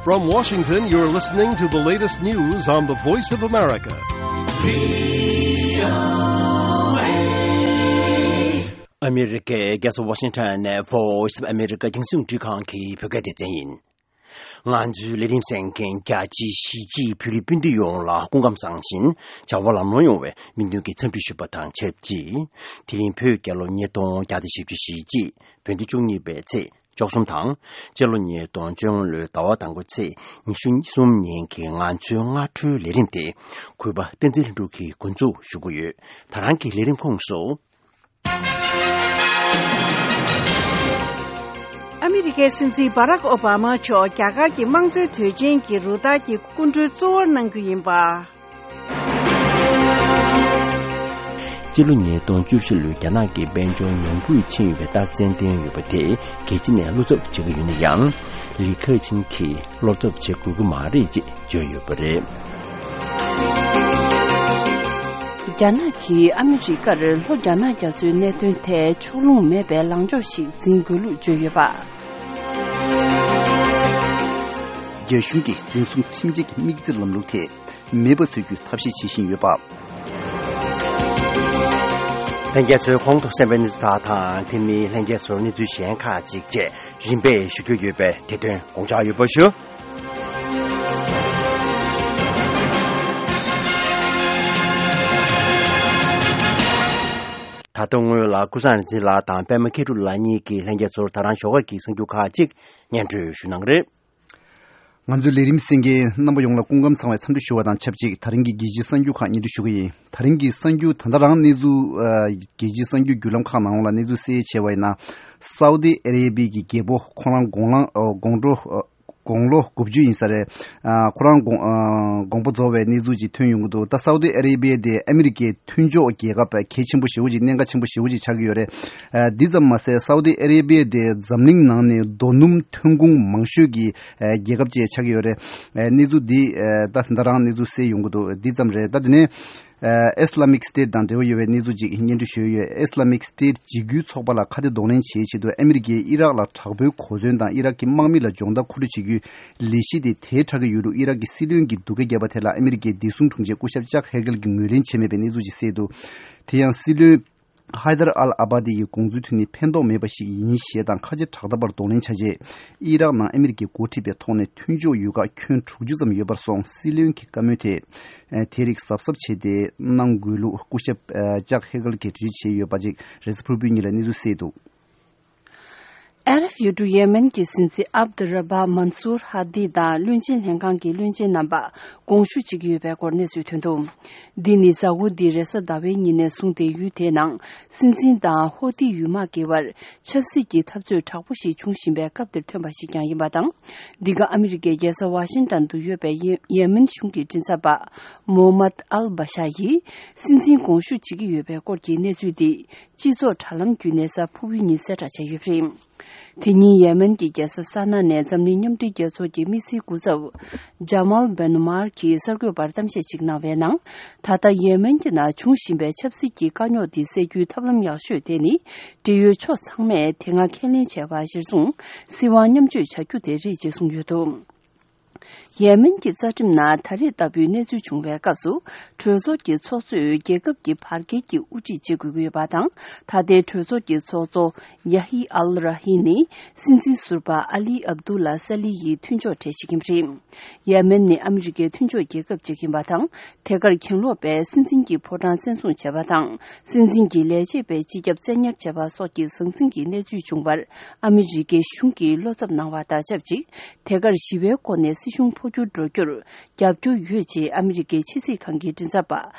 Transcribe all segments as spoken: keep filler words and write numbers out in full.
From Washington, you're listening to the latest news on the Voice of America. ཨ་མི་རི་ཀའི་རྒྱལ་ས་ཝ་ཤིང་ཊོན་ནས་Voice of America་རྒྱང་སྲིང་རླུང་འཕྲིན་ཁང་གི་བོད་སྐད་སྡེ་ཚན་ཡིན། ང་ཚོའི་ལས་རིམ་གསན་མཁན་རྒྱ་ཆེའི་གཞིས་བྱེས་བོད་རིགས་སྤུན་ཟླ་ཡོངས་ལ་སྐུ་ཁམས་བཟང་ཞིང་བྱ་བ་ལམ་ལྷོང་ཡོང་བའི་སྨོན་འདུན་གྱི་འཚམས་འདྲི་ཞུ་བ་དང་ཆབས་ཅིག་དེ་རིང་བོད་རྒྱལ་ལོ་ཉིས་སྟོང་བརྒྱ་དང་བཞི་བཅུ་ཞེ་གཅིག་བོད་ཟླ་བཅུ་གཉིས་པའི་ཚེས་བཅུ་གསུམ་དང་། སྤྱི་ལོ་ཉིས་སྟོང་བཅོ་ལྔ་ལོའི་ཟླ་བ་དང་པོའི་ཚེས་ཉི་ཤུ་གསུམ་ཉིན་གྱི་ང་ཚོའི་སྔ་དྲོའི་ལས་རིམ་དེ་གུས་པ་བསྟན་འཛིན་ལྷུན་གྲུབ་ཀྱིས་འགོ་འཛུགས་ཞུ་གི་ཡོད། ད་རང་གི་ལས་རིམ་ཁོངས་སུ། ཨ་མི་རི་ཀའི་སྲིད་འཛིན་བྷ་རག་ཨོ་བྷ་མ་མཆོག་རྒྱ་གར་གྱི་དམངས་གཙོའི་དོན་ཆེན་གྱི་རུ་སྟར་གྱི་སྐུ་མགྲོན་གཙོ་བོར་གནང་རྒྱུ་ཡིན་པ། སྤྱི་ལོ་ཉིས་སྟོང་བཅུ་བཞི་ལོའི་རྒྱ་ནག་གི་དཔལ་འབྱོར་ཉམས་རྒུད་ཕྱིན་ཡོད་པའི་རྟགས་མཚན་བསྟན་ཡོད་པ་དེ་རྒྱལ་སྤྱི་ནས་བློ་འཚབ་བྱེད་ཀྱི་ཡོད་ན་ཡང་། ལི་ཁེ་ཆིང་གིས་བློ་འཚབ་བྱེད་དགོས་ཀྱི་མ་རེད་ཅེས་བརྗོད་ཡོད་པ་རེད། རྒྱ་ནག་གིས་ཨ་མི་རི་ཀར་ལྷོ་རྒྱ་ནག་རྒྱ་མཚོའི་གནད་དོན་ཐད་ཕྱོགས་ལྷུང་མེད་པའི་ལངས་ཕྱོགས་ཤིག་འཛིན་དགོས་ལུགས་བརྗོད་ཡོད་པ། རྒྱ་གཞུང་གིས་འཛིན་བཟུང་ཁྲིམས་ཆད་ཀྱི་དམིགས་བརྩི་ལམ་ལུགས་ཐད་མེད་པ་བཟོ་རྒྱུའི་ཐབས་ཤེས་བྱེད་བཞིན་ཡོད་པ། ལྷན་རྒྱས་ཚོས་གོང་དུ་གསན་པའི་གནས་ཚུལ་དག་དང་། དེ་མིན་ལྷན་རྒྱས་ཚོར་གནས་ཚུལ་གཞན་ཁག་ཅིག་བཅས་རིམ་པས་ཞུ་རྒྱུ་ཡོད་པས། དེ་དོན་དགོངས་འཇགས་ཡོད་པ་ཞུ། ད་དུང་སྔོན་ལ་ཀུན་བཟང་རིག་འཛིན་ལགས་དང་པད་མ་མཁས་གྲུབ་ལགས་གཉིས་ཀྱིས་ལྷན་རྒྱས་ཚོར་ད་རང་ཞོགས་ཀས་ཀྱི་གསར་འགྱུར་ཁག་ཅིག་སྙན་སྒྲོན་ཞུ་གནང་གི་རེད། ང་ཚོའི་ལས་རིམ་གསན་མཁན་རྣམ་པ་ཡོངས་ལ་སྐུ་ཁམས་བཟང་བའི་འཚམས་འདྲི་ཞུ་བ་དང་ཆབས་ཅིག་ད་རིང་གི་རྒྱལ་སྤྱིའི་གསར་འགྱུར་ཁག་སྙན་སྒྲོན་ཞུ་གི་ཡིན། ད་རིང་གི་གསར་འགྱུར་ད་ལྟ་རང་གནས་ཚུལ་ཨ་རྒྱལ་སྤྱིའི་གསར་འགྱུར་བརྒྱུད་ལམ་ཁག་ནང་ལ་གནས་ཚུལ་གསལ་བྱས་པ་ཡིན་ན། སའུ་ཏི་ཨ་རེ་བི་གི་རྒྱལ་པོ་ཁོ་རང་དགུང་ལོ་ཨ་དགུང་ལོ་ཨ་དགུང་ལོ་དགུ་བཅུ་ཡིན་ས་རེད། ཨ་ཁོ་རང་དགོངས་ཨ་དགོངས་པ་རྫོགས་པའི་གནས་ཚུལ་ཅིག་ཐོན་ཡོང་གི་འདུག་ད་སའུ་ཏི་ཨ་རེ་བི་དེ་ཨ་མི་རི་ཀའི་མཐུན་ཕྱོགས་རྒྱལ་ཁབ་གལ་ཆེན་པོ་ཞེ་པོ་ཅིག་གནད་འགག་ཆེན་པོ་ཞེ་པོ་ཅིག་ཆགས་ཀྱི་ཡོད་རེད། ཨ་འདི་ཙམ་མ་ཟད་སའུ་ཏི་ཨ་རེ་བི་དེ་འཛམ་གླིང་ནང་ནས་རྡོ་སྣུམ་ཐོན་ཁུངས་མང་ཤོས་ཀྱི་ཨ་རྒྱལ་ཁབ་ཅིག་ཆགས་ཀྱི་ཡོད་རེད། ཨ་གནས་ཚུལ་འདི་ཨ་ད་ད་རང་གནས་ཚུལ་གསལ་ཡོང་གི་འདུག་འདི་ཙམ་རེད། ད་དེ་ནས་ཨ་Islamic State་དང་འབྲེལ་བ་ཡོད་པའི་གནས་ཚུལ་ཅིག་སྙན་སྒྲོན་ཞུས་ཡོད། Islamic State་འཇིགས་སྐུལ་ཚོགས་པ་ལ་ཁ་གཏད་གདོང་ལེན་བྱེད་ཆེད་དུ་ཨ་མི་རི་ཀས་ཨི་རག་ལ་དྲག་པོའི་གོ་མཚོན་དང་ཨི་རག་གི་དམག་མི་ལ་སྦྱོང་བརྡར་མཁོ་སྤྲོད་བྱེད་རྒྱུའི་ལས་གཞི་དེ་དལ་དྲགས་ཀྱི་ཡོད་ལུགས་ཨི་རག་གི་སྲིད་བློན་གྱིས་སྡུག་སྐད་བརྒྱབ་པ་དེ་ལ་ཨ་མི་རི་ཀའི་བདེ་སྲུང་དྲུང་ཆེ་སྐུ་ཞབས་ཅག་ཧེ་གལ་གྱིས་ངོས་ལེན་བྱས་མེད་པའི་གནས་ཚུལ་ཅིག་གསལ་འདུག་དེ་ཡང་སྲིད་བློན་ཧའི་དར་ཨལ་ཨ་བྷ་དི་ཡི་དགོངས་ཚུལ་མཐུན་ནས་ཕན་ཐོགས་མེད་པ་ཞིག་ཡིན་ཞེས་དང་ཁ་ཆེ་དྲག་འཐབ་པར་གདོང་ལེན་བྱ་ཆེད་ཨི་རག་ནང་ཨ་མི་རི་ཀས་འགོ་ཁྲིད་པའི་ཐོག་ནས་མཐུན་ཕྱོགས་ཡོད་ཁག་ཁྱོན་དྲུག་ཅུ་ཙམ་ཡོད་པར་སོང་། སྲིད་བློན་གྱི་བཀའ་མོལ་དེ་དེ་རིགས་གཟབ་གཟབ་བྱས་ཏེ་གནང་དགོས་ལུགས་སྐུ་ཞབས་ཅག་ཧེ་གལ་གྱིས་གྲོས་ཆོད་བྱས་ཡོད་པ་ཅིག་རེས་གཟའ་ཕུར་བུའི་ཉིན་ལ་གནས་ཚུལ་གསལ་འདུག་ཨ་རབ་ཡུལ་གྲུ་ཡེ་མེན་གྱི་སྲིད་འཛིན་ཨབ་དུ་ར་བྷ་མན་སུར་ཧ་དི་དང་བློན་ཆེན་ལྷན་ཁང་གི་བློན་ཆེན་རྣམ་པ་དགོངས་ཞུ་བྱེད་ཀྱི་ཡོད་པའི་སྐོར་གནས་ཚུལ་ཐོན་འདུག་འདི་ནི་གཟའ་འཁོར་འདིའི་རེས་གཟའ་ཟླ་བའི་ཉིན་ནས་བཟུང་སྟེ་ཡུལ་དེའི་ནང་སྲིད་འཛིན་དང་ཧོ་ཏི་ཡུལ་དམག་གི་བར་ཆབ་སྲིད་ཀྱི་འཐབ་རྩོད་དྲག་པོ་ཞིག་འབྱུང་བཞིན་པའི་སྐབས་འདིར་ཐོན་པ་ཞིག་ཀྱང་ཡིན་པ་དང་། འདི་ག་ཨ་མི་རི་ཀའི་རྒྱལ་ས་ཝ་ཤིང་ཏན་དུ་ཡོད་པའི་ཡེ་ཡེ་མེན་གཞུང་གི་མགྲིན་ཚབ་པ་མོ་མད་ཨལ་བྷ་ཤ་ཡིས་སྲིད་འཛིན་དགོངས་ཞུ་བྱེད་ཀྱི་ཡོད་པའི་སྐོར་གྱི་གནས་ཚུལ་འདི། སྤྱི་ཚོགས་དྲ་ལམ་བརྒྱུད་ནས་གཟའ་ཕུར་བུའི་ཉིན་གསལ་བསྒྲགས་བྱས་ཡོད་པ་རེད། དེ་ཉིན་ཡེ་མེན་གྱི་རྒྱལ་ས་ས་ན་ནས་འཛམ་གླིང་མཉམ་འབྲེལ་རྒྱལ་ཚོགས་ཀྱི་དམིགས་བསལ་སྐུ་ཚབ་ཇ་མལ་བེ་ནུ་མར་གྱིས་གསར་འགོད་པར་གཏམ་བཤད་ཅིག་གནང་བའི་ནང་། ད་ལྟ་ཡེ་མེན་གྱི་ནང་འབྱུང་བཞིན་པའི་ཆབ་སྲིད་ཀྱི་དཀའ་རྙོག་འདི་སེལ་རྒྱུའི་ཐབས་ལམ་ཡག་ཤོས་དེ་ནི། འབྲེལ་ཡོད་ཕྱོགས་ཚང་མས་དེ་སྔ་ཁས་ལེན་བྱས་པ་གཞིར་བཟུང་། སྲིད་དབང་མཉམ་སྤྱོད་བྱ་རྒྱུ་དེ་རེད་ཅེས་གསུངས་ཡོད་འདུག་ཡེ་མེན་གྱི་རྩ་ཁྲིམས་ནང་ད་རེས་ལྟ་བུའི་གནས་ཚུལ་བྱུང་བའི་སྐབས་སུ། གྲོས་ཚོགས་ཀྱི་ཚོགས་གཙོས་རྒྱལ་ཁབ་ཀྱི་བར་བརྒལ་གྱི་དབུ་ཁྲིད་བྱེད་དགོས་ཀྱི་ཡོད་པ་དང་། ད་ལྟའི་གྲོས་ཚོགས་ཀྱི་ཚོགས་གཙོ་ཡ་ཧི་ཨལ་ར་ཧི་ནི་སྲིད་འཛིན་ཟུར་པ་ཨ་ལི་ཨབ་དུ་ལ་ས་ལི་ཡི་མཐུན་ཕྱོགས་གྲས་ཤིག་ཡིན་པ་རེད། ཡེ་མེན་ནི་ཨ་མི་རི་ཀའི་མཐུན་ཕྱོགས་རྒྱལ་ཁབ་ཅིག་ཡིན་པ་དང་། དེ་གར་གྱེན་ལོག་པས་སྲིད་འཛིན་གྱི་ཕོ་བྲང་བཙན་བཟུང་བྱས་པ་དང་། སྲིད་འཛིན་གྱི་ལས་བྱེད་པའི་སྤྱི་ཁྱབ་བཙན་ཉར་བྱས་པ་སོགས་ཀྱི་ཟང་ཟིང་གི་གནས་ཚུལ་བྱུང་བར། ཨ་མི་རི་ཀའི་གཞུང་གིས་བློ་འཚབ་གནང་བ་དང་ཆབས་ཅིག་དེ་གར་ཞི་བའི་སྒོ་ནས་སྲིད་གཞུང་འཕོ་འགྱུར་འགྲོ་རྒྱུར་རྒྱབ་སྐྱོར་ཡོད་ཅེས་ཨ་མི་རི་ཀའི་ཕྱི་སྲིད་ཁང་གི་མགྲིན་ཚབ་པ་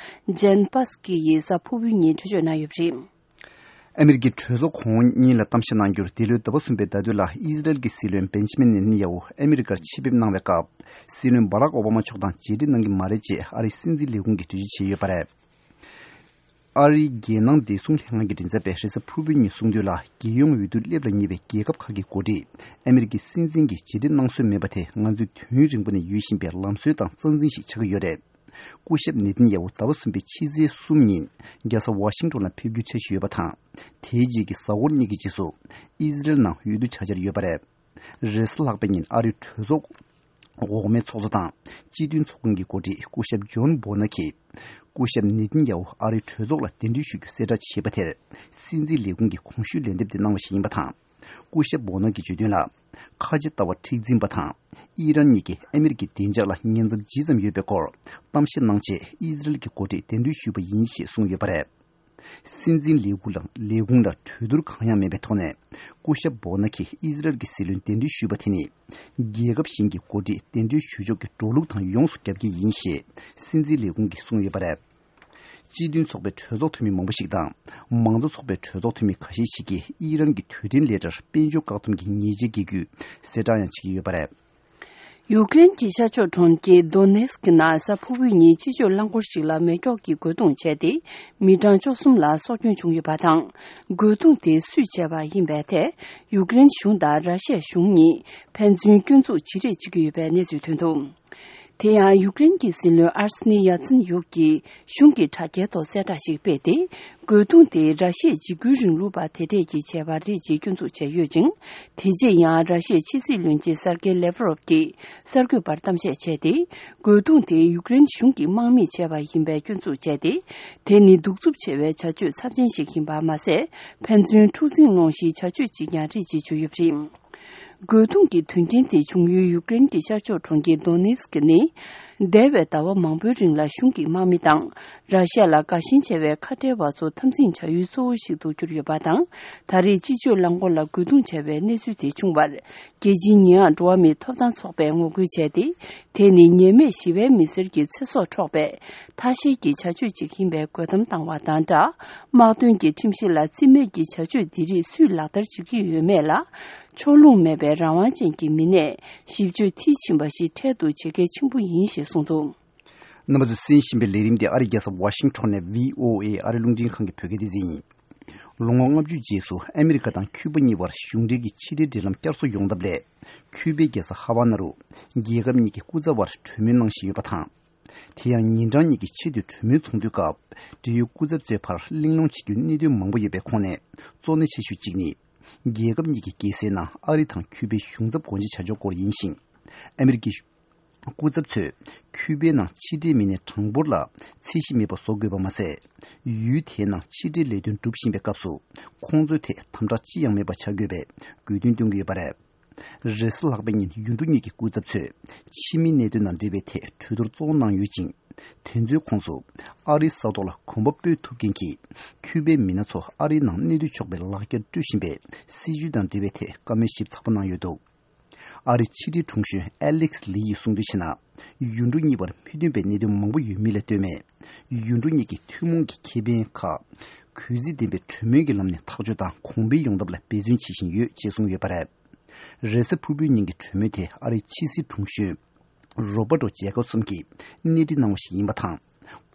ཇན་པཱ་སི་ཀི་ཡིས་གཟའ་ཕུར་བུའི་ཉིན་གྲོས་ཆོད་གནང་ཡོད་པ་རེད། ཨ་མི་རི་ཀའི་གྲོས་ཚོགས་གོང་འོག་གཉིས་ལ་གཏམ་བཤད་གནང་རྒྱུར། འདི་ལོའི་ཟླ་བ་གསུམ་པའི་ཟླ་སྡོད་ལ་ཨི་ཟི་རལ་གྱི་སྲིད་བློན་བེན་ཇི་མིན་ནེ་ཐན་ཡ་ཧུ་ཨ་མི་རི་ཀར་ཆེད་ཕེབས་གནང་བའི་སྐབས། སྲིད་བློན་བྷ་རག་ཨོ་བྷ་མ་མཆོག་དང་མཇལ་འཕྲད་གནང་གི་མ་རེད་ཅེས་ཨ་རིའི་སྲིད་འཛིན་ལས་ཁུངས་ཀྱིས་འགྲེལ་བརྗོད་བྱས་ཡོད་པ་རེད། ཨ་རིའི་རྒྱལ་ནང་བདེ་སྲུང་ལྷན་ཁང་གི་མགྲིན་ཚབ་པས་རེས་གཟའ་ཕུར་བུའི་ཉིན་གསུངས་དོན་ལ། རྒྱལ་ཡོངས་འོས་བསྡུ་སླེབས་ལ་ཉེ་བའི་རྒྱལ་ཁབ་ཁག་གི་འགོ་ཁྲིད་ཨ་མི་རི་ཀའི་སྲིད་འཛིན་གྱིས་མཇལ་འཕྲད་གནང་སྲོལ་མེད་པ་དེ། ང་ཚོའི་དུས་ཡུན་རིང་པོ་ནས་ཡོད་བཞིན་པའི་ལམ་སྲོལ་དང་རྩ་འཛིན་ཞིག་ཆགས་ཀྱི་ཡོད་རེད། སྐུ་ཞབས་ནེ་ཐན་ཡ་ཧུ་ཟླ་བ་གསུམ་པའི་ཕྱི་ཚེས་གསུམ་ཉིན་རྒྱལ་ས་ཝ་ཤིང་ཊོན་ལ་ཕེབས་རྒྱུའི་འཆར་གཞི་ཡོད་པ་དང་། དེའི་རྗེས་ཀྱི་གཟའ་འཁོར་གཉིས་ཀྱི་རྗེས་སུ་ཨི་ཟི་རལ་ནང་འོས་བསྡུ་བྱ་འཆར་ཡོད་པ་རེད། རེས་གཟའ་ལྷག་པའི་ཉིན་ཨ་རིའི་གྲོས་ཚོགས་ འོག་མའི་ཚོགས་གཙོ་དང་སྤྱི་མཐུན་ཚོགས་ཁང་གི་འགོ་ཁྲིད་སྐུ་ཞབས་ཇོན་སྦོ་ན་གིས། སྐུ་ཞབས་ནེ་ཐན་ཡ་ཧུ་ཨ་རིའི་གྲོས་ཚོགས་ལ་གདན་འདྲེན་ཞུ་རྒྱུ་གསལ་བསྒྲགས་བྱས་པ་དེར། སྲིད་འཛིན་ལས་ཁུངས་ཀྱིས་གོང་ཞུས་ལན་འདེབས་དེ་གནང་བ་ཞིག་ཡིན་པ་དང་། སྐུ་ཞབས་སྦོ་ན་གིས་བརྗོད་དོན་ལ། ཁ་ཆེ་ལྟ་བ་མཁྲེགས་འཛིན་པ་དང་། ཨི་རན་གཉིས་ཀྱིས་ཨ་མི་རི་ཀའི་བདེ་འཇགས་ལ་ཉེན་ཚབས་ཇི་ཙམ་ཡོད་པའི་སྐོར་གཏམ་བཤད་གནང་རྗེས། ཨི་ཟི་རེལ་གྱི་འགོ་ཁྲིད་གདན་འདྲེན་ཞུས་པ་ཡིན་ཞེས་གསུངས་ཡོད་པ་རེད། སྲིད་འཛིན་ལས་ཁུངས་ལ་ལས་ཁུངས་ལ་གྲོས་བསྡུར་གང་ཡང་མེད་པའི་ཐོག་ནས། སྐུ་ཞབས་སྦོ་ན་གིས་ཨི་ཟི་རེལ་གྱི་སྲིད་བློན་གདན་འདྲེན་ཞུས་པ་དེ་ནི། རྒྱལ་ཁབ་གཞན་གྱི་འགོ་ཁྲིད་གདན་འདྲེན་ཞུ་ཕྱོགས་ཀྱི་འགྲོ་ལུགས་དང་ཡོངས་སུ་རྒྱབ་ཀྱི་ཡིན་ཞེས་སྲིད་འཛིན་ལས་ཁུངས་ཀྱིས་གསུངས་ཡོད་པ་རེད། སྤྱི་མཐུན་ཚོགས་པའི་གྲོས་ཚོགས་འཐུས་མི་མང་པོ་ཞིག་དང་། མང་གཙོ་ཚོགས་པའི་གྲོས་ཚོགས་འཐུས་མི་ཁ་ཤས་ཤིག་གིས་ཨི་རན་གྱི་དུས་དྲན་ལས་གྲྭར་དཔལ་འབྱོར་བཀག་སྡོམ་གྱི་ཉེས་ཆད་འགེལ་རྒྱུའི་གསལ་བསྒྲགས་ཡང་བྱེད་ཀྱི་ཡོད་པ་རེད། ཡུཀ་རེན་གྱི་ཤར་ཕྱོགས་གྲོང་ཁྱེར་དོ་ནེ་སི་ཀི་ནང་གཟའ་ཕུར་བུའི་ཉིན་སྤྱི་སྤྱོད་རླངས་འཁོར་ཞིག་ལ་མེ་སྒྱོགས་ཀྱིས་རྒོལ་རྡུང་བྱས་ཏེ། མི་གྲངས་བཅུ་གསུམ་ལ་སྲོག་སྐྱོན་བྱུང་ཡོད་པ་དང་། རྒོལ་རྡུང་དེ་སུས་བྱས་པ་ཡིན་པའི་ཐད། ཡུཀ་རེན་གཞུང་དང་ར་ཤི་ཡ་གཞུང་གཉིས་ཕན་ཚུན་སྐྱོན་འཛུགས་བྱེད་རེས་བྱེད་ཀྱི་ཡོད་པའི་གནས་ཚུལ་ཐོན་འདུག་དེ་ཡང་ཡུཀ་རེན་གྱི་སྲིད་བློན་ཨར་སི་ནི་ཡ་ཚིན་ཡུག་གིས་གཞུང་གི་དྲ་རྒྱའི་ཐོག་གསལ་བསྒྲགས་ཤིག་སྤེལ་ཏེ། རྒོལ་རྡུང་དེ་ར་ཤི་ཡའི་འཇིགས་སྐུལ་རིང་ལུགས་པ་དེ་གྲས་ཀྱིས་བྱས་པ་རེད་ཅེས་སྐྱོན་འཛུགས་བྱས་ཡོད་ཅིང་། དེ་རྗེས་ཡང་ར་ཤི་ཡའི་ཕྱི་སྲིད་བློན་ཆེན་སར་ཀེ་ལེ་ཝ་རོབ་ཀྱིས་གསར་འགོད་པར་གཏམ་བཤད་བྱས་ཏེ། རྒོལ་རྡུང་དེ་ཡུཀ་རེན་གཞུང་གིས་དམག་མིས་བྱས་པ་ཡིན་པའི་སྐྱོན་འཛུགས་བྱས་ཏེ། དེ་ནི་གདུག་རྩུབ་ཆེ་བའི་བྱ་སྤྱོད་ཚབས་ཆེན་ཞིག་ཡིན་པ་མ་ཟད། ཕན་ཚུན་འཁྲུག་འཛིང་སློང་གཞིའི་བྱ་སྤྱོད་ཅིག་ཀྱང་རེད་ཅེས་བརྗོད་ཡོད་པ་རེད། རྒོལ་རྡུང་གི་དོན་རྐྱེན་དེ་བྱུང་ཡུལ་ཡུཀ་རེན་གྱི་ཤར་ཕྱོགས་གྲོང་ཁྱེར་དོ་ནེ་སི་ཀི་ནི། འདས་པའི་ཟླ་བ་མང་པོའི་རིང་ལ་གཞུང་གི་དམག་མི་དང་། ར་ཤ་ལ་དགའ་ཞེན་ཆེ་བའི་ཁ་བྲལ་བ་ཚོ་འཐབ་འཛིང་བྱ་ཡུལ་གཙོ་བོ་ཞིག་ཏུ་གྱུར་ཡོད་པ་དང་། ད་རེས་སྤྱི་སྤྱོད་རླངས་འཁོར་ལ་རྒོལ་རྡུང་བྱས་པའི་གནས་ཚུལ་དེ་བྱུང་བར། རྒྱལ་སྤྱིའི་ཉེས་ཡངས་འགྲོ་བ་མིའི་ཐོབ་ཐང་ཚོགས་པས་ངོ་རྒོལ་བྱས་ཏེ། དེ་ནི་ཉེས་མེད་ཞི་བའི་མི་སེར་གྱི་ཚེ་སྲོག་འཕྲོག་པའི་ཐ་ཤལ་གྱི་བྱ་སྤྱོད་ཅིག་ཡིན་པའི་རྒོལ་གཏམ་བཏང་བ་དང་སྦྲགས། དམག་དོན་གྱི་ཁྲིམས་གཞི་ལ་བརྩི་མེད་ཀྱི་བྱ་སྤྱོད་འདི་རིགས་སུས་ལག་བསྟར་བྱེད་ཀྱི་ཡོད་མེད་ལ། ཕྱོགས་ལྷུང་མེད་པའི་རང་དབང་ཅན་གྱི་མི་སྣས་ཞིབ་དཔྱོད་མཐིལ་ཕྱིན་པ་ཞིག་འཕྲལ་དུ་བྱེད་གལ་ཆེན་པོ་ཡིན་ཞེས་གསུངས་འདུག་རྣམ་པ་ཚོས་གསན་བཞིན་པའི་ལས་རིམ་འདི་ཨ་རིའི་རྒྱལ་ས་ཝ་ཤིང་ཊོན་ནས་བྷི་ཨོ་ཨེ་ཨ་རིའི་རླུང་འཕྲིན་ཁང་གི་བོད་སྐད་སྡེ་ཚན་ཡིན། ལོ་ངོ་ལྔ་བཅུ་རྗེས་སུ་ཨ་མི་རི་ཀ་དང་ཁྱུ་པ་གཉིས་བར་གཞུང་འབྲེལ་གྱི་ཕྱི་འབྲེལ་འབྲེལ་ལམ་བསྐྱར་གསོ་ཡོང་ཐབས་སླད། ཁྱུ་པའི་རྒྱལ་ས་ཧ་ཝ་ན་རུ་རྒྱལ་ཁབ་གཉིས་ཀྱི་སྐུ་ཚབ་བར་གྲོས་མོལ་གནང་བཞིན་ཡོད་པ་དང་། དེ་ཡང་ཉིན་གྲངས་གཉིས་ཀྱི་ཆེས་མཐོའི་གྲོས་མོལ་ཚོགས་འདུའི་སྐབས། འབྲེལ་ཡོད་སྐུ་ཚབ་ཚོའི་བར་གླེང་སློང་བྱེད་རྒྱུའི་གནད་དོན་མང་པོ་ཡོད་པའི་ཁོངས་ནས་གཙོ་གནད་ཆེ་ཤོས་གཅིག་ནི། རྒྱལ་ཁབ་གཉིས་ཀྱི་རྒྱལ་སའི་ནང་ཨ་རི་དང་ཁྱུ་པའི་གཞུང་ཚབ་སྒོ་འབྱེད་བྱ་ཕྱོགས་སྐོར་ཡིན་ཞིང་། ཨ་མི་རི་ཀའི་སྐུ་ཚབ་ཚོས་ཁྱུ་པའི་ནང་ཕྱི་འབྲེལ་མི་སྣའི་གྲངས་འབོར་ལ་ཚད་གཞི་མེད་པ་བཟོ་དགོས་པ་མ་ཟད། ཡུལ་དེའི་ནང་ཕྱི་འབྲེལ་ལས་དོན་སྒྲུབ་བཞིན་པའི་སྐབས་སུ། ཁོང་ཚོའི་ཐད་དམ་དྲག་ཅི་ཡང་མེད་པ་བྱ་དགོས་པའི་དགོས་འདུན་བཏོན་གྱི་ཡོད་པ་རེད། རེས་གཟའ་ལྷག་པའི་ཉིན་ཡུལ་གྲུ་གཉིས་ཀྱི་སྐུ་ཚབ་ཚོས་ཕྱི་མིའི་གནད་དོན་དང་འབྲེལ་བའི་ཐད་གྲོས་བསྡུར་གཙོ་བོ་གནང་ཡོད་ཅིང་། དེ་ཚོའི་ཁོངས་སུ་ཨ་རིའི་ས་ཐོག་ལ་གོམ་པ་སྤོས་ཐུབ་མཁན་གྱི་ཁྱུ་པའི་མི་སྣ་ཚོ་ཨ་རིའི་ནང་གནས་སྡོད་ཆོག་པའི་ལག་འཁྱེར་སྤྲོད་བཞིན་པའི་སྲིད་བྱུས་དང་འབྲེལ་བའི་ཐད་བཀའ་མོལ་ཞིབ་ཚགས་པོ་གནང་ཡོད་འདུག་ཨ་རིའི་ཕྱི་དྲིལ་དྲུང་གཞོན་ཨེ་ལེག་སི་ལི་ཡིས་གསུངས་དོན་བྱས་ན། ཡུལ་གྲུ་གཉིས་བར་མི་མཐུན་པའི་གནད་དོན་མང་པོ་ཡོད་མིན་ལ་ལྟོས་མེད། ཡུལ་གྲུ་གཉིས་ཀྱི་ཐུན་མོང་གི་ཁེ་ཕན་ཁག་གུས་བརྩི་ལྡན་པའི་གྲོས་མོལ་གྱི་ལམ་ནས་ཐག་གཅོད་དང་གོང་འཕེལ་ཡོང་ཐབས་ལ་འབད་བརྩོན་བྱེད་བཞིན་ཡོད་ཅེས་གསུངས་ཡོད་པ་རེད། རེས་གཟའ་ཕུར་བུའི་ཉིན་གྱི་གྲོས་མོལ་དེ་ཨ་རིའི་ཕྱི་སྲིད་དྲུང་གཞོན་རོ་བྷར་ཏོ་ཇེ་ཀོབ་སོན་གྱིས་སྣེ་ཁྲིད་གནང་བ་ཞིག་ཡིན་པ་དང་།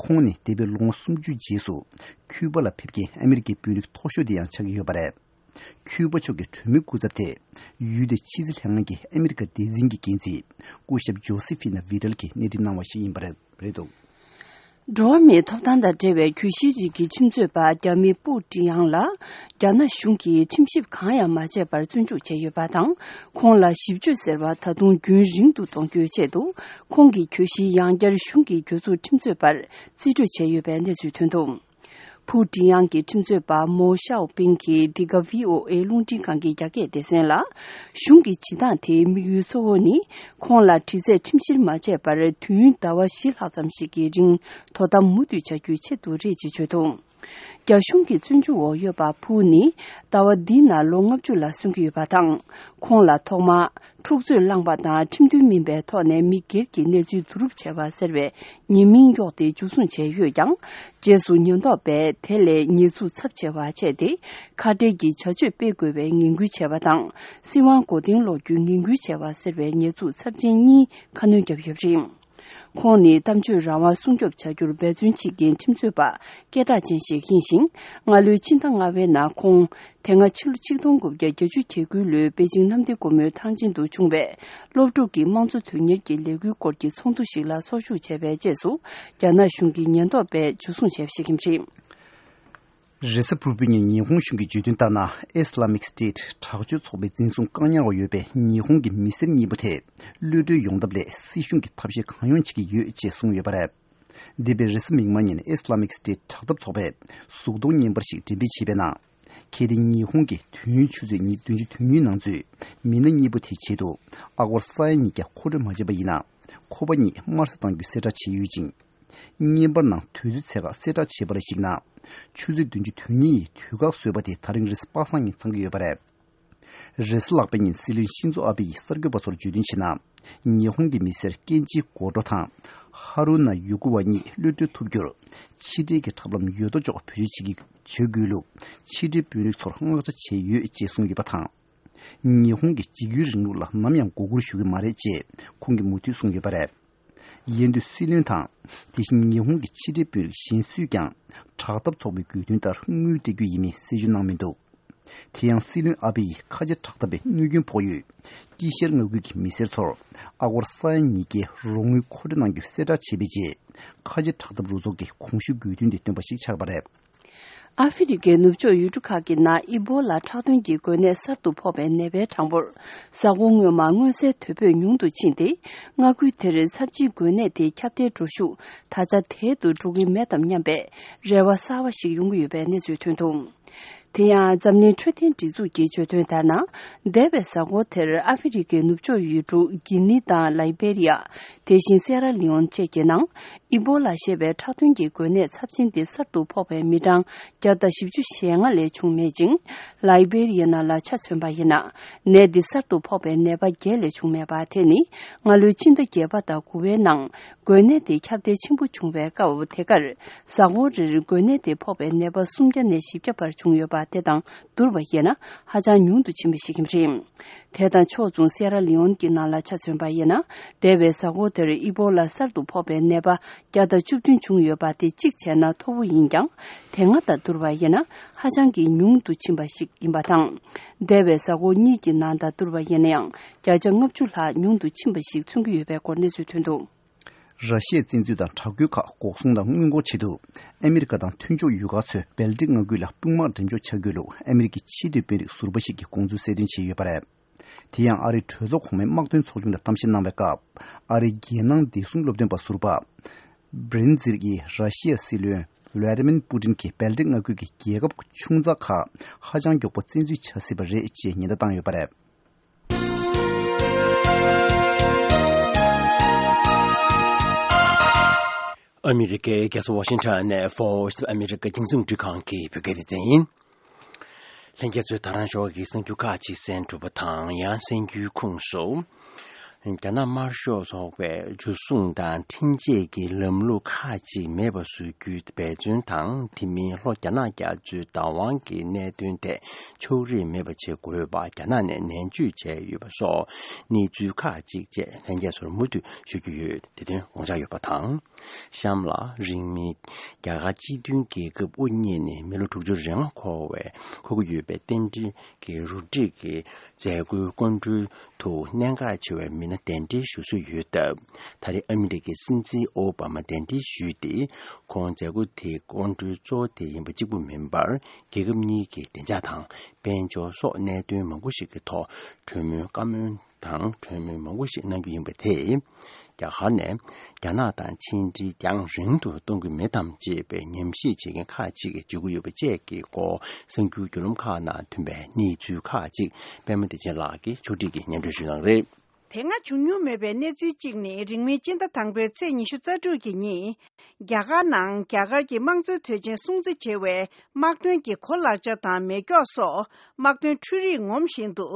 ཁོང་ནི་འདས་པའི་ལོ་ངོ་སུམ་ཅུ་རྗེས་སུ་ཁྱུ་པ་ལ་ཕེབས་མཁན་ཨ་མི་རི་ཀའི་དཔོན་རིགས་མཐོ་ཤོས་དེ་ཡང་ཆགས་ཀྱི་ཡོད་པ་རེད། ཁྱུ་པ་ཕྱོགས་ཀྱི་གྲོས་མོལ་སྐུ་ཚབ་དེ་ཡུལ་དེའི་ཕྱི་སྲིད་ལྷན་ཁང་གི་ཨ་མི་རི་ཀ་སྡེ་ཚན་གྱི་འགན་འཛིན་སྐུ་ཞབས་ཇོ་སི་ཧྥི་ན་བྷི་ཏལ་གྱིས་སྣེ་ཁྲིད་གནང་བ་ཞིག་ཡིན་པ་རེད་འདུག་འགྲོ་བ་མིའི་ཐོབ་ཐང་དང་འབྲེལ་བའི་གྱོད་གཞིའི་རིགས་ཀྱི་ཁྲིམས་རྩོད་པ་རྒྱ་མི་པུའུ་ཀྲི་དབྱང་ལ་རྒྱ་ནག་གཞུང་གིས་ཁྲིམས་ཞིབ་གང་ཡང་མ་བྱས་པར་བཙོན་འཇུག་བྱས་ཡོད་པ་དང་། ཁོང་ལ་ཞིབ་དཔྱོད་ཟེར་བ་ད་དུང་རྒྱུན་རིང་དུ་གཏོང་རྒྱུའི་ཆེད་དུ། ཁོང་གི་གྱོད་གཞི་ཡང་བསྐྱར་གཞུང་གི་གྱོད་ཚོགས་ཁྲིམས་རྩོད་པར་རྩིས་སྤྲོད་བྱས་ཡོད་པའི་གནས་ཚུལ་ཐོན་འདུག་པུའུ་ཀྲི་དབྱང་གི་ཁྲིམས་རྩོད་པ་མོ་ཤའོ་པིང་གིས་འདི་ག་ཝི་ཨོ་ཨེ་རླུང་འཕྲིན་ཁང་གི་རྒྱ་སྐད་སྡེ་ཚན་ལ། གཞུང་གི་བྱེད་སྟངས་དེའི་དམིགས་ཡུལ་གཙོ་བོ་ནི། ཁོང་ལ་དྲི་རྩད་ཁྲིམས་བཤེར་མ་བྱས་པར་དུས་ཡུན་ཟླ་བ་བཞི་ལྷག་ཙམ་ཞིག་གི་རིང་དོ་དམ་མུ་མཐུད་བྱ་རྒྱུའི་ཆེད་དུ་རེད་ཅེས་བརྗོད་འདུག་རྒྱ་གཞུང་གི་བཙོན་འཇུག་འོག་ཡོད་པ་ཕུའུ་ནི། ཟླ་བ་འདིའི་ནང་ལོ་ལྔ་བཅུ་ལ་སོན་གྱི་ཡོད་པ་དང་། ཁོང་ལ་ཐོག་མར། འཁྲུག་རྩོད་བསླངས་པ་དང་ཁྲིམས་མཐུན་མིན་པའི་ཐོག་ནས་མི་སྒེར་གྱི་གནས་ཚུལ་བསྡུ་རུབ་བྱས་པ་ཟེར་བའི་ཉེས་མིང་གཡོགས་ཏེ་འཇུ་བཟུང་བྱས་ཡོད་ཀྱང་། རྗེས་སུ་ཉེན་རྟོག་པས་དེ་ལས་ཉེས་འཛུགས་ཚབས་ཆེ་བ་བྱས་ཏེ། ཁ་བྲལ་གྱི་བྱ་སྤྱོད་སྤེལ་དགོས་པའི་ངན་སྐུལ་བྱས་པ་དང་། སྲིད་དབང་མགོ་རྟིང་སློག་རྒྱུའི་ངན་སྐུལ་བྱས་པ་ཟེར་བའི་ཉེས་འཛུགས་ཚབས་ཆེན་གཉིས་ཁ་སྣོན་བརྒྱབ་ཡོད་པ་རེད། ཁོང་ནི་གཏམ་བརྗོད་རང་དབང་སྲུང་སྐྱོབ་བྱ་རྒྱུར་འབད་བརྩོན་བྱེད་མཁན་ཁྲིམས་རྩོད་པ་སྐད་གྲགས་ཅན་ཞིག་ཡིན་ཞིང་། སྔ་ལོའི་ཕྱི་ཟླ་ལྔ་པའི་ནང་ཁོང་། དེ་སྔ་ཕྱི་ལོ་ཆིག་སྟོང་དགུ་བརྒྱ་བརྒྱད་ཅུ་གྱ་དགུ་ལོའི་པེ་ཅིང་གནམ་བདེ་སྒོ་མོའི་ཐང་ཆེན་དུ་བྱུང་བའི་སློབ་ཕྲུག་གི་དམངས་གཙོ་དོན་གཉེར་གྱི་ལས་འགུལ་སྐོར་གྱི་ཚོགས་འདུ་ཞིག་ལ་ཚོགས་ཞུགས་བྱས་པའི་རྗེས་སུ། རྒྱ་ནག་གཞུང་གི་ཉེན་རྟོག་པས་འཇུ་བཟུང་བྱས་པ་ཞིག་ཡིན་པ་རེད། རེས་གཟའ་ཕུར་བུའི་ཉིན་ཉི་ཧོང་གཞུང་གིས་བརྗོད་དོན་ལྟར་ན། Islamic State་དྲག་སྤྱོད་ཚོགས་པའི་འཛིན་བཟུང་བཀག་ཉར་འོག་ཡོད་པའི་ཉི་ཧོང་གི་མི་སེར་གཉིས་པོ་དེ་གློད་གྲོལ་ཡོང་ཐབས་སླད་སྲིད་གཞུང་གིས་ཐབས་ཤེས་གང་ཡོང་བྱེད་ཀྱི་ཡོད་ཅེས་གསུངས་ཡོད་པ་རེད། འདས་པའི་རེས་གཟའ་མིག་དམར་ཉིན་Islamic State་དྲག་འཐབ་ཚོགས་པས་གཟུགས་མཐོང་བརྙན་པར་ཞིག་འགྲེམས་སྤེལ་བྱས་པའི་ནང་། གལ་ཏེ་ཉི་ཧོང་གི་དུས་ཡུན་ཆུ་ཚོད་ཉི་བདུན་ཅུ་དོན་གཉིས་ནང་ཚུད་མི་སྣ་གཉིས་པོ་དེའི་ཆེད་དུ་ཨ་སྒོར་ས་ཡ་ཉིས་བརྒྱ་མཁོ་སྤྲོད་མ་བྱས་པ་ཡིན་ན། ཁོ་པ་གཉིས་དམར་གསོད་གཏང་རྒྱུའི་གསལ་བསྒྲགས་བྱས་ཡོད་ཅིང་། བརྙན་པར་ནང་དུས་ཚོད་ཚད་བཀག་གསལ་བསྒྲགས་བྱས་པ་ལ་གཞིགས་ན། ཆུ་ཚོད་བདུན་ཅུ་དོན་གཉིས་ཡི་དུས་བཀག་བཟོས་པ་དེ་ད་རིང་རེས་གཟའ་པ་སངས་ཉིན་ཚང་གི་ཡོད་པ་རེད། རེས་གཟའ་ལྷག་པའི་ཉིན་སྲིད་བློན་ཤིན་ཛོ་ཨ་བྷེ་ཡིས་གསར་འགོད་པ་ཚོར་བརྗོད་དོན་བྱས་ན། ཉི་ཧོང་གི་མི་སེར་ཀེན་ཇི་སྒོ་འགྲོ་དང་། ཧ་རུ་ན་ཡུ་ཀུ་ཝ་གཉིས་གློད་གྲོལ་ཐུབ་རྒྱུར། ཕྱི་འབྲེལ་གྱི་ཐབས་ལམ་ཡོད་དོ་ཅོག་བེད་སྤྱོད་བྱེད་ཀྱི་བྱེད་དགོས་ལུགས་ཕྱི་འབྲེལ་དཔོན་རིགས་ཚོར་མངགས་བྱ་བྱས་ཡོད་ཅེས་གསུངས་ཡོད་པ་དང་། ཉི་ཧོང་གitཇིག་སྐུལ་རིང་ལུགས་ལ་ནམ་ཡང་མགོ་སྒུར་ཞུ་གི་མ་རེད་ཅེས་ཁོང་གིས་མུ་མཐུད་གསུངས་ཡོད་པ་རེད། ཡན་དུ་སྲིད་བློན་དང་། དེ་བཞིན་ཉི་ཧོང་གི་ཕྱི་འབྲེལ་དཔོན་རིགས་གཞན་སུས་ཀྱང་། དྲག་འཐབ་ཚོགས་པའི་དགོས་འདུན་ལྟར་དངུལ་སྤྲད་རྒྱུ་ཡིན་མིན་གསལ་བརྗོད་གནང་མི་འདུག་དེ་ཡང་སྲིད་བློན་ཨ་བྷེ་ཡིས་ཁ་ཆེ་དྲག་འཐབ་པའི་གནོད་སྐྱོན་ཕོག་ཡུལ་དཀྱིལ་ཤར་མངའ་ཁུལ་གྱི་མི་སེར་ཚོར་ཨ་སྒོར་ས་ཡ་ཉིས་བརྒྱའི་རོགས་དངུལ་མཁོ་སྤྲོད་གནང་རྒྱུ་གསལ་བསྒྲགས་བྱས་པའི་རྗེས། ཁ་ཆེ་དྲག་འཐབ་རུ་ཚོགས་ཀྱི་གོང་ཞུས་དགོས་འདུན་དེ་བཏོན་པ་ཞིག་ཆགས་པ་རེད། ཨ་ཧྥེ་རི་ཁའི་ནུབ་ཕྱོགས་ཡུལ་གྲུ་ཁག་གི་ནང་ཨི་བོ་ལ་ཁྲག་འཐུང་གི་འགོས་ནད་གསར་དུ་ཕོག་པའི་ནད་པའི་གྲངས་འབོར་གཟའ་འཁོར་སྔོན་མ་མངོན་གསལ་དོད་པོས་ཉུང་དུ་ཕྱིན་ཏེ། མངའ་ཁུལ་དེར་ཚབས་ཆེའི་འགོས་ནད་དེའི་ཁྱབ་གདལ་འགྲོ་ཤུགས་ད་ཆ་དལ་དུ་འགྲོ་གི་མེད་དམ་སྙམ་པའི་རེ་བ་གསར་བ་ཞིག་ཡོང་གི་ཡོད་པའི་གནས་ཚུལ་ཐོན་འདུག་དེ་ཡང་འཛམ་གླིང་འཕྲོད་བསྟེན་སྒྲིག་འཛུགས་ཀྱིས་བརྗོད་དོན་ལྟར་ན། འདས་པའི་གཟའ་འཁོར་དེར་ཨ་ཧྥེ་རི་ཁའི་ནུབ་ཕྱོགས་ཡུལ་གྲུ་གྷི་ནི་དང་ལའི་བེ་རི་ཡ། དེ་བཞིན་སེ་ར་ལི་ཡོན་བཅས་ཀྱི་ནང་། ཨི་བོ་ལ་ཞེས་པའི་ཁྲག་འཐུང་གི་འགོས་ནད་ཚབས་ཆེན་འདི་གསར་དུ་ཕོག་པའི་མི་གྲངས་བརྒྱ་དང་བཞི་བཅུ་ཞེ་ལྔ་ལས་བྱུང་མེད་ཅིང་། ལའི་བེ་རི་ཡ་ནང་ལ་ཆ་མཚོན་པ་ཡིན་ན། ནད་འདི་གསར་དུ་ཕོག་པའི་ནད་པ་བརྒྱད་ལས་བྱུང་མེད་པ་དེ་ནི། སྔ་ལོའི་ཕྱི་ཟླ་བརྒྱད་པ་དང་དགུ་པའི་ནང་། འགོས་ནད་དེ་ཁྱབ་གདལ་ཆེན་པོ་བྱུང་བའི་སྐབས་དེ་གར། གཟའ་འཁོར་རེར་འགོས་ནད་དེ་ཕོག་པའི་ནད་པ་སུམ་བརྒྱ་ནས་བཞི་བརྒྱ་བར་བྱུང་ཡོད་པ་དེ་དང་བསྡུར་བ་ཡིན་ན། ཧ་ཅང་ཉུང་དུ་ཕྱིན་པ་ཞིག་ཡིན་པ་རེད། དེ་དང་ཕྱོགས་མཚུངས་སེ་ར་ལི་ཡོན་གྱི་ནང་ལ་ཆ་མཚོན་པ་ཡིན་ན། འདས་པའི་གཟའ་འཁོར་དེར་ཨི་བོ་ལ་གསར་དུ་ཕོག་པའི་ནད་པ་བརྒྱ་དང་བཅུ་བདུན་བྱུང་ཡོད་པ་དེ་གཅིག་བྱས་ན་མཐོ་པོ་ཡིན་ཀྱང་། དེ་སྔ་དང་བསྡུར་བ་ཡིན་ན་ཧ་ཅང་གི་ཉུང་དུ་ཕྱིན་པ་ཞིག་ཡིན་པ་དང་། འདས་པའི་གཟའ་འཁོར་གཉིས་ཀྱི་ནང་དང་བསྡུར་བ་ཡིན་ན་ཡང་བརྒྱ་ཆ་ལྔ་བཅུ་ལྷག་ཉུང་དུ་ཕྱིན་པ་ཞིག་མཚོན་གྱི་ཡོད་པའི་སྐོར་གནས་ཚུལ་ཐོན་འདུག་ར་ཤི་ཡའི་བཙན་འཛུལ་དང་དྲག་རྒོལ་ཁག་འགོག་སྲུང་དང་སྔོན་འགོག་ཆེད་དུ། ཨ་མི་རི་ཀ་དང་མཐུན་ཕྱོགས་ཡུལ་ཁག་ཚོས་སྦལ་ཏིག་མངའ་ཁུལ་ལ་དཔུང་དམག་འགྲེམས་འཇོག་བྱ་དགོས་ལུགས་ཨ་མི་རི་ཀའི་ཕྱི་སྡོད་དཔོན་རིགས་ཟུར་པ་ཞིག་གིས་དགོངས་ཚུལ་གསལ་སྟོན་བྱས་ཡོད་པ་རེད། དེ་ཡང་ཨ་རིའི་གྲོས་ཚོགས་གོང་མའི་དམག་དོན་ཚོགས་ཆུང་ལ་གཏམ་བཤད་གནང་བའི་སྐབས། ཨ་རིའི་རྒྱལ་ནང་བདེ་སྲུང་སློབ་སྟོན་པ་ཟུར་པ། བྷི་རིན་ཛིར་གྱིས་ར་ཤི་ཡའི་སྲིད་བློན་ཝླ་ཏི་མིར་པུ་ཏིན་གྱིས་སྦལ་ཏིག་མངའ་ཁུལ་གྱི་རྒྱལ་ཁབ་ཆུང་ཙག་ཁག་ཧ་ཅང་མགྱོགས་པོ་བཙན་འཛུལ་བྱ་སྲིད་པ་རེད་ཅེས་ཉེན་བརྡ་བཏང་ཡོད་པ་རེད། ཨ་མི་རི་ཀའི་རྒྱལ་ས་ཝ་ཤིང་ཊོན་ནས་Voice of America་རྒྱང་སྲིང་རླུང་འཕྲིན་ཁང་གི་བོད་སྐད་སྡེ་ཚན་ཡིན། ལྷན་རྒྱས་ཚོས་ད་རང་ཞོགས་ཀྱི་གསར་འགྱུར་ཁག་ཅིག་གསན་གྲུབ་པ་དང་ཡང་གསན་རྒྱུའི་ཁུངས་སུ། རྒྱ་ནག་དམར་ཤོག་ཚོགས་པས་འཇུ་བཟུང་དང་འཕྲིན་བཅད་ཀྱི་ལམ་ལུགས་ཁག་ཅིག་མེད་པ་བཟོ་རྒྱུའི་འབད་བརྩོན་དང་། དེ་མིན་ལྷོ་རྒྱ་ནག་རྒྱ་མཚོའི་བདག་དབང་གི་གནད་དོན་ཐད་ཕྱོགས་རིས་མེད་པ་བྱེད་དགོས་པ་རྒྱ་ནག་ནས་ནན་བརྗོད་བྱས་ཡོད་པ་སོགས་གནས་ཚུལ་ཁག་ཅིག་བཅས་ལྷན་རྒྱས་ཚོར་མུ་མཐུད་ཞུ་རྒྱུ་ཡོད། དེ་དོན་དགོངས་འཇགས་ཡོད་པ་དང་། གཤམ་ལ་རིང་མིན་རྒྱ་གར་སྤྱི་མཐུན་རྒྱལ་ཁབ་དབུ་བརྙེས་ནས་མི་ལོ་དྲུག་ཅུ་རེ་ལྔ་འཁོར་བའི་འཁོར་གྱི་ཡོད་པའི་རྟེན་འབྲེལ་གྱི་རུ་སྒྲིག་གི་མཛད་སྒོའི་སྐུ་མགྲོན་དུ་གནད་འགག་ཆེ་བའི་མི་སྣ་གདན་འདྲེན་ཞུ་སྲོལ་ཡོད་སྟབས། ད་རེས་ཨ་མི་རི་ཀའི་སྲིད་འཛིན་ཨོ་བྷ་མ་གདན་འདྲེན་ཞུས་ཏེ། ཁོང་མཛད་སྒོ་དེའི་སྐུ་མགྲོན་གཙོ་བོ་དེ་ཡིན་པ་གཅིག་པུ་མིན་པར། རྒྱལ་ཁབ་གཉིས་ཀྱི་བདེ་འཇགས་དང་དཔལ་འབྱོར་སོགས་གནད་དོན་མང་པོ་ཞིག་གི་ཐོག་གྲོས་མོལ་བཀའ་མོལ་དང་གྲོས་མོལ་མང་པོ་ཞིག་གནང་རྒྱུ་ཡིན་པ་དེས། རྒྱ་གར་ནས་རྒྱ་ནག་དང་ཕྱི་འབྲེལ་རྒྱང་རིང་དུ་གཏོང་གི་མེད་དམ་ཅེས་པའི་ཉམས་ཞིབ་བྱེད་མཁན་ཁག་ཅིག་གིས་བརྗོད་ཀྱི་ཡོད་པ་བཅས་ཀྱི་སྐོར་གསར་འགྱུར་བརྒྱུད་ལམ་ཁག་ནང་ཐོན་པའི་གནས་ཚུལ་ཁག་ཅིག་པད་མ་བདེ་ཆེན་ལགས་ཀྱིས་ཕྱོགས་སྒྲིག་གིས་སྙན་སྒྲོན་ཞུས་གནང་རེད། དེ་སྔ་བྱུང་མྱོང་མེད་པའི་གནས་ཚུལ་གཅིག་ནི། རིང་མིན་སྤྱི་ཟླ་དང་པོའི་ཚེས་ཉི་ཤུ་རྩ་དྲུག་གི་ཉིན། རྒྱ་གར་ནང་རྒྱ་གར་གྱི་དམངས་གཙོའི་དོན་ཆེན་སྲུང་བརྩི་བྱེད་པའི་དམག་དོན་གྱི་གོ་ལག་ཆ་དང་མེ་སྒྱོགས་སོགས་དམག་དོན་འཕྲུལ་རིག་ངོམ་བཞིན་དུ་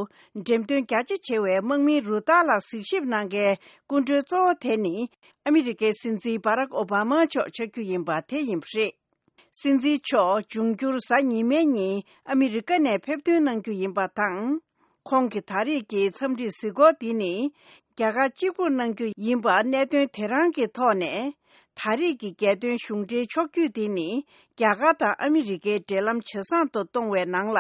འགྲེམས་སྟོན་རྒྱ་ཆེ་བྱེད་པའི་དམག་མིའི་རུ་སྟར་ལ་གཟིགས་ཞིབ་གནང་མཁན་སྐུ་མགྲོན་གཙོ་བོ་དེ་ནི། ཨ་མི་རི་ཀའི་སྲིད་འཛིན་བྷ་རག་ཨོ་བྷ་མ་མཆོག་ཆགས་རྒྱུ་ཡིན་པ་དེ་ཡིན་པ་རེད། སྲིད་འཛིན་མཆོག་འབྱུང་འགྱུར་གཟའ་ཉི་མའི་ཉིན་ཨ་མི་རི་ཀ་ནས་ཕེབས་ཐོན་གནང་རྒྱུ་ཡིན་པ་དང་། ཁོང་གི་ད་རེས་ཀྱི་འཚམས་འདྲིའི་གཟིགས་སྐོར་འདི་ནི། རྒྱ་གར་གཅིག་པུར་གནང་རྒྱུ་ཡིན་པ་གནད་དོན་དེ་རང་གི་ཐོག་ནས། ད་རེས་ཀྱི་རྒྱལ་དོན་གཞུང་འབྲེལ་ཕྱོགས་བསྐྱོད་འདི་ནི། རྒྱ་གར་དང་ཨ་མི་རི་ཀའི་འབྲེལ་ལམ་ཇེ་བཟང་དུ་གཏོང་བའི་ནང་ལ་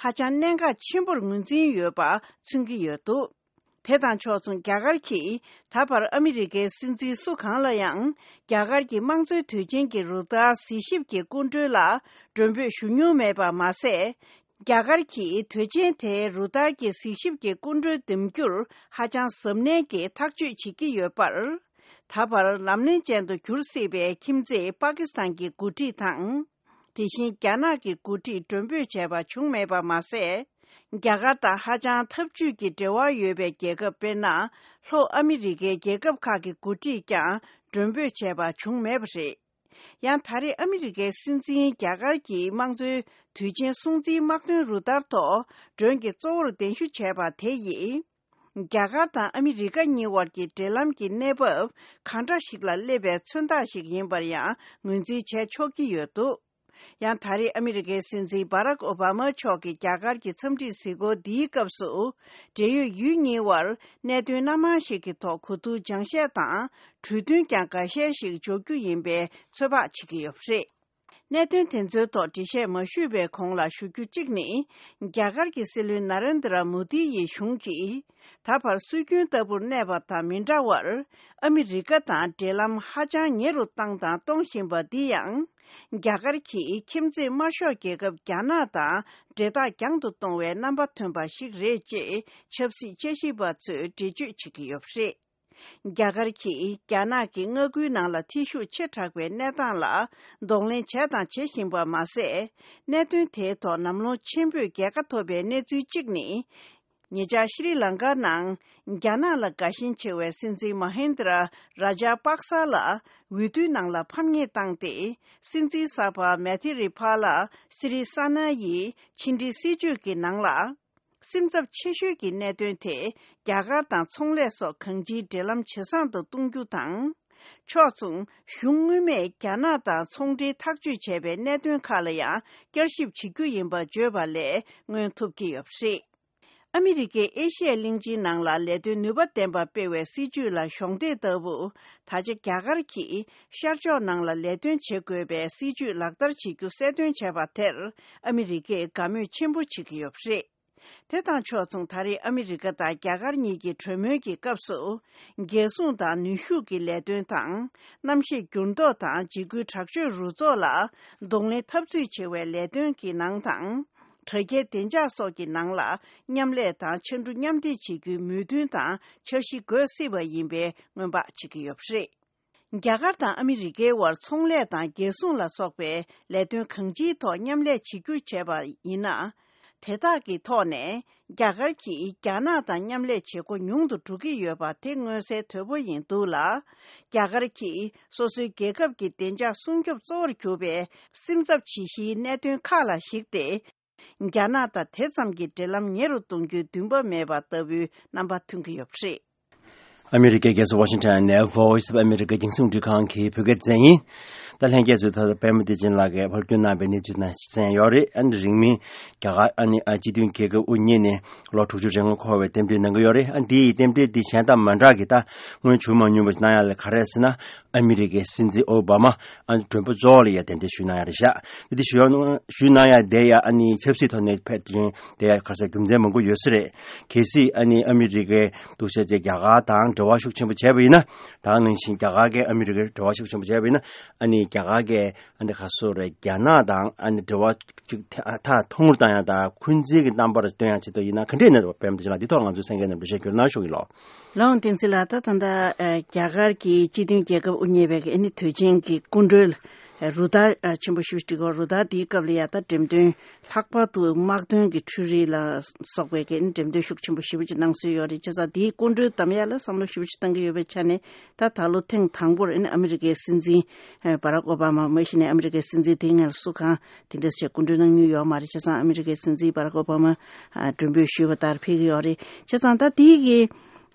ཧ་ཅང་གནད་འགག་ཆེན་པོར་ངོས་འཛིན་ཡོད་པ་མཚོན་གྱི་ཡོད་འདུག་དེ་དང་ཕྱོགས་མཚུངས། རྒྱ་གར་གྱིས་ད་བར་ཨ་མི་རི་ཀའི་སྲིད་འཛིན་སུ་གང་ལ་ཡང་རྒྱ་གར་གྱི་དམངས་གཙོའི་དུས་ཆེན་གྱི་རུ་སྟར་གཟིགས་ཞིབ་ཀྱི་སྐུ་མགྲོན་ལ་མགྲོན་འབོད་ཞུ་མྱོང་མེད་པ་མ་ཟད། རྒྱ་གར་གྱིས་དུས་ཆེན་དེའི་རུ་སྟར་གྱི་གཟིགས་ཞིབ་ཀྱི་སྐུ་མགྲོན་འདེམས་རྒྱུར་ཧ་ཅང་གཟབ་ནན་གྱིས་ཐག་གཅོད་བྱེད་ཀྱི་ཡོད་པར། ད་བར་ལམ་ལྷོང་ཅན་དུ་འགྱུར་སྲིད་པའི་ཁྱིམ་མཚེས་པ་ཀི་སི་ཐན་གྱི་འགོ་ཁྲིད་དང་། དེ་བཞིན་རྒྱ་ནག་གི་འགོ་ཁྲིད་མགྲོན་འབོད་བྱས་པ་བྱུང་མེད་པ་མ་ཟད། རྒྱ་གར་དང་ཧ་ཅང་འཐབ་ཇུས་ཀྱི་འབྲེལ་བ་ཡོད་པའི་རྒྱལ་ཁབ། དཔེར་ན། ལྷོ་ཨ་མི་རི་ཀའི་རྒྱལ་ཁབ་ཁག་གི་འགོ་ཁྲིད་ཀྱང་མགྲོན་འབོད་བྱས་པ་བྱུང་མེད་པ་རེད། ཡང་ད་རེས་ཨ་མི་རི་ཀའི་སྲིད་འཛིན་རྒྱ་གར་གྱི་དམངས་གཙོའི་དུས་ཆེན་སྲུང་བརྩིའི་དམག་དོན་རུ་སྟར་ཐོག་མགྲོན་གྱི་གཙོ་བོར་གདན་ཞུ་བྱས་པ་དེ་ཡིས། རྒྱ་གར་དང་ཨ་མི་རི་ཀ་གཉིས་དབར་གྱི་འབྲེལ་ལམ་གྱི་གནས་བབ་གང་འདྲ་ཞིག་ལ་སླེབས་པའི་མཚོན་རྟགས་ཤིག་ཡིན་པར་ཡང་ངོས་འཛིན་བྱས་ཆོག་གི་ཡོད་འདུག་ཡང་ད་རེས་ཨ་མི་རི་ཀའི་སྲིད་འཛིན་བྷ་རག་ཨོ་བྷ་མ་མཆོག་གིས་རྒྱ་གར་གྱི་འཚམས་འདྲིའི་གཟིགས་སྐོར་འདིའི་སྐབས་སུ། འབྲེལ་ཡོད་ཡུལ་གཉིས་དབར་གནད་དོན་སྣ་མང་ཞིག་གི་ཐོག་གོ་བསྡུར་སྦྱང་བཤད་དང་། གྲོས་མཐུན་ཀྱང་འགའ་ཤས་ཤིག་འཇོག་རྒྱུ་ཡིན་པའི་ཚོད་དཔག་བྱེད་ཀྱི་ཡོད་པ་རེད། གནད་དོན་དེ་ཚོའི་ཐོག་འགྲེལ་བཤད་མ་ཞུས་པའི་གོང་ལ་ཞུ་རྒྱུ་གཅིག་ནི། རྒྱ་གར་གྱི་སྲིད་བློན་ན་རེན་དྲ་མོ་དི་ཡི་གཞུང་གིས། ད་བར་སྲོལ་རྒྱུན་ལྟ་བུར་གནས་པ་དང་མི་འདྲ་བར། ཨ་མི་རི་ཀ་དང་འབྲེལ་ལམ་ཧ་ཅང་ཉེ་རུ་བཏང་དང་གཏོང་བཞིན་པ་འདི་ཡང་། རྒྱ་གར་གྱིས་ཁྱིམ་མཚེས་དམར་ཤོག་རྒྱལ་ཁབ་རྒྱ་ནག་དང་འབྲེལ་ཐག་རྒྱང་དུ་གཏོང་བའི་རྣམ་པ་ཐོན་པ་ཞིག་རེད་ཅེས་ཆབ་སྲིད་དཔྱད་ཞིབ་པ་ཚོས་འགྲེལ་བརྗོད་བྱེད་ཀྱི་ཡོད་པ་རེད། རྒྱ་གར་གྱིས་རྒྱ་ནག་གི་མངའ་ཁུལ་ནང་ལ་འཐུས་ཤུགས་ཆེ་དྲགས་པའི་གནས་སྟངས་ལ་གདོང་ལེན་བྱས་དང་བྱེད་བཞིན་པ་མ་ཟད། གནད་དོན་དེའི་ཐོག་ནམ་ལངས་ཆེན་པོས་རྒྱལ་ཁ་ཐོབ་པའི་གནས་ཚུལ་གཅིག་ནི། ཉེ་ཆར་ཤྲི་ལང་ཀ་ནང་རྒྱ་ནག་ལ་དགའ་ཞེན་ཆེ་བའི་སྲིད་འཛིན་མ་ཧིན་དྲ་ར་ཇ་པག་ས་ལ་འོས་བསྡུའི་ནང་ལ་ཕམ་ཉེས་བཏང་སྟེ། སྲིད་འཛིན་གསར་པ་མེ་ཐི་རི་ཕ་ལ་སི་རི་ས་ན་ཡིས་ཕྱི་འབྲེལ་སྲིད་བྱུས་ཀྱི་ནང་ལ། སེམས་འཚབ་ཆེ་ཤོས་ཀྱི་གནད་དོན་དེ་རྒྱ་གར་དང་ཚོང་ལས་སོགས་གང་ཅིའི་འབྲེལ་ལམ་ཇེ་བཟང་དུ་གཏོང་རྒྱུ་དང་། ཕྱོགས་མཚུངས། གཞུང་སྔོན་མས་རྒྱ་ནག་དང་ཚོང་འབྲེལ་ཐག་གཅོད་བྱས་པའི་གནད་དོན་ཁག་ལ་ཡང་བསྐྱར་ཞིབ་བྱེད་རྒྱུ་ཡིན་པ་བརྗོད་པ་ལས་མངོན་ཐུབ་ཀྱི་ཡོད་པ་རེད། ཨ་མི་རི་ཀས་ཨེ་ཤི་ཡའི་གླིང་ཆེན་ནང་ལ་ལས་དོན་ནུས་པ་ལྡན་པ་སྤེལ་བའི་སྲིད་བྱུས་ལ་གཞོགས་འདེགས་ལྟ་བུ། ད་ཆ་རྒྱ་གར་གྱིས་ཤར་ཕྱོགས་ནང་ལ་ལས་དོན་བྱེད་དགོས་པའི་སྲིད་བྱུས་ལག་བསྟར་བྱེད་རྒྱུ་གསལ་སྟོན་བྱས་པ་དེར་ཨ་མི་རི་ཀས་དགའ་མོས་ཆེན་པོ་བྱེད་ཀྱི་ཡོད་པ་རེད། དེ་དང་ཕྱོགས་མཚུངས། ད་རེས་ཨ་མི་རི་ཀ་དང་རྒྱ་གར་གཉིས་ཀྱི་གྲོས་མོལ་གྱི་སྐབས་སུ། རྒྱལ་སྲུང་དང་ནུས་ཤུགས་ཀྱི་ལས་དོན་དང་། གནམ་གཤིས་འགྱུར་ལྡོག་དང་འཇིགས་སྐུལ་དྲག་སྤྱོད་རུ་ཚོགས་ལ་གདོང་ལེན་འཐབ་རྩོད་བྱེད་པའི་ལས་དོན་གྱི་ནང་དང་། དྲ་རྒྱའི་བདེ་འཇགས་སོགས་ཀྱི་ནང་ལ་མཉམ་ལས་དང་འཆར་འགྲོ་མཉམ་འདེགས་བྱེད་རྒྱུའི་མོས་མཐུན་དང་འཆར་གཞི་འགོད་སྲིད་པ་ཡིན་པའི་སྔོན་དཔག་བྱེད་ཀྱི་ཡོད་པ་རེད། རྒྱ་གར་དང་ཨ་མི་རི་ཀའི་དབར་ཚོང་ལས་དང་རྒྱལ་སྲུང་ལ་སོགས་པའི་ལས་དོན་གང་ཅིའི་ཐོག་མཉམ་ལས་བྱེད་རྒྱུ་བྱས་པ་ཡིན་ན། དེ་དག་གི་ཐོག་ནས་རྒྱ་གར་གྱིས་རྒྱ་ནག་དང་མཉམ་ལས་བྱེད་སྒོ་ཉུང་དུ་འགྲོ་གི་ཡོད་པ་དེ་མངོན་གསལ་དོད་པོ་ཡིན་འདུག་ལ། རྒྱ་གར་གྱིས་སོ་སོའི་རྒྱལ་ཁབ་ཀྱི་བདེ་འཇགས་སྲུང་སྐྱོབ་གཙོ་བོར་གྱུར་པའི་སེམས་འཚབ་ཆེ་ཤོས་གནད་དོན་ཁག་ལ་གཞིགས་ཏེ། རྒྱ་ནག་དང་དེ་ཙམ་གྱི་འབྲེལ་ལམ་ཉེ་རུ་གཏོང་རྒྱུའི་འདུན་པ་མེད་པ་ལྟ་བུའི་རྣམ་པ་ཐོན་གྱི་ཡོད་པ་རེད། ཨ་མི་རི་ཀའི་རྒྱལ་ས་ཝ་ཤིང་ཊོན་ནས་Voice of America་རྒྱང་སྲིང་རླུང་འཕྲིན་ཁང་གི་བོད་སྐད་སྡེ་ཚན་ཡིན། ད་ལྷན་རྒྱས་ཚོས་ད་ལྟ་པད་མ་བདེ་ཆེན་ལགས་ཀྱིས་ཕབ་སྒྱུར་གནང་བའི་གནས་ཚུལ་དང་གསན་ཡོད་རེད། ཨ་ནི་རིང་མིན་རྒྱ་གར་ཨ་ནི་ཨ་སྤྱི་མཐུན་རྒྱལ་ཁབ་དབུ་བརྙེས་ནས་ལོ་དྲུག་ཅུ་རེ་ལྔ་འཁོར་བའི་རྟེན་འབྲེལ་གནང་གི་ཡོད་རེད། ཨ་འདི་ཡི་རྟེན་འབྲེལ་འདི་གཞན་དང་མ་འདྲ་གི་ད་སྔོན་བྱུང་མ་མྱོང་བ་ཞིག་གནང་ཡ་ལ་ག་རེ་ཟེར་ན། ཨ་མི་རི་ཀའི་སྲིད་འཛིན་ཨོ་བྷ་མ་ཨ་ནི་མགྲོན་པོ་གཙོ་བོ་ལ་ཡ་གདན་འདྲེན་ཞུས་གནང་ཡ་རེད་ཤག་འདི་དེ་ཞུ་ཡ་ཞུས་གནང་ཡ་དེ་ཡ་ཨ་ནི་ཆབ་སྲིད་ཐོག་ནས་ཕེབས་དེ་རིང་དེ་ཡ་ག་ས་རྒྱུ་མཚན་མང་པོ་ཡོད་ས་རེད། གལ་སྲིད་ཨ་ནི་ཨ་མི་རི་ཀའི་འདུག་བྱས་རྗེས་རྒྱ་གར་དང་འབྲེལ་བ་ཤུགས་ཆེན་པོ་བྱས་པ་ཡིན་ན། ད་ག་ནང་བཞིན་རྒྱ་གར་གྱིས་ཨ་མི་རི་ཀའི་འབྲེལ་བ་ཤུགས་ཆེན་པོ་བྱས་པ་ཡིན་ན། ཨ་ནི་རྒྱ་གར་གྱིས་ཨ་ནི་ག་སོ་རེད། རྒྱ་ནག་དང་ཨ་ནི་འབྲེལ་བ་ཅིག་ཐ་ཐ་ཐུང་ངུར་བཏང་ཡ་དང་འཁོན་འཛིན་གྱི་རྣམ་པར་སྟོན་ཡ་ཆེད་དུ་ཡིན་ན་ག་འདྲས་གནས་རེད་པ། པད་མ་བདེ་ཆེན་ལགས་འདི་ཐོག་ང་ཚོའི་གསན་མཁན་རྣམས་འགྲེལ་བཤད་བསྐྱོན་གནང་ཞུ་གི་ལགས། ལགས་འོང་བསྟན་འཛིན་ལགས། ད་ད་ལྟ་ཨ་རྒྱ་གར་གྱི་སྤྱི་མཐུན་རྒྱལ་ཁབ་དབུ་བརྙེས་པའི་ཨ་ནི་དུས་ཆེན་གྱི་སྐུ་མགྲོན་ལ་རུ་སྟར་ཨ་ཆེན་པོ་ཞེ་པོ་ཅིག་འགྲིག་གོ། རུ་སྟར་འདིའི་སྐབས་ལ་ཡ་ད་འགྲེམས་སྟོན་ལྷག་པར་དུ་དམག་དོན་གྱི་འཕྲུལ་རིག་ལ་སོགས་པའི་གི་འགྲེམས་སྟོན་ཤུགས་ཆེན་པོ་ཞེ་པོ་ཅིག་གནང་སྲོལ་ཡོད་རེད། བྱས་ཙང་འདིའི་སྐུ་མགྲོན་བདམས་ཡ་ལ་བསམ་བློ་ཞེ་པོ་ཅིག་བཏང་གི་ཡོད་པའི་ཆ་ནས། ད་ད་ལོ་ཐེངས་དང་པོར་ཨ་ནི་ཨ་མི་རི་ཀའི་སྲིད་འཛིན་ཨ་བྷ་རག་ཨོ་བྷ་མ། མ་གཞི་ནས་ཨ་མི་རི་ཀའི་སྲིད་འཛིན་དེ་སྔ་སུ་གང་དེ་འདྲ་ཞིག་སྐུ་མགྲོན་གནང་མྱོང་ཡོད་མ་རེད། བྱས་ཙང་ཨ་མི་རི་ཀའི་སྲིད་འཛིན་བྷ་རག་ཨོ་བྷ་མ་ཨ་མགྲོན་འབོད་ཞུས་པ་ལྟར་ཕེབས་ཀྱི་ཡོད་རེད། བྱས་ཙང་ད་དེའི་གི་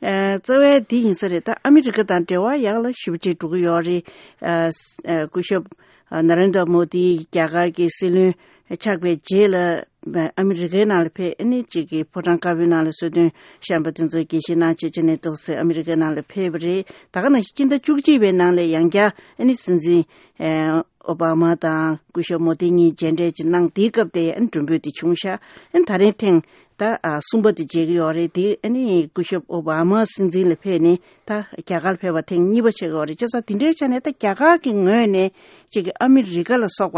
ཨ་རྩ་བའི་འདི་ཡིན་ས་རེད། ད་ཨ་མི་རི་ཀ་དང་འབྲེལ་བ་ཡག་ལ་ཞེ་པོ་ཅིག་འགྲོ་གི་ཡོད་རེད། ཨ་ཨ་སྐུ་ཞབས་ཨ་ན་རེན་དྲ་མོ་དི་རྒྱ་གར་གྱི་སྲིད་བློན་ཆགས་པའི་རྗེས་ལ་ཨ་མི་རི་ཀའི་ནང་ལ་ཕེབས། ཨ་ནི་གཅིག་གི་ཕོ་བྲང་དཀར་པོའི་ནང་ལ་གསོལ་སྟོན་བཤམས་པ་དེ་ཚོ་དགྱེས་བཞེས་གནང་བྱས་བྱས་ནས་འདུག་སེ་ཨ་མི་རི་ཀའི་ནང་ལ་ཕེབས་པ་རེད། ད་ག་ནང་བཞིན་སྤྱི་ཟླ་བཅུ་གཅིག་པའི་ནང་ལ་ཡང་བསྐྱར་ཨ་ནི་སྲིད་འཛིན་ཨ་ཨོ་བྷ་མ་དང་སྐུ་ཞབས་མོ་དི་གཉིས་མཇལ་འཕྲད་ཅིག་གནང་། དེའི་སྐབས་དེ་ཨ་ནི་མགྲོན་འབོད་དེ་བྱུང་ཤག་ཨ་ནི་ད་རིང་ཐེངས་ ད་ཨ་གསུམ་པ་དེ་མཇལ་གྱི་ཡོད་རེད། དེ་ཨ་ནི་སྐུ་ཞབས་ཨོ་བྷ་མ་སྲིད་འཛིན་ལ་ཕེབས་ནས་ད་རྒྱ་གར་ཕེབས་པ་ཐེངས་གཉིས་པ་ཆགས་ཀྱི་ཡོད་རེད། བྱས་ཙང་དེ་འདྲའི་ཆ་ནས་ད་རྒྱ་གར་གྱི་ངོས་ནས་ཅིག་གི་ཨ་མི་རི་ཀ་ལ་སོགས་པ་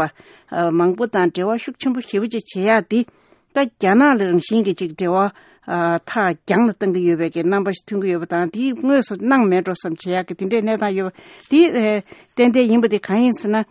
ཨ་མང་པོ་དང་འབྲེལ་བ་ཤུགས་ཆེན་པོ་ཞེ་པོ་ཅིག་བྱེད་ཡག་དེ། ད་རྒྱ་ནག་ལ་རང་བཞིན་གྱི་ཅིག་འབྲེལ་བ་ཨ་ཐག་རྒྱང་ལ་གཏོང་གི་ཡོད་པའི་གི་རྣམ་པ་ཞིག་ཐོན་གྱི་ཡོད་པ་དང་། དེ་དངོས་སུ་གནང་མེད་འགྲོ་བསམ་བྱེད་ཡག་གི་དེ་འདྲའི་གནས་སྟངས་ཡོད་པ་དེ་ཨ་ཏན་ཏན་ཡིན་པ་དེ་གང་ཡིན་ཟེར་ན།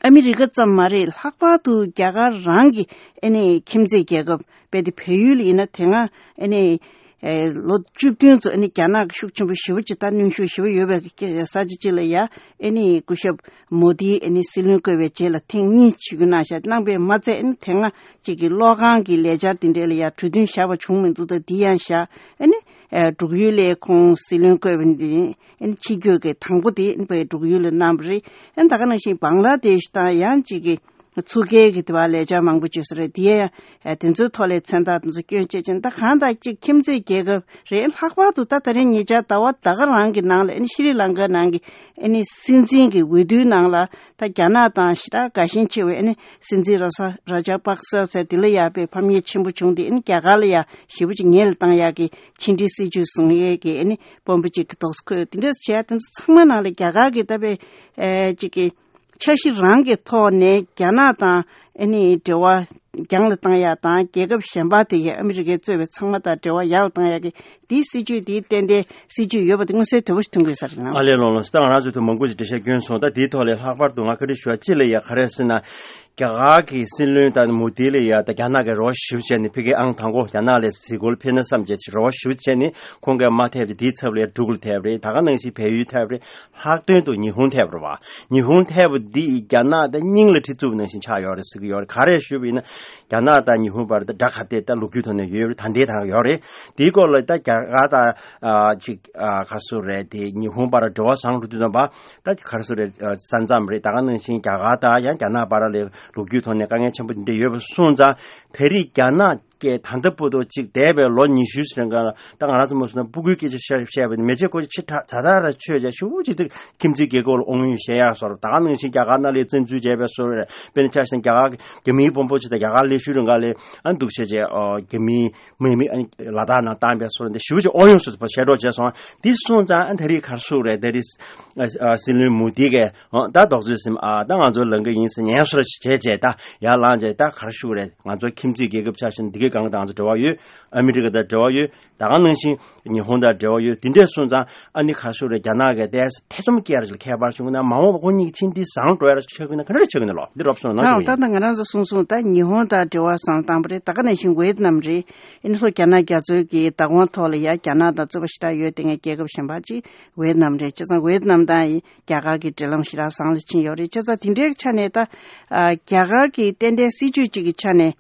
ཨ་མི་རི་ཀ་ཙམ་མ་རེད། ལྷག་པར་དུ་རྒྱ་གར་རང་གི་ཨ་ནི་ཁྱིམ་མཚེས་རྒྱལ་ཁབ་དཔེ་དེ་བལ་ཡུལ་ཡིན་ན་དེ་སྔ་ཨ་ནི་ཨེ་ལོ་བཅུ་བདུན་ཙམ་ཨ་ནི་རྒྱ་ནག་གི་ཤུགས་ཆེན་པོ་ཞེ་པོ་ཅིག་ད་གནོན་ཤུགས་ཞེ་པོ་ཡོད་པའི་ས་ཆ་ཅིག་ལ་ཡ་ཨ་ནི་སྐུ་ཞབས་མོ་དིའི་ཨ་ནི་སྲིད་བློན་བསྐོས་པའི་རྗེས་ལ་ཐེངས་གཉིས་ཞུ་རྒྱུ་གནང་བཞག་གནང་པས་མ་ཚད་ཨ་ནི་དེ་སྔ་ཅིག་གི་གློག་ཁང་གི་ལས་འཆར་དེ་འདྲ་ལ་ཡ་གྲོས་མཐུན་བཞག་པ་བྱུང་མི་འདུག་ད་འདི་ཡང་བཞག་ཨ་ནི་ཨེ་འབྲུག་ཡུལ་ལ་ཁོང་སྲིད་བློན་བསྐོས་པ་འདི། ཨན་ཕྱི་སྐྱོད་ཀྱི་དང་པོ་དེ་ཨན་པའི་འབྲུག་ཡུལ་ལ་གནང་བ་རེད། ཨན་ད་ག་ནང་བཞིན་བང་ལ་དེ་ཤི་དང་ཡང་གཅིག་གི་ཚུགས་ཀའི་གི་དེ་བ་ལས་འཆར་མང་པོ་བཅོས་ས་རེད། དེ་ཡང་དེ་ཚོའི་ཐོག་ལས་མཚན་རྟགས་དེ་ཚོ་སྐྱོན་བཅད་ཅན་ད་གང་ལྟར་གཅིག་ཁྱིམ་མཚེས་རྒྱལ་ཁབ་རེད། ལྷག་པར་དུ་ད་ད་རིང་ཉེ་ཆར་ཟླ་བ་ད་ག་རང་གི་ནང་ལ་ཨན་ཤི་རི་ལང་ཀ་ནང་གི་ཨན་སྲིད་འཛིན་གྱི་འོས་བསྡུའི་ནང་ལ་ད་རྒྱ་ནག་དང་ཞི་དྲག་དགའ་ཞེན་ཆེ་བའི་ཨན་སྲིད་འཛིན་ར་ས་ར་ཇ་པག་ས་ཟེར་དེ་ལ་ཡག་པའི་ཕམ་ཉེས་ཆེན་པོ་བྱུང་སྟེ་ཨན་རྒྱ་གར་ལ་ཡག་ཞེ་པོ་ཅིག་ཉེས་ལ་བཏང་ཡག་གི་ཕྱི་འབྲེལ་སྲིད་ཇུས་བཟུང་ཡས་ཀྱི་ཨ་ནི་དཔོན་པོ་གཅིག་གི་དོགས་སུ་འཁོད་དེ་འདྲ་བྱས་དེ་ཚོ་ཚང་མ་ནང་ལ་རྒྱ་གར་གྱི་ད་པའི་ཨེ་གཅིག་གི་འཆར་གཞི་རང་གི་ཐོག་ནས་རྒྱ་ནག་དང་ཨ་ནི་འབྲེལ་བ་རྒྱང་ལ་བཏང་ཡག་དང་རྒྱལ་ཁབ་གཞན་པ་དེ་གའི་ཨ་མི་རི་ཀས་གཙོས་པའི་ཚང་མ་དང་འབྲེལ་བ་ཡག་ལ་བཏང་ཡག་གི་དེའི་སྲིད་ཇུས་དེའི་ཏན་ཏན་སྲིད་ཇུས་ཡོད་པ་དེ་མངོན་གསལ་དོད་པོ་ཞིག་མཐོང་གི་ཡོད་ས་རེད་ལ། ཨ་ལས་ལོང་ལོང་སི་ད་ང་རང་ཚོའི་ཐོག་མང་པོ་ཞིག་འགྲེལ་བཤད་བསྐྱོན་སོང་། ད་དེའི་ཐོག་ལས་ལྷག་པར་དུ་ང་བཀའ་འདྲི་ཞུ་བ་ཅི་ལ་ཡ་ག་རེ་ཟེར་ན། རྒྱ་གར་གྱི་སྲིད་བློན་དང་མོ་དི་ལ་ཡ་ད་རྒྱ་ནག་གི་རོགས་ཞིབ་བྱས་ནས་ཕ་གིའི་ཨང་དང་པོ་རྒྱ་ནག་ལ་གཟིགས་སྐོར་ཕེབས་ན་བསམ་བྱས་རོགས་ཞིབ་བྱས་ནས་ཁོང་གིས་མ་ཐེབས་ཏེ་དེའི་ཚབ་ལ་ཡ་འབྲུག་ལ་ཐེབས་རེད། ད་ག་ནང་བཞིན་བལ་ཡུལ་ཐེབས་རེད། ལྷག་དོན་དུ་ཉི་ཧོང་ཐེབས་རེད་བ། ཉི་ཧོང་ཐེབས་པ་འདི་ཡིས་རྒྱ་ནག་ད་སྙིང་ལ་གྲི་བཙུགས་པ་ནང་བཞིན་ཆགས་ཡོད་རེད་ཟེར་གྱི་ཡོད་རེད། ག་རེ་ཞུས་པ་ཡིན་ན་རྒྱ་ནག་དང་ཉི་ཧོང་བར་ད་དགྲ་ག་དེ་ད་ལོ་རྒྱུས་ཐོག་ནས་ཡོད་རེད། ད་ལྟའི་ད་ཡོད་རེད། དེའི་སྐོར་ལ་ད་རྒྱ་གར་དང་ཅིག་ག་སུ་རེད་དེ་ཉི་ཧོང་བར་འབྲེལ་བ་བཟང་རུ་དུས་ཙམ་པ། ད་ག་རེ་ཟེར་རེད། ས་མཚམས་རེད། ད་ག་ནང་བཞིན་རྒྱ་གར་དང་ཡང་རྒྱ་ནག་བར་ལ་ལོ་རྒྱུས་ཐོག་ནས་དཀའ་ངལ་ཆེན་པོ་འདི་འདྲ་ཡོད་པ་སོང་ཙང་ད་རེས་རྒྱ་ནག་གིས་ད་ལྟ་བར་དུ་ཅིག་འདས་པའི་ལོ་ཉི་ཤུ་ཞིག་རིང་ག་ལ་ད་ང་རང་ཚོ་མ་སོང་ན་སྤུ་གུའི་སྐད་ཆ་བཤད་བཤད་པ་ནི་མེ་ལྕེ་ཀོ་ཆེ་ཁྲག་ཛ་ཛ་ར་ཆོད་བྱས་ཞུ་ཅིག་ཏུ་ཁྱིམ་མཚེས་རྒྱལ་ཁབ་ལ་དབང་ཡོད་བཤད་ཡག་སོར། ད་ག་ནང་བཞིན་རྒྱ་གར་ནང་ལ་བཙན་འཛུལ་བྱས་པའི་སོར་རེད། དཔེར་ན་ཆ་བཞག་རྒྱ་གར་རྒྱ་མིའི་དཔོན་པོ་ཅིག་དང་རྒྱ་གར་སླེབས་ཤུལ་རིང་ག་ལ་ཨ་འདུག་བྱས་བྱས་རྒྱ་མིའི་མི་མི་ལ་དྭགས་ནང་བཏང་པའི་སོར་འདི་ཞུ་ཅིག་དབང་ཡོད་སོ་སོ་བཤད་རོགས་བྱས་སོང་། འདི་སོང་ཙང་ཨ་ད་རེས་ག་རེ་ཟེར་རེད། ད་རེས་ཨ་ཨ་སྲིད་བློན་མོ་དི་གིས་ཨ་ད་རྡོག་རྩོད་ཟིན་ཨ་ད་ང་ཚོ་ལངས་ཀྱི་ཡིན་ཟེར་ཉན་སོར་བྱས་བྱས་ད་ཡར་ལངས་བྱས་ད་ག་རེ་ཞུ་རེད། ང་ཚོ་ཁྱིམ་མཚེས་རྒྱལ་ཁབ་ཆ་བཞག་ན་འདི་གའི་སྒང་དང་ང་ཚོ་འབྲེལ་བ་ཡོད། ཨ་མི་རི་ཀ་དང་འབྲེལ་བ་ཡོད། ད་ག་ནང་བཞིན་ཉི་ཧོང་དང་འབྲེལ་བ་ཡོད། འདི་འདྲས་སོང་ཙང་ཨ་ནི་ག་རེ་ཞུ་རེད། རྒྱ་ནག་གིས་ཏོག་ཙམ་ཐེ་ཚོམ་སྐྱེ་ར་ཞིག་ལ་ཁྱད་པར་བྱུང་ན་མ་འོངས་པ་ཁོ་གཉིས་ཀྱི་ཕྱི་འབྲེལ་བཟང་འགྲོ་ཡ་ར་ཆགས་ཀྱི་ན་ག་འདྲ་ཆགས་ཀྱི་ན་ལོ་འདི་རོབ་སོང་ན་ཨང་། ད་ལྟ་ང་རང་ཚོ་གསུངས་སོང་། ད་ཉི་ཧོང་དང་འབྲེལ་བ་བཟང་བཏང་པ་རེད། ད་ག་ནང་བཞིན་ཝེད་ནམ་རེད། ཨ་ནི་ལྷོ་རྒྱ་ནག་རྒྱ་མཚོའི་གི་བདག་དབང་ཐོག་ལ་ཡ་རྒྱ་ནག་དང་རྩོད་པ་ཞེ་དྲག་ཡོད་དེ་ངའི་རྒྱལ་ཁབ་གཞན་པ་ཅིག་ཝེད་ནམ་རེད། བྱས་ཙང་ཝེད་ནམ་དང་ཡི་རྒྱ་གར་གྱི་འབྲེལ་ལམ་ཞེ་དྲག་བཟང་ལ་ཕྱིན་ཡོད་རེད། བྱས་ཙང་དེ་འདྲའི་ཆ་ནས་ད་ཨ་རྒྱ་གར་གྱི་ཏན་ཏན་སྲིད་ཇུས་གཅིག་གི་ཆ་ནས་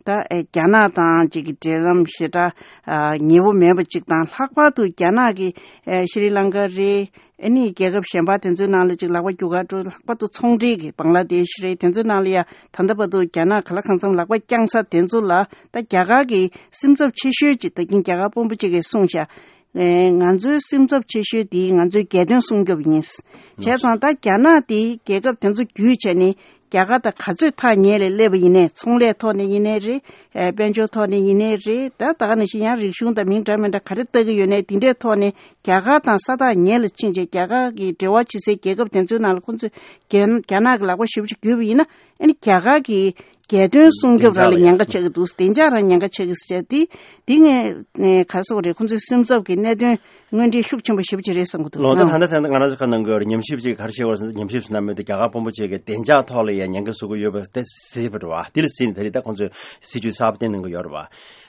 ད་ཨེ་རྒྱ་ནག་དང་གཅིག་གི་འབྲེལ་ལམ་ཞེ་དྲག་ཨ་ཉེ་བོ་མེད་པ་གཅིག་དང་། ལྷག་པར་དུ་རྒྱ་ནག་གི་ཨེ་ཤྲི་ལང་ཀ་རེད། ཨ་ནི་རྒྱལ་ཁབ་གཞན་པ་དེ་ཚོའི་ནང་ལ་གཅིག་ལག་པ་རྒྱུག་ག་འགྲོ། ལྷག་པར་དུ་ཚོང་འབྲེལ་གྱི་བང་ལ་དེ་ཤི་རེད། དེ་ཚོའི་ནང་ལ་ཡ་ད་ལྟ་བར་དུ་རྒྱ་ནག་ག་ལ་གང་འཚམ་ལག་པ་བརྐྱངས་ས་དེ་ཚོ་ལ་ད་རྒྱ་གར་གྱི་སེམས་འཚབ་ཆེ་ཤོས་ཅིག་ད་གིན་རྒྱ་གར་དཔོན་པོ་གཅིག་གིས་གསུངས་ཤག་ཨེ་ང་ཚོའི་སེམས་འཚབ་ཆེ་ཤོས་དེ་ང་ཚོའི་རྒྱལ་དོན་སྲུང་སྐྱོབ་ཡིན། བྱས་ཙང་ད་རྒྱ་ནག་དེ་རྒྱལ་ཁབ་དེ་ཚོ་བརྒྱུད་བྱས་ནས་རྒྱ་གར་དང་ག་ཚོད་ཐག་ཉེ་ལ་སླེབས་པ་ཡིན་ནའི་ཚོང་ལས་ཐོག་ནས་ཡིན་ནའི་རེད། ཨེ་དཔལ་འབྱོར་ཐོག་ནས་ཡིན་ནའི་རེད། ད་ད་ག་ནང་བཞིན་ཡང་རིག་གཞུང་དང་མིང་འདྲ་མི་འདྲ་ག་རེ་བལྟ་གི་ཡོད་ནའི་དེ་འདྲའི་ཐོག་ནས་རྒྱ་གར་དང་ས་ཐག་ཉེ་ལ་ཕྱིན་བྱས་རྒྱ་གར་གྱི་འབྲེལ་བ་བྱེད་སའི་རྒྱལ་ཁབ་དེ་ཚོའི་ནང་ལ་ཁོང་ཚོས་རྒྱ་རྒྱ་ནག་གི་ལག་པ་ཞེ་པོ་ཅིག་བརྒྱུད་པ་ཡིན་ན། ཨ་ནི་རྒྱ་གར་གྱི་རྒྱལ་དོན་སྲུང་སྐྱོབ་རང་ལ་ཉེན་ཁ་ཆགས་ཀྱི་འདུག་བདེ་འཇགས་རང་ཉེན་ཁ་ཆགས་ཀྱི་ཟེར་དེ། འདི་ངས་ག་རེ་ཟེར་དགོས་རེད། ཁོང་ཚོའི་སེམས་འཚབ་ཀྱི་གནད་དོན་དངོས་འབྲེལ་ཤུགས་ཆེན་པོ་ཞེ་པོ་ཅིག་རེད་བསམ་གྱི་འདུག་ལོ་ད་ད་ལྟ་ད་ལྟ་ང་རང་ཚོ་ཁ་ནང་གི་ཉམས་ཞིབ་ཅིག་ག་རེ་བྱེད་དགོས་ཟེར་ན། ཉམས་ཞིབ་ཟེར་ན་མི་འདུག་རྒྱ་གར་དཔོན་པོ་ཅིག་གིས་བདེ་འཇགས་ཐོག་ལ་ཡང་ཉེན་ཁ་བཟོ་གི་ཡོད་པ་དེ་གཟིགས་པ་རེད་བ། དེ་ལ་གཟིགས་ནས་ད་རེས་ད་ཁོང་ཚོས་སྲིད་ཇུས་གསར་པ་བཏོན་གནང་གི་ཡོད་རེད་བ།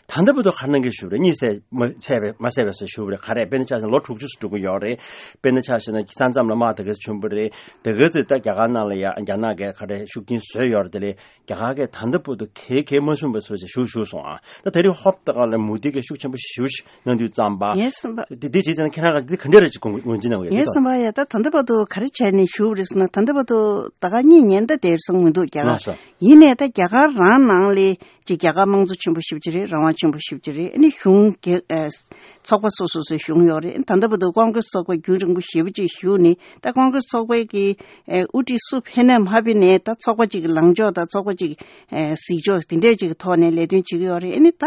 ད་ལྟ་བར་དུ་ག་རེ་གནང་གི་ཞུ་རེད། གཉིད་སད་མ་སད་པའི་མ་སད་པའི་ཟེར་ཞུ་རེད། ག་རེ་དཔེར་ན་ཆ་བཞག་ལོ་དྲུག་ཅུ་ཙམ་འགྲོ་གི་ཡོད་རེད། དཔེར་ན་ཆ་བཞག་ན་ས་མཚམས་ལ་དམག་དེ་ག་ཚོད་བྱུང་བ་རེད། དེ་ག་ཚོད་ད་རྒྱ་གར་ནང་ལ་ཡ་རྒྱ་ནག་གིས་ག་རེ་ཤུགས་རྐྱེན་བཟོས་ཡོད་རེད། དེ་ལས་རྒྱ་གར་གྱིས་ད་ལྟ་བར་དུ་གལ་གལ་མ་གསུངས་པའི་བཟོ་བྱས་ཞུ་ཞུ་སོང་ཨ། ད་དེ་རིང་ཧོབ་ཏེ་ག་ལ་མུ་དི་གིས་ཤུགས་ཆེན་པོ་ཞེ་པོ་ཞིག་གནང་དུས་ཙམ་པ། ངས་བསམ་པ། དེ་དེ་བྱས་ཙང་ཁྱེད་རང་ག་དེ་ག་འདྲ་རེ་ཅིག་ངོས་འཛིན་གནང་གི་ཡོད་ངས་དེ་བསམ་པ་ཡ་ད་ད་ལྟ་བར་དུ་ག་རེ་བྱས་ནས་ཞུ་བ་རེད་ཟེར་ན། ད་ལྟ་བར་དུ་ད་ག་གཉིད་ཉལ་ད་དེར་སོང་མི་འདུག་རྒྱ་གར། ལགས་སོ། ཡིན་ནའི་ད་རྒྱ་གར་རང་ནང་ལ་ ཅིག་རྒྱ་གར་དམངས་གཙོ་ཆེན་པོ་ཞེ་པོ་ཅིག་རེད། རང་དབང་ཆེན་པོ་ཞེ་པོ་ཅིག་རེད། ཨ་ནི་གཞུང་གི་ཨ་ཚོགས་པ་སོ་སོ་སོའི་གཞུང་ཡོད་རེད། ད་ལྟ་བར་དུ་ཀོང་ཀྲེས་ཚོགས་པ་རྒྱུན་རིང་པོ་ཞེ་པོ་ཅིག་བཞུགས་ནས། ད་ཀོང་ཀྲེས་ཚོགས་པའི་གི་ཨ་དབུ་ཁྲིད་སུ་ཕེབས་ན་མ་ཕེབས་ནའི་ད་ཚོགས་པ་ཅིག་གི་ལངས་ཕྱོགས་དང་ཚོགས་པ་ཅིག་གི་ཨ་གཟིགས་ཕྱོགས་དེ་འདྲས་ཅིག་གི་ཐོག་ནས་ལས་དོན་བྱེད་ཀྱི་ཡོད་རེད། ཨ་ནི་ད་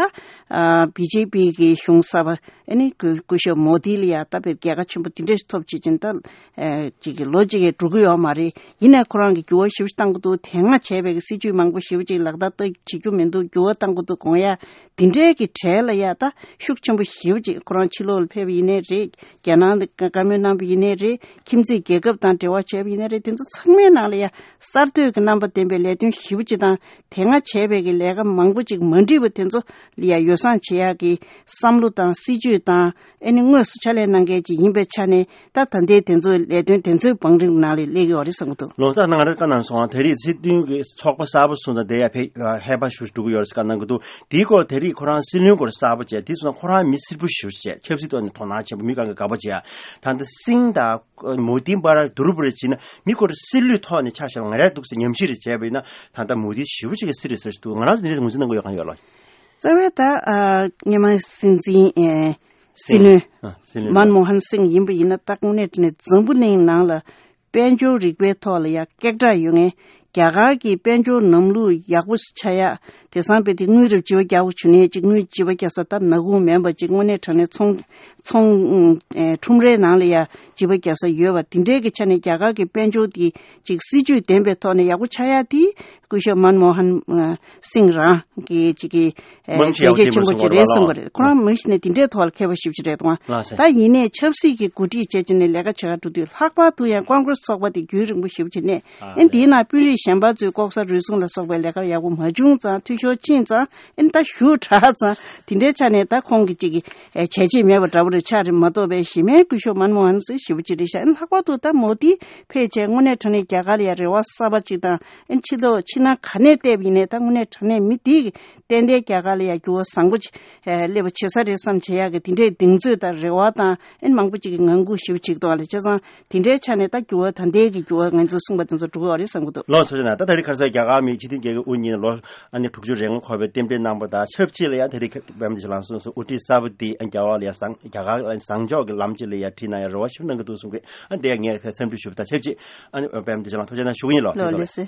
ཨ་བི་ཇེ་པི་གི་གཞུང་གསར་པ་ཨ་ནི་སྐུ་སྐུ་ཞབས་མོ་དི་ལ་ཡ་ད་བེད་རྒྱལ་ཁ་ཆེན་པོ་དེ་འདྲས་ཐོབ་བྱེད་ཅིང་ད་ཨ་ཅིག་གི་ལོ་གཅིག་གི་འགྲོ་གི་ཡོད་མ་རེད། ཡིན་ནའི་ཁོ་རང་གི་འགྱུར་བ་ཞེ་པོ་ཅིག་བཏང་གི་འདུག་དེ་སྔ་བྱས་པའི་གི་སྲིད་ཇུས་མང་པོ་ཞེ་པོ་ཅིག་ལག་བསྟར་ད་བྱེད་རྒྱུ་མི་འདུག་འགྱུར་བ་བཏང་གི་འདུག་དགོངས་ཡ་དེ་འདྲའི་གི་གྲས་ལ་ཡ་ད་ཤུགས་ཆེན་པོ་ཞེ་པོ་ཅིག་ཁོ་རང་ཕྱི་ལོགས་ལ་ཕེབས་པ་ཡིན་ནའི་རེད། རྒྱ་ནང་ལ་བཀའ་མོལ་གནང་བ་ཡིན་ནའི་རེད། ཁྱིམ་མཚེས་རྒྱལ་ཁབ་དང་འབྲེལ་བ་བྱས་པ་ཡིན་ནའི་རེད། དེ་ཚོ་ཚང་མའི་ནང་ལ་ཡ་གསར་གཏོད་ཀྱི་རྣམ་པ་ལྡན་པའི་ལས་དོན་ཞེ་པོ་ཅིག་དང་དེ་སྔ་བྱས་པའི་གི་ལས་ཀ་མང་པོ་ཅིག་མ་འགྲིག་པ་དེ་ཚོ་ལ་ཡ་ཡོ་བསྲང་བྱེད་ཡག་གི་བསམ་བློ་དང་སྲིད་ཇུས་དང་ཨ་ནི་དངོས་སུ་ཕྱག་ལས་གནང་མཁན་ཅིག་ཡིན་པའི་ཆ་ནས། ད་ད་ལྟའི་དེ་ཚོའི་ལས་དོན་དེ་ཚོའི་བང་རིམ་ནང་ལ་སླེབས་ཡོད་རེད་བསམ་གྱི་འདུག་ལོ་ལྟར་ནང་རེ་བཀའ་གནང་སོང་། དེ་རིང་སྲིད་དོན་གྱི་ཚོགས་པ་གསར་པ་སོང་ཙང་དེ་ཡ་ཕེ་ཧེ་བ་ཞུ་འགྲོ་གི་ཡོད་རེད་བཀའ་གནང་གི་འདུག་དེའི་སྐོར་དེ་རིང་ཁོ་རང་སྲིད་བློན་སྐོར་གསར་པ་བྱས་དེ་སོང་ཁོ་རང་མི་སིལ་བུ་ཞུ་བྱས་ཆབ་སྲིད་ཐོག་ནས་དོ་སྣང་ཆེན་པོ་མི་གང་གི་དགའ་པོ་བྱས། ད་ལྟ་སིང་དང་མོ་དིན་པ་ར་དུ་རུ་པུ་རེ་བྱས་ན་མི་སྐོར་སྲིད་བློན་ཐོག་ནས་ཆ་བཞག་ང་རའི་འདུག་ཟེར་ཉམས་ཞིབ་རེ་བྱས་པ་ཡིན་ན་ད་ལྟ་མོ་དི་ཞེ་པོ་ཅིག་གི་སྲིད་རེད་ཟེར་ཞིག་འདུག་ང་རང་ཚོ་འདི་འདྲ་ངོས་འཛིན་གནང་གི་ཡོད་གང་ཡོད་ལ། རྩ་བའི་ད་ཨ་སྔོན་མ་སྲིད་འཛིན་ཨེ་སྲིད་བློན་ཨ་སྲིད་བློན་མན་མོ་ཧན་སིང་ཡིན་པ་ཡིན་ན་ད་དངོས་གནས་དྲང་གནས་འཛམ་བུ་གླིང་ནང་ལ་དཔལ་འབྱོར་རིག་པའི་ཐོག་ལ་ཡ་སྐད་གྲགས་ཡོད་མཁན། རྒྱ་གར་གྱི་དཔལ་འབྱོར་ལམ་ལུགས་ཡག་པོ་ཆགས་ཡ། དེང་སང་དཔེ་དེ་དངུལ་རབས་བྱིས་པ་རྒྱག་པོ་བྱུང་ནས་ཅིག་དངུལ་བྱིས་པ་རྒྱག་ས་ད་ནག་ཁུང་མིན་པ་ཅིག་དངོས་གནས་དྲང་གནས་ཚོང་ཚོང་ཨེ་ཁྲོམ་རའི་ནང་ལ་ཡ་བྱིས་པ་རྒྱག་ས་ཡོད་པ་དེ་འདྲའི་གི་ཆ་ནས་རྒྱ་གར་གྱི་དཔལ་འབྱོར་དེ་ཅིག་སྲིད་ཇུས་ལྡན་པའི་ཐོག་ནས་ཡག་པོ་ཆགས་ཡ་དེ། སྐུ་ཞབས་མན་མོ་ཧན་ཨ་སིང་རང་གི་ཅིག་གི་ཨ་མང་ཆེ་མཛད་རྗེས་ཆེན་པོ་ཅིག་རེད་བསམ་གི་རེད། ཁོ་རང་མི་ཞིག་ནས་དེ་འདྲའི་ཐོག་ལ་མཁས་པ་ཞིག་ཅིག་རེད་དང་། ལགས་སོ། ད་ཡིན་ནའི་ཆབ་སྲིད་ཀྱི་འགོ་ཁྲིད་བྱས་བྱས་ནས་ལས་ཀ་བྱེད་གར་འགྲོ་དུས་ལྷག་པར་དུ་ཡང་ཀོང་ཀྲེས་ཚོགས་པ་དེ་རྒྱུན་རིང་པོ་ཞེ་པོ་ཅིག་གནས། ཨ་ཨེ་འདིའི་ནང་དཔོན་རིགས་གཞན་པ་ཚོས་ལྐོག་ཟ་རུལ་སུངས་ལ་སོགས་པའི་ལས་ཀ་ཡག་པོ་མ་བྱུང་ཙང་འཐུས་ཤོར་ཕྱིན་ཙང་ཨེ་ད་ཞུ་དྲག་ཙང་དེ་འདྲའི་ཆ་ནས་ད་ཁོང་གི་ཅིག་གི་ཨེ་བྱས་རྗེས་མེད་པ་འདྲ་པོ་རེ་ཆགས་རེད་མ་གཏོགས་པའི་གཞི་མའི་སྐུ་ཞབས་མན་མོ་ཧན་སིང་ཞེ་པོ་ཅིག་རེད་ཤག་ཨེ་ལྷག་པར་དུ་ད་མོ་དི་ཕལ་ཆེར་དངོས་གནས་དྲང་གནས་རྒྱ་གར་ལ་ཡང་རེ་བ་གསར་པ་ཅིག་དང་ཨེ་ཕྱི་ལོགས་ཕྱི་ནང་ག་ནས་བལྟས་པ་ཡིན་ནའི་ད་དངོས་གནས་དྲང་གནས་མི་དེ་གི་ཏན་ཏན་རྒྱ་གར་ལ་ཡང་འགྱུར་བ་བཟང་པོ་ཅིག་ཨེ་སླེབས་པ་བྱེད་ས་རེད་བསམ་བྱེད་ཡག་གི་དེ་འདྲའི་གདེང་ཚོད་དང་རེ་བ་དང་ཨེ་མང་པོ་ཅིག་གི་ངང་སྒུག་ཞེ་པོ་ཅིག་འདུག་ཨ་ལས་བྱས་ཙང་དེ་འདྲའི་ཆ་ནས་ད་འགྱུར་བ་ད་ལྟའི་གི་འགྱུར་བ་ང་ཚོས་གསུངས་པ་དེ་ཚོ་འགྲོ་གི་ཡོད་རེད་བསམ་གི་འདུག་ལོ་ཚོ་ཆེ་ན་ད་ད་རེས་ཁ་སང་རྒྱ་གར་མི་སྤྱི་མཐུན་རྒྱལ་ཁབ་དབུ་བརྙེས་ལོ་ཨ་ནི་དྲུག་ཅུ་རེ་ལྔ་འཁོར་བའི་རྟེན་འབྲེལ་གནང་པ་དང་ཆབས་ཅིག་ལ་ཡང་ད་རེས་ཁ་བམ་དེ་ལང་སོང་སོ་དབུ་ཁྲིད་གསར་པ་དེ་རྒྱ་གར་ལ་ཡང་བཟང་རྒྱ་གར་ལ་བཟང་ཕྱོགས་ཀྱི་ལམ་ཅིག་ལ་ཡང་ཁྲིད་གནང་ཡ་རེ་བ་ཞིག་གནང་གི་འདུག་གསུང་གི་ཨ་འདི་ཡང་ངས་ཁ་འཚམས་འདྲི་ཞུ་བ་དང་ཆབས་ཅིག་ཨ་ནི་བམ་དེ་ལང་ཐུགས་རྗེ་གནང་ཞུ་གི་ཡིན་ལོ། ལོ་ལེ་སེ།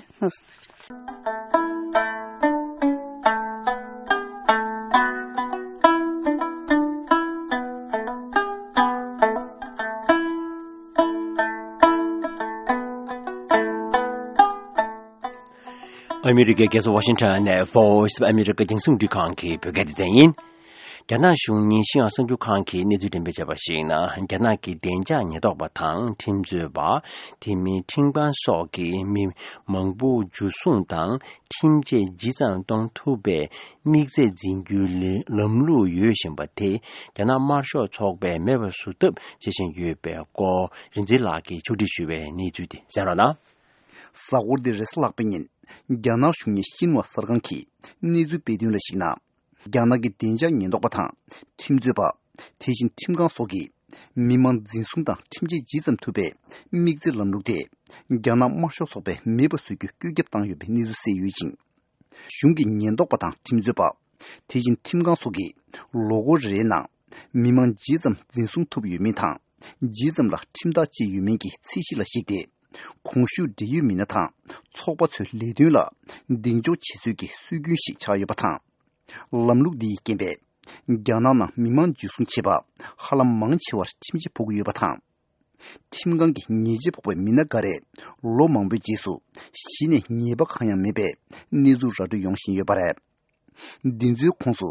ཨ་མི་རི་ཀའི་རྒྱལ་ས་ཝ་ཤིང་ཊོན་ནས་Voice of America་རྒྱང་སྲིང་རླུང་འཕྲིན་ཁང་གི་བོད་སྐད་སྡེ་ཚན་ཡིན། རྒྱ་ནག་གཞུང་ཉིན་ཤིང་ཨ་གསར་འགྱུར་ཁང་གིས་གནས་ཚུལ་འགྲེམས་སྤེལ་བྱས་པར་གཞིགས་ན། རྒྱ་ནག་གི་བདེ་འཇགས་ཉེན་རྟོག་པ་དང་ཁྲིམས་རྩོད་པ། དེ་མིན་ཁྲིམས་ཁང་སོགས་ཀྱིས་མི་མང་པོ་འཇུ་བཟུང་དང་ཁྲིམས་ཆད་ཇི་ཙམ་གཏོང་ཐུབ་པའི་དམིགས་ཚད་འཛིན་རྒྱུའི་ལམ་ལུགས་ཡོད་བཞིན་པ་དེ་རྒྱ་ནག་དམར་ཤོག་ཚོགས་པས་མེད་པ་བཟོ་ཐབས་བྱེད་བཞིན་ཡོད་པའི་སྐོར་རིག་འཛིན་ལགས་ཀྱིས་ཕྱོགས་སྒྲིག་ཞུས་པའི་གནས་ཚུལ་དེ་གསན་རོགས་གནང་། གཟའ་འཁོར་འདིར་རེས་གཟའ་ལྷག་པའི་ཉིན་རྒྱ་ནག་གཞུང་གཉེར་ཤིན་ཧྭ་གསར་ཁང་གིས་གནས་ཚུལ་སྤེལ་དོན་ལ་གཞིགས་ན། རྒྱ་ནག་གི་བདེ་འཇགས་ཉེན་རྟོག་པ་དང་ཁྲིམས་རྩོད་པ། དེ་བཞིན་ཁྲིམས་ཁང་སོགས་ཀྱིས་མི་མང་འཛིན་བཟུང་དང་ཁྲིམས་ཆད་ཇི་ཙམ་ཐུབ་པའི་དམིགས་བརྩེ་ལམ་ལུགས་དེ་རྒྱ་ནག་དམར་ཤོག་ཚོགས་པས་མེད་པ་བཟོ་རྒྱུའི་བཀོད་ཁྱབ་བཏང་ཡོད་པའི་གནས་ཚུལ་གསལ་ཡོད་ཅིང་། གཞུང་གི་ཉེན་རྟོག་པ་དང་ཁྲིམས་རྩོད་པ། དེ་བཞིན་ཁྲིམས་ཁང་སོགས་ཀྱིས་ལོ་འཁོར་རེའི་ནང་མི་མང་ཇི་ཙམ་འཛིན་བཟུང་ཐུབ་ཡོད་མིན་དང་། ཇི་ཙམ་ལ་ཁྲིམས་ཐག་བཅད་ཡོད་མིན་གྱི་ཚད་གཞི་ལ་གཞིགས་ཏེ། གོང་ཞུས་འབྲེལ་ཡོད་མི་སྣ་དང་ཚོགས་པ་ཚོའི་ལས་དོན་ལ་གདེང་འཇོག་བྱེད་ཚུལ་གྱི་སྲོལ་རྒྱུན་ཞིག་ཆགས་ཡོད་པ་དང་། ལམ་ལུགས་འདི་ཡི་རྐྱེན་པས། རྒྱ་ནག་ནང་མི་མང་འཇུ་བཟུང་བྱེད་པ་ཧ་ལམ་མང་ཆེ་བར་ཁྲིམས་ཆད་ཕོག་གི་ཡོད་པ་དང་། ཁྲིམས་ཁང་གི་ཉེས་ཆད་ཕོག་པའི་མི་སྣ་འགའ་རེས་ལོ་མང་པོའི་རྗེས་སུ་གཞི་ནས་ཉེས་པ་གང་ཡང་མེད་པའི་གནས་ཚུལ་ར་སྤྲོད་ཡོང་བཞིན་ཡོད་པ་རེད། འདི་ཚོའི་ཁོངས་སུ་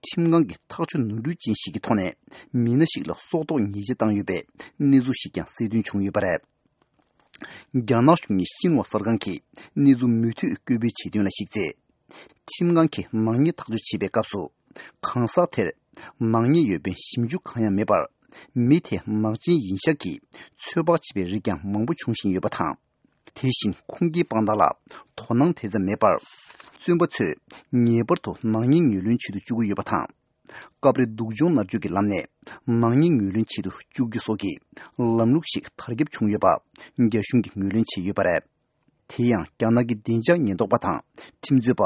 ཁྲིམས་ཁང་གི་ཐག་གཅོད་ནོར་འཁྲུལ་ཅན་ཞིག་གི་ཐོག་ནས་མི་སྣ་ཞིག་ལ་སྲོག་ཐོག་ཉེས་ཆད་བཏང་ཡོད་པའི་གནས་ཚུལ་ཞིག་ཀྱང་གསལ་སྟོན་བྱུང་ཡོད་པ་རེད། རྒྱ་ནག་གཞུང་གི་ཤིན་ཧྭ་གསར་ཁང་གིས་གནས་ཚུལ་མུ་མཐུད་བཀོད་སྤེལ་བྱེད་དོན་ལ་གཞིགས་ཚེ། ཁྲིམས་ཁང་གིས་ནག་ཉེས་ཐག་གཅོད་བྱེད་པའི་སྐབས་སུ། གང་ཟག་དེར་ནག་ཉེས་ཡོད་པའི་ཞིབ་འཇུག་གང་ཡང་མེད་པར། མི་དེ་ནག་ཅན་ཡིན་ཤག་གི་ཚོད་དཔག་བྱེད་པའི་རིགས་ཀྱང་མང་པོ་འབྱུང་བཞིན་ཡོད་པ་དང་། དེ་བཞིན་ཁུངས་སྐྱེལ་དཔང་རྟགས་ལ་དོ་སྣང་དེ་ཙམ་མེད་པར། བཙོན་པ་ཚོས་ངེས་པར་དུ་ནག་ཉེས་ངོས་ལེན་བྱེད་དུ་བཅུག་གི་ཡོད་པ་དང་། སྐབས་རེ་སྡུག་སྦྱོང་མནར་གཅོད་ཀྱི་ལམ་ནས་ནག་ཉེས་ངོས་ལེན་བྱེད་དུ་བཅུག་རྒྱུ་སོགས་ཀྱི་ལམ་ལུགས་ཤིག་དར་ཁྱབ་བྱུང་ཡོད་པ་རྒྱ་གཞུང་གིས་ངོས་ལེན་བྱས་ཡོད་པ་རེད། དེ་ཡང་རྒྱ་ནག་གི་བདེ་འཇགས་ཉེན་རྟོག་པ་དང་ཁྲིམས་རྩོད་པ།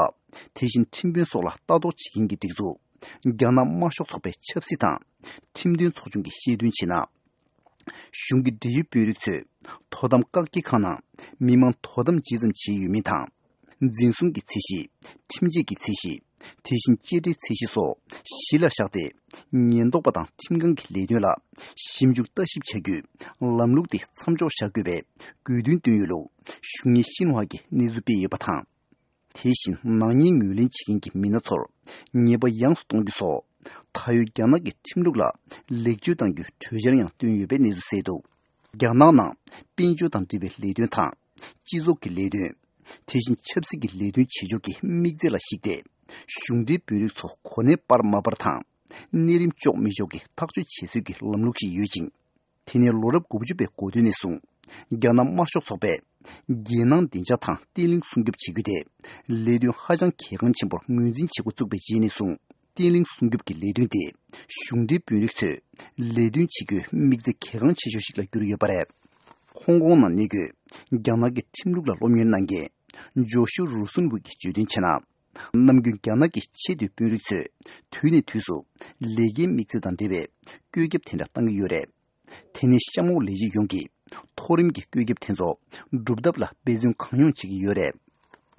དེ་བཞིན་ཁྲིམས་དཔོན་སོགས་ལ་ལྟ་རྟོག་བྱེད་མཁན་གྱི་སྒྲིག་འཛུགས་རྒྱ་ནག་དམར་ཤོག་ཚོགས་པའི་ཆབ་སྲིད་དང་ཁྲིམས་དོན་ཚོགས་ཆུང་གིས་བཤད་དོན་བྱས་ན། གཞུང་གི་འབྲེལ་ཡོད་དཔོན་རིགས་ཚོས་དོ་དམ་བཀག་སྐྱིལ་ཁང་ནང་མི་མང་དོ་དམ་ཇི་ཙམ་བྱས་ཡོད་མིན་དང་། འཛིན་བཟུང་གི་ཚད་གཞི། ཁྲིམས་ཆད་ཀྱི་ཚད་གཞི། དེ་བཞིན་གཅེས་སྤྲས་ཚད་གཞི་སོགས་གཞི་ལ་བཞག་སྟེ། ཉེན་རྟོག་པ་དང་ཁྲིམས་ཁང་གི་ལས་དོན་ལ་ཞིབ་འཇུག་ལྟ་ཞིབ་བྱ་རྒྱུའི་ལམ་ལུགས་དེ་མཚམས་འཇོག་བྱ་དགོས་པའི་དགོས་འདུན་བཏོན་ཡོད་ལུགས་གཞུང་ཉིད་ཤིན་ཧྭ་གིས་གནས་ཚུལ་སྤེལ་ཡོད་པ་དང་། དེ་བཞིན་ནག་ཉེས་ངོས་ལེན་བྱེད་མཁན་གྱི་མི་སྣ་ཚོར་ཉེས་པ་ཡངས་སུ་གཏོང་རྒྱུ་སོགས་ད་ཡོད་རྒྱ་ནག་གི་ཁྲིམས་ལུགས་ལ་ལེགས་བཅོས་གཏང་རྒྱུའི་གྲོས་འཆར་ཡང་བཏོན་ཡོད་པའི་གནས་ཚུལ་གསལ་འདུག་རྒྱ་ནག་ནང་དཔལ་འབྱོར་དང་འབྲེལ་བའི་ལས་དོན་དང་། སྤྱི་ཚོགས་ཀྱི་ལས་དོན། དེ་བཞིན་ཆབ་སྲིད་ཀྱི་ལས་དོན་བྱེད་ཕྱོགས་ཀྱི་དམིགས་ཚད་ལ་གཞིགས་ཏེ། གཞུང་འབྲེལ་དཔོན་རིགས་ཚོ་གོ་གནས་སྤར་མ་སྤར་དང་། གནས་རིམ་གཅོག་མི་གཅོག་གི་ཐག་གཅོད་བྱེད་སྲོལ་གྱི་ལམ་ལུགས་ཤིག་ཡོད་ཅིང་། དེ་ནས་ལོ་རབས་དགུ་བཅུ་པའི་འགོ་སྟོད་ནས་བཟུང་རྒྱ་ནག་དམར་ཤོག་ཚོགས་པས་རྒྱལ་ནང་བདེ་འཇགས་དང་བརྟན་ལྷིང་སྲུང་སྐྱོབ་བྱེད་རྒྱུ་དེ་ལས་དོན་ཧ་ཅང་གལ་འགངས་ཆེན་པོར་ངོས་འཛིན་བྱེད་འགོ་བཙུགས་པའི་རྗེས་ནས་བཟུང་བརྟན་ལྷིང་སྲུང་སྐྱོབ་ཀྱི་ལས་དོན་དེ་གཞུང་འབྲེལ་དཔོན་རིགས་ཚོས་ལས་དོན་བྱེད་རྒྱུའི་དམིགས་ཚད་གལ་འགངས་ཆེ་ཤོས་ཤིག་ལ་གྱུར་ཡོད་པ་རེད། ཧོང་ཀོང་ནང་གནས་འཁོད་རྒྱ་ནག་གི་ཁྲིམས་ལུགས་ལ་སློབ་གཉེར་གནང་མཁན་ཇོ་ཤུ་རུ་སུན་ཝུ་གིས་བརྗོད་དོན་བྱས་ན། ནམ་རྒྱུན་རྒྱ་ནག་གི་ཆེས་མཐོའི་དཔོན་རིགས་ཚོས་དུས་ནས་དུས་སུ་ལས་ཀའི་དམིགས་ཚད་དང་འབྲེལ་བའི་བཀོད་ཁྱབ་དེ་འདྲ་བཏང་གི་ཡོད་རེད། དེ་ནས་གཤམ་འོག་ལས་བྱེད་ཡོངས་ཀྱིས་མཐོ་རིམ་གྱི་བཀོད་ཁྱབ་དེ་ཚོ་སྒྲུབ་ཐབས་ལ་འབད་བརྩོན་གང་ཡོང་བྱེད་ཀྱི་ཡོད་རེད།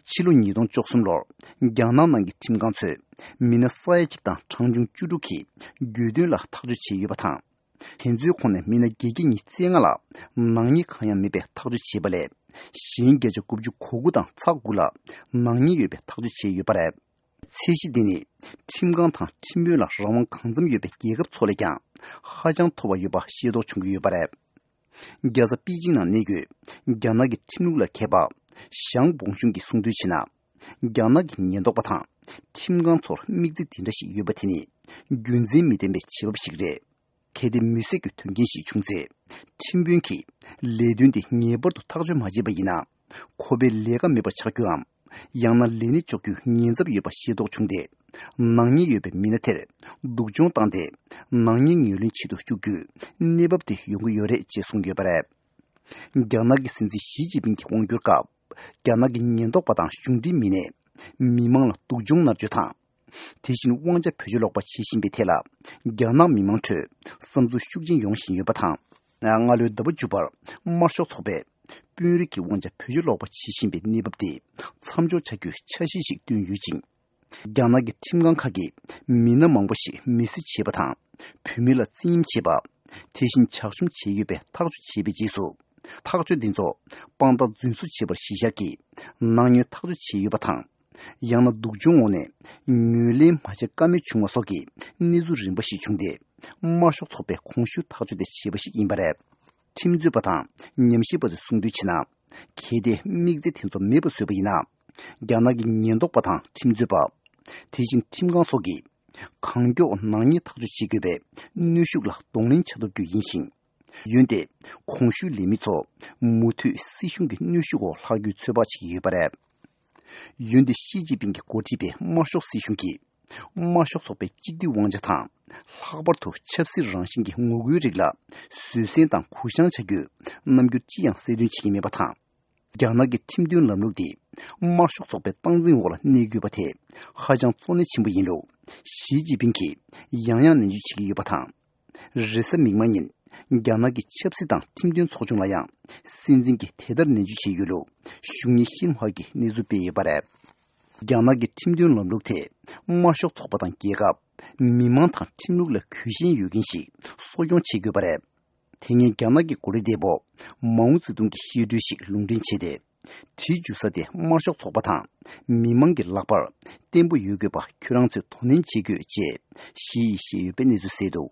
ཕྱི་ལོ་ཉིས་སྟོང་བཅུ་གསུམ་ལོར་རྒྱ་ནག་ནང་གི་ཁྲིམས་ཁང་ཚོས་མི་སྣ་ས་ཡ་གཅིག་དང་གྲངས་ཆུང་བཅུ་དྲུག་གིས་རྒྱུས་སྟོན་ལ་ཐག་གཅོད་བྱས་ཡོད་པ་དང་། དེ་ཚོའི་ཁོངས་ནས་མི་སྣ་བརྒྱད་བརྒྱ་ཉི་ཤུ་རྩ་ལྔ་ལ་ནག་ཉེས་གང་ཡང་མེད་པའི་ཐག་གཅོད་བྱས་པ་ལས། གཞན་བརྒྱ་ཆ་དགུ་བཅུ་གོ་དགུ་དང་ཚེག་དགུ་ལ་ནག་ཉེས་ཡོད་པའི་ཐག་གཅོད་བྱས་ཡོད་པ་རེད། ཚད་གཞི་འདི་ནི་ཁྲིམས་ཁང་དང་ཁྲིམས་དཔོན་ལ་རང་དབང་གང་འཚམ་ཡོད་པའི་རྒྱལ་ཁབ་ཚོ་ལས་ཀྱང་ཧ་ཅང་མཐོ་བ་ཡོད་པ་ཤེས་རྟོགས་བྱུང་གི་ཡོད་པ་རེད། རྒྱལ་ས་པེ་ཅིང་ནང་གནས་འཁོད་རྒྱ་ནག་གི་ཁྲིམས་ལུགས་ལ་མཁས་པ་ཞང་བོང་ཤུང་གིས་གསུངས་དོན་བྱས་ན། རྒྱ་ནག་གི་ཉེན་རྟོག་པ་དང་ཁྲིམས་ཁང་ཚོར་དམིགས་ཚད་འདི་འདྲ་ཞིག་ཡོད་པ་དེ་ནི་རྒྱུ་མཚན་མི་ལྡན་པའི་བྱེད་བབ་ཞིག་རེད། གལ་ཏེ་མི་སེར་གྱི་དོན་རྐྱེན་ཞིག་བྱུང་ཚེ། ཁྲིམས་དཔོན་གྱིས་ལས་དོན་དེ་ངེས་པར་དུ་ཐག་གཅོད་མ་བྱས་པ་ཡིན་ན། ཁོ་པའི་ལས་ཀ་མེད་པ་ཆགས་རྒྱུའམ། ཡང་ན་ལས་གནས་གཅོག་རྒྱུའི་ཉེན་ཚབས་ཡོད་པ་ཤེས་རྟོགས་བྱུང་སྟེ། ནག་ཉེས་ཡོད་པའི་མི་སྣ་དེར་སྡུག་སྦྱོང་བཏང་སྟེ། ནག་ཉེས་ངོས་ལེན་བྱེད་དུ་བཅུག་རྒྱུའི་གནས་བབ་དེ་ཡོང་གི་ཡོད་རེད་ཅེས་གསུངས་ཡོད་པ་རེད། རྒྱ་ནག་གི་སྲིད་འཛིན་ཞི་ཅིན་ཕིང་གི་དབང་སྒྱུར་སྐབས། རྒྱ་ནག་གི་ཉེན་རྟོག་པ་དང་གཞུང་འབྲེལ་མི་སྣས་མི་མང་ལ་སྡུག་སྦྱོང་མནར་གཅོད་དང་། དེ་བཞིན་དབང་ཆ་བེད་སྤྱོད་ལོག་པ་བྱེད་བཞིན་པའི་ཐད་ལ། རྒྱ་ནག་མི་མང་ཁྲོད་བསམ་ཚུལ་ཤུགས་ཆེན་ཡོང་བཞིན་ཡོད་པ་དང་། སྔ་ལོའི་ཟླ་བ་བཅུ་པར་དམར་ཤོག་ཚོགས་པས་དཔོན་རིགས་ཀྱི་དབང་ཆ་བེད་སྤྱོད་ལོག་པ་བྱེད་བཞིན་པའི་གནས་བབ་དེ་མཚམས་འཇོག་བྱ་རྒྱུའི་འཆར་གཞི་ཞིག་བཏོན་ཡོད་ཅིང་། རྒྱ་ནག་གི་ཁྲིམས་ཁང་ཁག་གིས་མི་སྣ་མང་པོ་ཞིག་མི་གསོད་བྱས་པ་དང་། བུད་མེད་ལ་བཙན་གཡེམ་བྱས་པ། དེ་བཞིན་ཇག་བཅོམ་བྱས་ཡོད་པའི་ཐག་གཅོད་བྱས་པའི་རྗེས་སུ། ཐག་གཅོད་འདི་ཚོ་དཔང་རྟགས་རྫུན་བཟོ་བྱས་པར་གཞི་བཞག་གིས་ནག་ཉེས་ཐག་གཅོད་བྱས་ཡོད་པ་དང་། ཡང་ན་སྡུག་སྦྱོང་འོག་ནས་ངོས་ལེན་མ་བྱེད་ཀ་མེད་བྱུང་བ་སོགས་ཀྱི་གནས་ཚུལ་རིམ་པ་ཞིག་བྱུང་སྟེ། དམར་ཤོག་ཚོགས་པས་གོང་ཞུས་ཐག་གཅོད་དེ་བྱས་པ་ཞིག་ཡིན་པ་རེད། ཁྲིམས་རྩོད་པ་དང་ཉམས་ཞིབ་པ་ཚོས་གསུངས་དོན་བྱས་ན། གལ་ཏེ་དམིགས་ཚད་དེ་ཚོ་མེད་པ་བཟོས་པ་ཡིན་ན། རྒྱ་ནག་གི་ཉེན་རྟོག་པ་དང་ཁྲིམས་རྩོད་པ། དེ་བཞིན་ཁྲིམས་ཁང་སོགས་ཀྱིས་གང་མགྱོགས་ནག་ཉེས་ཐག་གཅོད་བྱེད་དགོས་པའི་གནོན་ཤུགས་ལ་གདོང་ལེན་བྱ་ཐུབ་རྒྱུ་ཡིན་ཞིང་། འོན་ཏེ་གོང་ཞུས་ལས་མི་ཚོ་མུ་མཐུད་སྲིད་གཞུང་གི་གནོན་ཤུགས་འོག་ལྷག་རྒྱུའི་ཚོད་དཔག་བྱེད་ཀྱི་ཡོད་པ་རེད། འོན་ཏེ་ཞི་ཅིན་ཕིང་གིས་འགོ་ཁྲིད་པའི་དམར་ཤོག་སྲིད་གཞུང་གིས། དམར་ཤོག་ཚོགས་པའི་གཅིག་སྡུད་དབང་ཆ་དང་། ལྷག་པར་དུ་ཆབ་སྲིད་རང་བཞིན་གྱི་ངོ་རྒོལ་རིགས་ལ་བཟོད་བསྲན་དང་གུ་བཤངས་བྱ་རྒྱུའི་རྣམ་འགྱུར་ཅི་ཡང་གསལ་སྟོན་བྱེད་ཀྱི་མེད་པ་དང་། རྒྱ་ནག་གི་ཁྲིམས་མཐུན་ལམ་ལུགས་འདི་དམར་ཤོག་ཚོགས་པའི་སྟངས་འཛིན་འོག་ལ་གནས་དགོས་པ་དེ་ཧ་ཅང་གཙོ་གནད་ཆེན་པོ་ཡིན་ལུགས་ཞི་ཅིན་ཕིང་གིས་ཡང་ཡང་ནན་བརྗོད་བྱེད་ཀྱི་ཡོད་པ་དང་། རེས་གཟའ་མིག་དམར་ཉིན་རྒྱ་ནག་གི་ཆབ་སྲིད་དང་ཁྲིམས་དོན་ཚོགས་ཆུང་ལ་ཡང་སྲིད་འཛིན་གྱིས་དེ་ལྟར་ནན་བརྗོད་བྱས་ཡོད་ལུགས་གཞུང་ཉིད་ཤིན་ཧྭ་གིས་གནས་ཚུལ་སྤེལ་ཡོད་པ་རེད། རྒྱ་ནག་གི་ཁྲིམས་མཐུན་ལམ་ལུགས་དེ་དམར་ཤོག་ཚོགས་པ་དང་རྒྱལ་ཁབ། མི་མང་དང་ཁྲིམས་ལུགས་ལ་གུས་ཞེན་ཡོད་མཁན་ཞིག་གསོ་སྐྱོང་བྱེད་དགོས་པ་རེད། དེ་སྔའི་རྒྱ་ནག་གི་འགོ་ཁྲིད་འདས་པོ་མའོ་ཙེ་ཏུང་གི་བཤད་སྒྲོས་ཤིག་ལུང་འདྲེན་བྱས་ཏེ། གྲི་འཇུ་ས་དེ་དམར་ཤོག་ཚོགས་པ་དང་མི་མང་གི་ལག་པར་བརྟན་པོ་ཡོད་དགོས་པ་ཁྱོད་རང་ཚོས་དོ་ནན་བྱེད་དགོས་ཅེས་ཞི་ཡིས་བཤད་ཡོད་པའི་གནས་ཚུལ་གསལ་འདུག་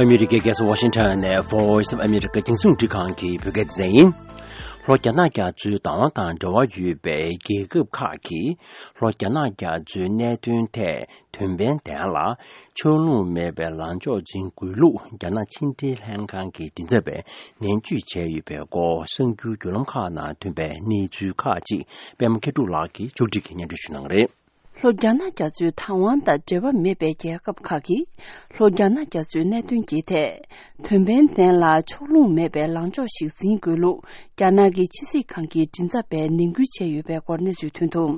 ཨ་མི་རི་ཀའི་རྒྱལ་ས་ཝ་ཤིང་ཊོན་ནས་Voice of America་རྒྱང་སྲིང་རླུང་འཕྲིན་ཁང་གི་བོད་སྐད་སྡེ་ཚན་ཡིན། ལྷོ་རྒྱ་ནག་རྒྱ་མཚོའི་བདག་དབང་དང་འབྲེལ་བ་ཡོད་པའི་རྒྱལ་ཁབ་ཁག་གིས་ལྷོ་རྒྱ་ནག་རྒྱ་མཚོའི་གནད་དོན་ཐད་དོན་ཕན་ལྡན་ལ་ཕྱོགས་ལྷུང་མེད་པའི་ལངས་ཕྱོགས་འཛིན་དགོས་ལུགས་རྒྱ་ནག་ཕྱི་འབྲེལ་ལྷན་ཁང་གི་མགྲིན་ཚབ་པས་ནན་བརྗོད་བྱས་ཡོད་པའི་སྐོར་གསར་འགྱུར་བརྒྱུད་ལམ་ཁག་ནང་ཐོན་པའི་གནས་ཚུལ་ཁག་ཅིག་པད་མ་མཁས་གྲུབ་ལགས་ཀྱིས་ཕྱོགས་སྒྲིག་གིས་སྙན་སྒྲོན་ཞུ་གནང་གི་རེད། ལྷོ་རྒྱ་ནག་རྒྱ་མཚོའི་བདག་དབང་དང་འབྲེལ་བ་མེད་པའི་རྒྱལ་ཁབ་ཁག་གིས་ལྷོ་རྒྱ་ནག་རྒྱ་མཚོའི་གནད་དོན་གྱི་ཐད་དོན་ཕན་ལྡན་ལ་ཕྱོགས་ལྷུང་མེད་པའི་ལངས་ཕྱོགས་ཤིག་འཛིན་དགོས་ལུགས་རྒྱ་ནག་གི་ཕྱི་སྲིད་ཁང་གི་མགྲིན་ཚབ་པས་ནན་སྐུལ་བྱས་ཡོད་པའི་སྐོར་གནས་ཚུལ་ཐོན་འདུག།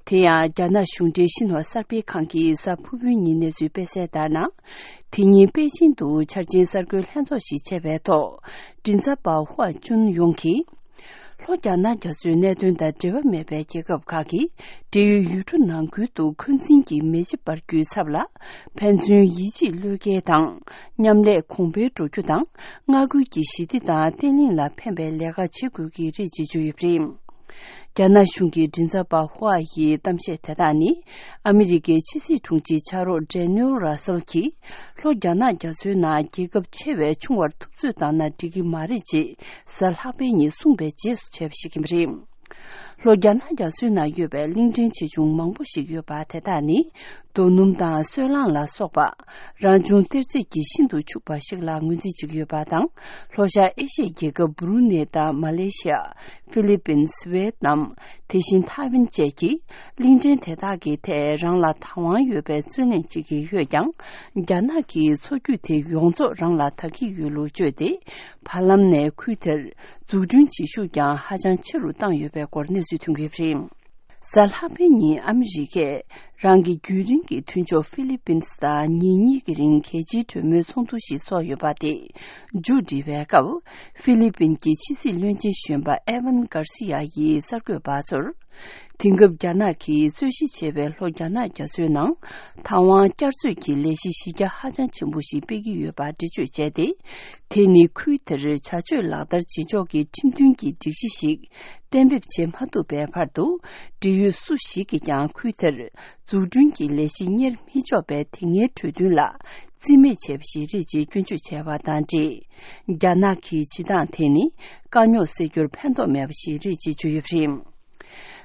དེ་ཡང་རྒྱ་ནག་གཞུང་འབྲེལ་ཤིན་ཧྭ་གསར་སྤེལ་ཁང་གིས་གཟའ་ཕུར་བུའི་ཉིན་གནས་ཚུལ་སྤེལ་གསལ་ལྟར་ན། དེ་ཉིན་པེ་ཅིང་དུ་འཆར་ཅན་གསར་འགོད་ལྷན་ཚོགས་ཤིག་བྱས་པའི་ཐོག་མགྲིན་ཚབ་པ་ཧུའ་ཅུན་ཡོང་གིས། ལྷོ་རྒྱ་ནག་རྒྱ་མཚོའི་གནད་དོན་དང་འབྲེལ་བ་མེད་པའི་རྒྱལ་ཁབ་ཁག་གིས་འབྲེལ་ཡོད་ཡུལ་གྲུ་ནང་ཁུལ་དུ་འཁོན་འཛིན་གྱི་མེ་ལྕེ་འབར་རྒྱུའི་ཚབ་ལ་ཕན་ཚུན་ཡིད་ཆེས་བློས་འགེལ་དང་མཉམ་ལས་གོང་འཕེལ་འགྲོ་རྒྱུ་དང་མངའ་ཁུལ་གྱི་ཞི་བདེ་དང་བརྟན་ལྷིང་ལ་ཕན་པའི་ལས་ཀ་བྱེད་དགོས་ཀྱི་རེད་ཅེས་བརྗོད་ཡོད་པ་རེད། རྒྱ་ནག་གཞུང་གི་མགྲིན་ཚབ་པ་ཧུའ་ཡི་གཏམ་བཤད་དེ་དག་ནི་ཨ་མི་རི་ཀའི་ཕྱི་སྲིད་དྲུང་ཆེ་ཕྱག་རོགས་ཌེ་ནིལ་ར་སེལ་གྱིས་ལྷོ་རྒྱ་ནག་རྒྱ་མཚོའི་ནང་རྒྱལ་ཁབ་ཆེ་བས་ཆུང་བར་ཐུབ་ཚོད་བཏང་ན་འགྲིག་གི་མ་རེད་ཅེས་གཟའ་ལྷག་པའི་ཉིན་གསུངས་པའི་རྗེས་སུ་བྱས་པ་ཞིག་ཡིན་པ་རེད། ལྷོ་རྒྱ་ནག་རྒྱ་མཚོའི་ནང་ཡོད་པའི་གླིང་ཕྲན་ཆེ་ཆུང་མང་པོ་ཞིག་ཡོད་པ་དེ་དག་ནི་རྡོ་སྣུམ་དང་སོལ་རླངས་ལ་སོགས་པ་རང་བྱུང་གཏེར་རྫས་ཀྱིས་ཤིན་ཏུ་ཕྱུག་པ་ཞིག་ལ་ངོས་འཛིན་བྱེད་ཀྱི་ཡོད་པ་དང་། ལྷོ་ཤར་ཨེ་ཤི་ཡའི་རྒྱལ་ཁབ་བུ་རུ་ནེ་དང་མ་ལེ་ཤི་ཡ། ཧྥི་ལི་པིན། ཝེ་ཏི་ནམ། དེ་བཞིན་ཐའེ་ཝན་བཅས་ཀྱིས་གླིང་ཕྲན་དེ་དག་གི་ཐད་རང་ལ་བདག་དབང་ཡོད་པའི་རྩོད་གླེང་བྱེད་ཀྱི་ཡོད་ཀྱང་། རྒྱ་ནག་གིས་མཚོ་རྒྱུད་དེ་ཡོངས་རྫོགས་རང་ལ་ད་གི་ཡོད་ལུགས་བརྗོད་དེ། བར་ལམ་ནས་ཁུལ་དེར་འཛུགས་སྐྲུན་བྱེད་ཤུགས་ཀྱང་ཧ་ཅང་ཆེ་རུ་བཏང་ཡོད་པའི་སྐོར་གནས་ཚུལ་ཐོན་གྱི་ཡོད་པ་རེད། གཟའ་ལྷག་པའི་ཉིན་ཨ་མི་རི་ཀས་རང་གི་རྒྱུན་རིང་གི་མཐུན་ཕྱོགས་ཧྥི་ལི་པིན་སི་དང་ཉིན་གཉིས་ཀྱི་རིང་གལ་ཆེའི་གྲོས་མོལ་ཚོགས་འདུ་ཞིག་ཚོགས་ཡོད་པ་དེ་མཇུག་སྒྲིལ་བའི་སྐབས། ཧྥི་ལི་པིན་གྱི་ཕྱི་སྲིད་བློན་ཆེན་གཞོན་པ་ཨེ་ཝན་གྷར་སི་ཡ་ཡིས་གསར་འགོད་པ་ཚོར། དེང་སྐབས་རྒྱ་ནག་གིས་རྩོད་གཞི་བྱས་པའི་ལྷོ་རྒྱ་ནག་རྒྱ་མཚོའི་ནང་། བདག་དབང་བསྐྱར་རྩོད་ཀྱི་ལས་གཞི་གཞི་རྒྱ་ཧ་ཅང་ཆེན་པོ་ཞིག་སྤེལ་གྱི་ཡོད་པར་འགྲེལ་བརྗོད་བྱས་ཏེ། དེ་ནི་ཁུལ་དེར་བྱ་སྤྱོད་ལག་བསྟར་བྱེད་ཕྱོགས་ཀྱི་ཁྲིམས་མཐུན་གྱི་སྒྲིག་གཞི་ཞིག་གཏན་འབེབས་བྱེད་མ་ཐུབ་པའི་བར་དུ། འབྲེལ་ཡོད་སུ་ཞིག་གིས་ཀྱང་ཁུལ་དེར་འཛུགས་སྐྲུན་གྱི་ལས་གཞི་གཉེར་མི་ཆོག་པའི་དེ་སྔའི་གྲོས་མཐུན་ལ་རྩིས་མེད་བྱས་པ་ཞིག་རེད་ཅེས་སྐྱོན་བརྗོད་བྱས་པ་དང་འབྲེལ། རྒྱ་ནག་གི་བྱེད་སྟངས་དེ་ནི་དཀའ་རྙོག་སེལ་རྒྱུར་ཕན་ཐོགས་མེད་པ་ཞིག་རེད་ཅེས་བརྗོད་ཡོད་པ་རེད།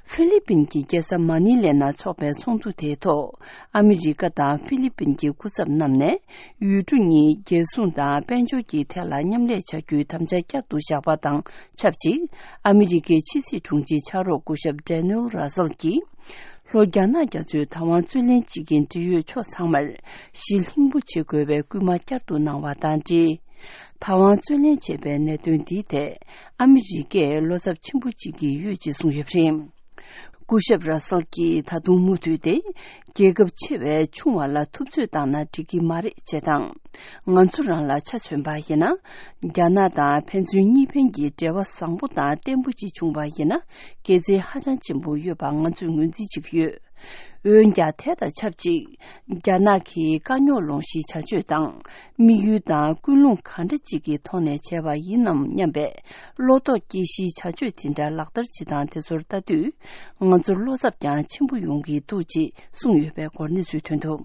ཧྥི་ལི་པིན་གྱི་རྒྱལ་ས་མ་ནི་ལེ་ནང་འཚོགས་པའི་ཚོགས་འདུ་དེའི་ཐོག་ཨ་མི་རི་ཀ་དང་ཧྥི་ལི་པིན་གྱི་སྐུ་ཚབ་རྣམས་ནས་ཡུལ་གྲུ་གཉིས་རྒྱལ་སྲུང་དང་དཔལ་འབྱོར་གྱི་ཐད་ལ་མཉམ་ལས་བྱ་རྒྱུའི་དམ་བཅའ་བསྐྱར་དུ་བཞག་པ་དང་ཆབས་ཅིག་ཨ་མི་རི་ཀའི་ཕྱི་སྲིད་དྲུང་ཆེ་ཕྱག་རོགས་སྐུ་ཞབས་ཌེ་ནིལ་ར་སེལ་གྱིས། ལྷོ་རྒྱ་ནག་རྒྱ་མཚོའི་བདག་དབང་རྩོད་ལེན་བྱེད་མཁན་འབྲེལ་ཡོད་ཕྱོགས་ཚང་མར་ཞི་ལྷིང་པོ་བྱེད་དགོས་པའི་སྐུལ་མ་བསྐྱར་དུ་གནང་བ་དང་འབྲེལ། བདག་དབང་རྩོད་ལེན་བྱས་པའི་གནད་དོན་འདིའི་ཐད་ཨ་མི་རི་ཀས་བློ་འཚབ་ཆེན་པོ་བྱེད་ཀྱི་ཡོད་ཅེས་གསུངས་ཡོད་པ་རེད། སྐུ་ཞབས་ར་སལ་གྱིས་ད་དུང་མུ་མཐུད་དེ། རྒྱལ་ཁབ་ཆེ་བས་ཆུང་བ་ལ་ཐུབ་ཚོད་བཏང་ན་འགྲིག་གི་མ་རེད་ཅེས་དང་། ང་ཚོ་རང་ལ་ཆ་མཚོན་པ་ཡིན་ན། རྒྱ་ནག་དང་ཕན་ཚུན་གཉིས་ཕན་གྱི་འབྲེལ་བ་བཟང་པོ་དང་བརྟན་པོ་ཅིག་བྱུང་བ་ཡིན་ན། དགེ་མཚན་ཧ་ཅང་ཆེན་པོ་ཡོད་པ་ང་ཚོས་ངོས་འཛིན་བྱེད་ཀྱི་ཡོད། འོན་ཀྱང་དེ་དང་ཆབས་ཅིག་རྒྱ་ནག་གིས་དཀའ་རྙོག་སློང་གཞིའི་བྱ་སྤྱོད་དང་། དམིགས་ཡུལ་དང་ཀུན་སློང་གང་འདྲ་ཅིག་གི་ཐོག་ནས་བྱས་པ་ཡིན་ནམ་སྙམ་པའི་བློ་དོགས་སྐྱེ་གཞིའི་བྱ་སྤྱོད་དེ་འདྲ་ལག་བསྟར་བྱེད་སྟངས་དེ་ཚོར་ལྟ་དུས། ང་ཚོར་བློ་འཚབ་ཀྱང་ཆེན་པོ་ཡོང་གི་འདུག་ཅེས་གསུངས་ཡོད་པའི་སྐོར་གནས་ཚུལ་ཐོན་འདུག།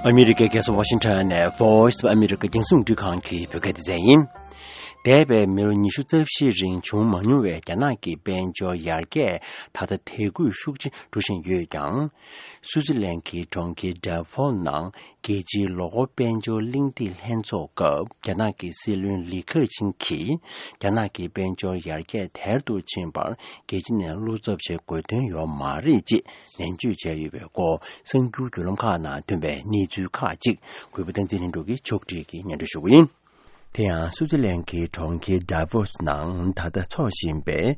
ཨ་མི་རི་ཀའི་རྒྱལ་ས་ཝ་ཤིང་ཊོན་ནས་Voice of America རྒྱང་སྲིང་འཕྲིན་ཁང་གི་བོད་སྐད་སྡེ་ཚན་ཡིན། འདས་པའི་མི་ལོ་ཉི་ཤུ་རྩ་བཞིའི་རིང་བྱུང་མ་མྱོང་བའི་རྒྱ་ནག་གི་དཔལ་འབྱོར་ཡར་རྒྱས་ད་ལྟ་དལ་འགུལ་ཤུགས་ཆེ་འགྲོ་བཞིན་ཡོད་ཀྱང་། སུའུ་ཙི་ལན་གྱི་གྲོང་ཁྱེར་ཌ་ཕོ་ནང་རྒྱལ་སྤྱིའི་ལོ་འཁོར་དཔལ་འབྱོར་གླེང་སྟེགས་ལྷན་ཚོགས་སྐབས་རྒྱ་ནག་གི་སྲིད་བློན་ལི་ཁེ་ཆིང་གིས་རྒྱ་ནག་གི་དཔལ་འབྱོར་ཡར་རྒྱས་དལ་དུ་ཕྱིན་པར་རྒྱལ་སྤྱི་ནས་བློ་འཚབ་བྱེད་དགོས་དོན་ཡོད་མ་རེད་ཅེས་ནན་བརྗོད་བྱས་ཡོད་པའི་སྐོར་གསར་འགྱུར་བརྒྱུད་ལམ་ཁག་ནང་ཐོན་པའི་གནས་ཚུལ་ཁག་ཅིག་གུས་པ་བསྟན་འཛིན་ལྷུན་གྲུབ་ཀྱིས་ཕྱོགས་སྒྲིག་གིས་སྙན་སྒྲོན་ཞུ་གི་ཡིན། དེ་ཡང་སུའུ་ཙི་ལན་གྱི་གྲོང་ཁྱེར་ཌ་ཕོ་སི་ནང་ད་ལྟ་འཚོགས་བཞིན་པའི་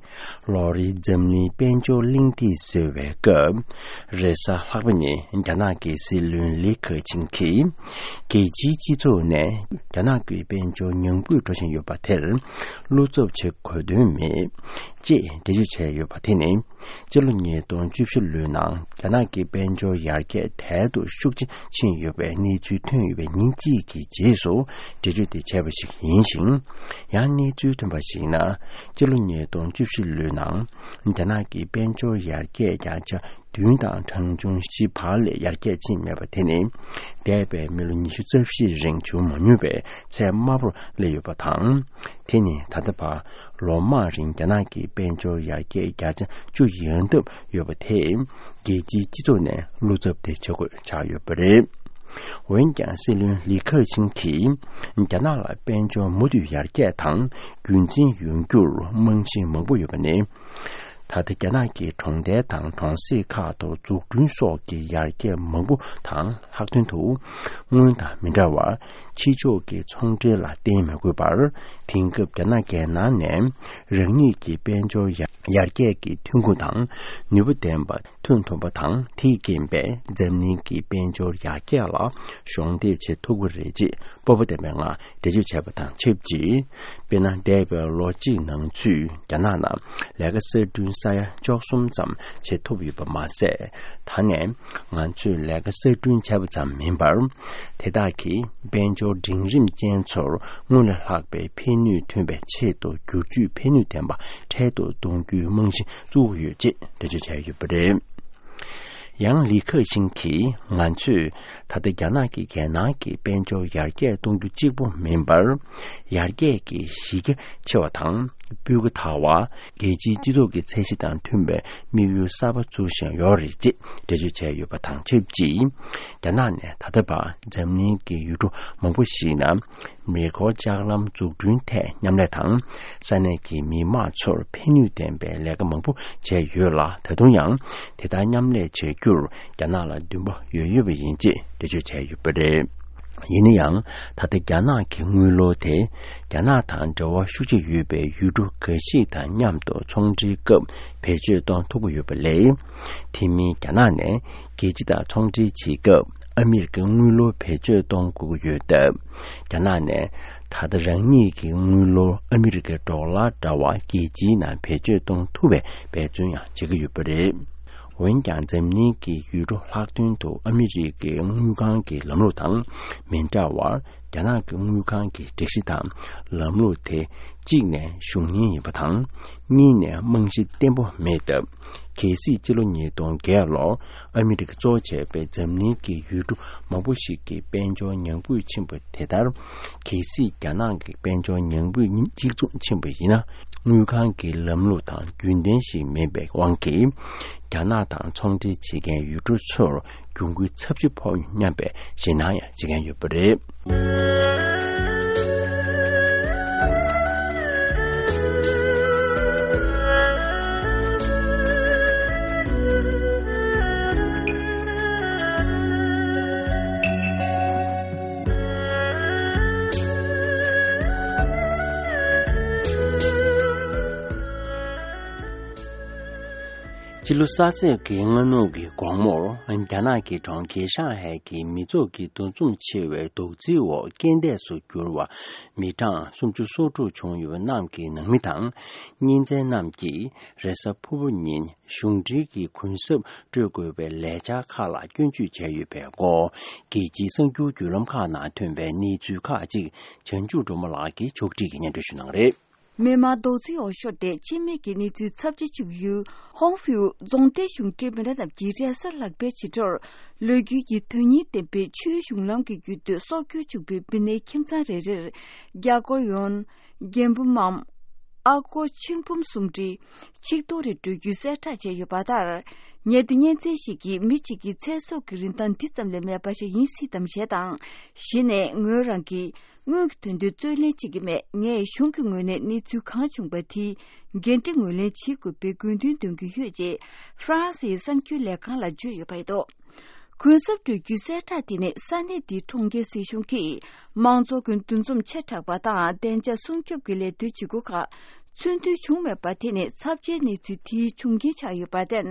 ལོ་རེའི་འཛམ་གླིང་དཔལ་འབྱོར་གླེང་སྟེགས་ཟེར་བའི་སྐབས། རེས་གཟའ་ལྷག་པ་ཉིན་རྒྱ་ནག་གི་སྲིད་བློན་ལི་ཁེ་ཆིང་གིས། རྒྱལ་སྤྱིའི་སྤྱི་ཚོགས་ནས་རྒྱ་ནག་གི་དཔལ་འབྱོར་ཉམས་རྒུད་འགྲོ་བཞིན་ཡོད་པ་དེར་བློ་འཚབ་བྱེད་དགོས་དོན་མེད། ཅེས་འགྲེལ་བརྗོད་བྱས་ཡོད་པ་དེ་ནི། སྤྱི་ལོ་ཉིས་སྟོང་བཅུ་བཞི་ལོའི་ནང་རྒྱ་ནག་གི་དཔལ་འབྱོར་ཡར་རྒྱས་དལ་དུ་ཤུགས་ཆེ་ཕྱིན་ཡོད་པའི་གནས་ཚུལ་ཐོན་ཡོད་པའི་ཉིན་གཅིག་གི་རྗེས་སུ་འགྲེལ་བརྗོད་དེ་བྱས་པ་ཞིག་ཡིན་ཞིང་། ཡང་གནས་ཚུལ་ཐོན་པར་གཞིགས་ན། སྤྱི་ལོ་ཉིས་སྟོང་བཅུ་བཞི་ལོའི་ནང་རྒྱ་ནག་གི་དཔལ་འབྱོར་ཡར་རྒྱས་བརྒྱ་ཆ་བདུན་དང་གྲངས་ཆུང་བཞི་བར་ལས་ཡར་རྒྱས་ཕྱིན་མེད་པ་དེ་ནི། འདས་པའི་མི་ལོ་ཉི་ཤུ་རྩ་བཞིའི་རིང་བྱུང་མ་མྱོང་བའི་ཚད་དམའ་པོར་སླེབས་ཡོད་པ་དང་། དེ་ནི་ད་ལྟ་བར་ལོ་མང་རིང་རྒྱ་ནག་གི་དཔལ་འབྱོར་ཡར་རྒྱས་བརྒྱ་ཆ་བཅུ་ཡན་འདབ་ཡོད་པ་དེས་རྒྱལ་སྤྱིའི་སྤྱི་ཚོགས་ནས་བློ་འཚབ་དེ་བྱེད་དགོས་ཆགས་ཡོད་པ་རེད། འོན་ཀྱང་སྲིད་བློན་ལི་ཁེ་ཆིང་གིས་རྒྱ་ནག་ལ་དཔལ་འབྱོར་མུ་མཐུད་ཡར་རྒྱས་དང་རྒྱུན་འཛིན་ཡོང་རྒྱུར་རྨང་གཞི་མང་པོ་ཡོད་པ་ནི། ད་ལྟ་རྒྱ་ནག་གི་གྲོང་རྡལ་དང་གྲོང་གསེབ་ཁག་ཏུ་འཛུགས་སྐྲུན་སོགས་ཀྱི་ཡར་རྒྱས་མང་པོ་དང་ལྷག་དོན་དུ། སྔོན་དང་མི་འདྲ་བར་ཕྱི་ཕྱོགས་ཀྱི་ཚོང་འབྲེལ་ལ་བརྟེན་མི་དགོས་པར། དེང་སྐབས་རྒྱ་ནག་རྒྱལ་ནང་ནས་རང་ཉིད་ཀྱི་དཔལ་འབྱོར་ཡར་ཡར་རྒྱས་ཀྱི་ཐོན་ཁུངས་དང་ནུས་པ་ལྡན་པ་ཐོན་ཐུབ་པ་དང་། དེས་རྐྱེན་པས་འཛམ་གླིང་གི་དཔལ་འབྱོར་ཡར་རྒྱས་ལ་གཞོགས་འདེགས་བྱེད་ཐུབ་ཀྱི་རེད་ཅེས་སྤོབས་པ་ལྡན་པའི་ངང་འགྲེལ་བརྗོད་བྱས་པ་དང་ཆབས་ཅིག་དཔེར་ན། འདས་པའི་ལོ་གཅིག་ནང་ཚུད་རྒྱ་ནག་ནང་ལས་ཀ་གསར་སྐྲུན་ས་ཡ་བཅུ་གསུམ་ཙམ་བྱེད་ཐུབ་ཡོད་པ་མ་ཟད། ད་ནས་ང་ཚོས་ལས་ཀ་གསར་སྐྲུན་བྱས་པ་ཙམ་མིན་པར། དེ་དག་གིས་དཔལ་འབྱོར་འབྲིང་རིམ་ཅན་ཚོར་སྔར་ལས་ལྷག་པའི་ཕན་ནུས་ཐོན་པའི་ཆེད་དུ་བསྒྱུར་བཅོས་ཕན་ནུས་ལྡན་པ་འཕྲལ་དུ་གཏོང་རྒྱུའི་རྨང་གཞི་བཙུགས་ཡོད་ཅེས་འགྲེལ་བརྗོད་བྱས་ཡོད་པ་རེད། ཡང་ལི་ཁེ་ཆིང་གིས། ང་ཚོས་ད་ལྟ་རྒྱ་ནག་གིས་རྒྱལ་ནང་གི་དཔལ་འབྱོར་ཡར་རྒྱས་གཏོང་རྒྱུ་གཅིག་པུ་མིན་པར། ཡར་རྒྱས་ཀྱི་གཞི་རྒྱ་ཆེ་བ་དང་སྤུས་ཀ་དར་བ། རྒྱལ་སྤྱིའི་སྤྱི་ཚོགས་ཀྱི་ཚད་གཞི་དང་མཐུན་པའི་དམིགས་ཡུལ་གསར་པ་འཛུགས་བཞིན་ཡོད་རེད་ཅེས་འགྲེལ་བརྗོད་བྱས་ཡོད་པ་དང་ཆབས་ཅིག་རྒྱ་ནག་ནས་ད་ལྟ་བར་འཛམ་གླིང་གི་ཡུལ་གྲུ་མང་པོ་ཞིག་ནང་མེ་འཁོར་ལྕགས་ལམ་འཛུགས་སྐྲུན་ཐད་མཉམ་ལས་དང་། ས་གནས་ཀྱི་མི་དམངས་ཚོར་ཕན་ནུས་ལྡན་པའི་ལས་ཀ་མང་པོ་བྱས་ཡོད་ལ། ད་དུང་ཡང་དེ་ལྟར་མཉམ་ལས་བྱ་རྒྱུར་རྒྱ་ནག་ལ་འདུན་པ་ཡོད་ཡོད་པ་ཡིན་ཅེས་འགྲེལ་བརྗོད་བྱས་ཡོད་པ་རེད། ཡིན་ན་ཡང་། ད་ལྟ་རྒྱ་ནག་གི་དངུལ་ལོར་དེ་རྒྱ་ནག་དང་འབྲེལ་བ་ཤུགས་ཆེ་ཡོད་པའི་ཡུལ་གྲུ་འགའ་ཞིག་དང་མཉམ་དུ་ཚོང་འབྲེལ་སྐབས་བེད་སྤྱོད་གཏོང་ཐུབ་ཀྱི་ཡོད་པ་ལས། དེ་མིན་རྒྱ་ནག་ནས་རྒྱལ་སྤྱི་དང་ཚོང་འབྲེལ་བྱེད་སྐབས་ཨ་མི་རི་ཀའི་དངུལ་ལོར་བེད་སྤྱོད་གཏོང་དགོས་ཀྱི་ཡོད་སྟབས། རྒྱ་ནག་ནས་ད་ལྟ་རང་ཉིད་ཀྱི་དངུལ་ལོར་ཨ་མི་རི་ཀའི་ཌོ་ལར་འདྲ་བ་རྒྱལ་སྤྱིའི་ནང་བེད་སྤྱོད་གཏོང་ཐུབ་པའི་འབད་བརྩོན་ཡང་བྱེད་ཀྱི་ཡོད་པ་རེད། འོན་ཀྱང་འཛམ་གླིང་གི་ཡུལ་གྲུ་ལྷག་དོན་དུ་ཨ་མི་རི་ཀའི་དངུལ་ཁང་གི་ལམ་ལུགས་དང་མི་འདྲ་བར། རྒྱ་ནག་གི་དངུལ་ཁང་གི་སྒྲིག་གཞི་དང་ལམ་ལུགས་དེ། གཅིག་ནས་གཞུང་གཉེར་ཡིན་པ་དང་། གཉིས་ནས་རྨང་གཞི་བརྟན་པོ་མེད་སྟབས། གལ་སྲིད་སྤྱི་ལོ་ཉིས་སྟོང་བརྒྱད་ལོར་ཨ་མི་རི་ཀ་གཙོ་བྱས་པའི་འཛམ་གླིང་གི་ཡུལ་གྲུ་མང་པོ་ཞིག་གི་དཔལ་འབྱོར་ཉམས་རྒུད་ཕྱིན་པ་དེ་ལྟར། གལ་སྲིད་རྒྱ་ནག་གི་དཔལ་འབྱོར་ཉམས་རྒུད་གཅིག་མཚུངས་ཕྱིན་པ་ཡིན་ན། དངུལ་ཁང་གི་ལམ་ལུགས་དང་རྒྱུན་ལྡན་ཞིག་མིན་པའི་དབང་གིས། རྒྱ་ནག་དང་ཚོང་འབྲེལ་བྱེད་མཁན་ཡུལ་གྲུ་ཚོར་གྱོང་གུན་ཚབས་ཆེ་ཕོག་སྙམ་པའི་ཞེད་སྣང་ཡང་བྱེད་མཁན་ཡོད་པ་རེད། ཕྱི་ལོ་གསར་ཚེས་ཀྱི་སྔ་ནུབ་ཀྱི་དགོང་མོར། རྒྱ་ནག་གི་གྲོང་ཁྱེར་ཧྲང་ཧའེ་གྱི་མི་ཚོགས་ཀྱི་འདུ་འཛོམས་ཆེ་བའི་རྡོག་རྫིའི་འོག་རྐྱེན་འདས་སུ་གྱུར་བ་མི་གྲངས་སུམ་ཅུ་སོ་དྲུག་བྱུང་ཡོད་པ་རྣམས་ཀྱི་ནང་མི་དང་། གཉེན་ཚན་རྣམས་ཀྱིས་རེས་གཟའ་ཕུར་བུ་ཉིན་གཞུང་འབྲེལ་གྱི་གུན་གསབ་སྤྲོད་དགོས་པའི་ལས་འཆར་ཁག་ལ་སྐྱོན་བརྗོད་བྱས་ཡོད་པའི་སྐོར། རྒྱལ་སྤྱིའི་གསར་འགྱུར་བརྒྱུད་ལམ་ཁག་ནང་ཐོན་པའི་གནས་ཚུལ་ཁག་ཅིག་བྱང་ཆུབ་སྒྲོལ་མ་ལགས་ཀྱིས་ཕྱོགས་སྒྲིག་གིས་སྙན་སྒྲོན་ཞུ་གནང་གི་རེད། མི་མང་རྡོག་རྫིའི་འོག་ཤོར་ཏེ་འཆི་རྨས་ཀྱི་གནས་ཚུལ་ཚབས་ཆེ་བྱུང་ཡུལ་ཧོང་ཧྥིའུ་རྫོང་སྡེའི་གཞུང་འབྲེལ་མི་སྣ་རྣམས་ཀྱིས་རེས་གཟའ་ལྷག་པའི་ཕྱི་དྲོར་ལོ་རྒྱུས་ཀྱི་དོན་སྙིང་ལྡན་པའི་ཆུའི་གཞུང་ལམ་གྱི་བརྒྱུད་དུ་སྲོག་སྐྱོན་བྱུང་བའི་མི་སྣའི་ཁྱིམ་ཚང་རེ་རེར་རྒྱ་སྒོར་ཡོན། རྒྱན་འབུམ་མམ། ཨ་སྒོར་ཆིག་འབུམ་གསུམ་ཁྲི། ཆིག་སྟོང་རེ་སྤྲོད་རྒྱུའི་གསལ་བསྒྲགས་བྱས་ཡོད་པ་ལྟར། ཉེ་དུས་གཉེན་ཚན་ཞིག་གིས་མི་གཅིག་གི་ཚེ་སྲོག་གི་རིན་ཐང་འདི་ཙམ་ལས་མེད་པ་ཞིག་ཡིན་སྲིད་དམ་ཞེས་དང་། གཞི་ནས་ངོས་རང་གིས་དངུལ་གྱི་དོན་དུ་རྩོད་ལེན་བྱེད་ཀྱི་མེད། ངས་གཞུང་གི་ངོས་ནས་གནས་ཚུལ་གང་བྱུང་བ་དེའི་འགན་འཁྲི་ངོས་ལེན་བྱེད་དགོས་པའི་དགོས་འདུན་འདོན་གྱི་ཡོད་ཅེས་ཧྥ་རན་སིའི་གསར་འགྱུར་ལས་ཁང་ལ་བརྗོད་ཡོད་པ་རེད་འདུག་གུན་གསབ་སྤྲོད་རྒྱུའི་གསལ་བསྒྲགས་དེ་ནི་ས་གནས་དེའི་གྲོང་ཁྱེར་སྲིད་གཞུང་གིས་མང་ཚོགས་ཀྱི་འདུ་འཛོམས་ཆེ་དྲགས་པ་དང་བདེ་འཇགས་སྲུང་སྐྱོབ་ཀྱི་ལས་དོན་བྱེད་སྒོ་ཁག་ཚུན་མཐུན་བྱུང་མེད་པ་དེ་ནི་ཚབས་ཆེའི་གནས་ཚུལ་དེའི་བྱུང་རྐྱེན་ཆགས་ཡོད་པར་བརྟེན།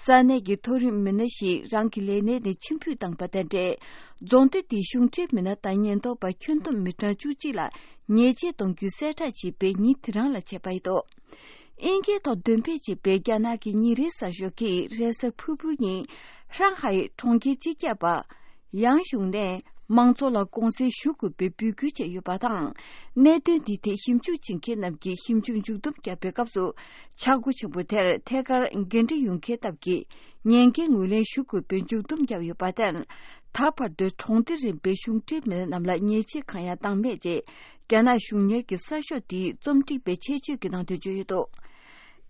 ས་གནས་ཀྱི་མཐོ་རིམ་མི་སྣ་ཞིག་རང་གི་ལས་གནས་ནས་ཕྱིར་འབུད་བཏང་པ་དང་འབྲེལ། རྫོང་སྡེ་དེའི་གཞུང་འབྲེལ་མི་སྣ་དང་ཉེན་རྟོག་པ་ཁྱོན་བསྡོམས་མི་གྲངས་བཅུ་གཅིག་ལ་ཉེས་ཆད་གཏོང་རྒྱུའི་གསལ་བསྒྲགས་བྱས་པའི་ཉིན་དེ་རང་ལ་བྱས་པ་ཡིན་འདུག་དབྱིན་སྐད་ཐོག་འདོན་སྤེལ་བྱས་པའི་རྒྱ་ནག་གི་ཉིན་རེའི་གསར་ཤོག་གིས་རེས་གཟའ་ཕུར་བུའི་ཉིན་ཧྲང་ཧའེ་གྲོང་ཁྱེར་སྤྱི་ཁྱབ་པ་ཡང་ཞུང་ནས་མང་ཚོགས་ལ་དགོངས་སེལ་ཞུ་དགོས་པའི་འབོད་སྐུལ་བྱས་ཡོད་པ་དང་། གནད་དོན་འདི་ཐད་ཞིབ་འཇུག་བྱེད་མཁན་རྣམས་ཀྱིས་ཞིབ་འཇུག་མཇུག་བསྡོམས་བརྒྱབ་པའི་སྐབས་སུ། ཆག་སྒོ་ཆེན་པོ་དེར་ཐད་ཀར་འགན་འཁྲི་ཡོད་མཁན་སྟབས་ཀྱིས་ཉེན་ཁའི་ངོས་ལེན་ཞུ་དགོས་པའི་མཇུག་བསྡོམས་བརྒྱབ་ཡོད་པར་བརྟེན། ད་བར་དུ་གྲོང་སྡེ་རིམ་པའི་གཞུང་འབྲེལ་མི་སྣ་རྣམས་ལ་ཉེས་ཆད་གང་ཡང་བཏང་མེད་ཅེས། རྒྱ་ནག་གཞུང་གཉེར་གྱི་གསར་ཤོག་འདིའི་རྩོམ་སྒྲིག་པས་ཆེད་བརྗོད་ཀྱི་ནང་དོན་བརྗོད་ཡོད་འདུག་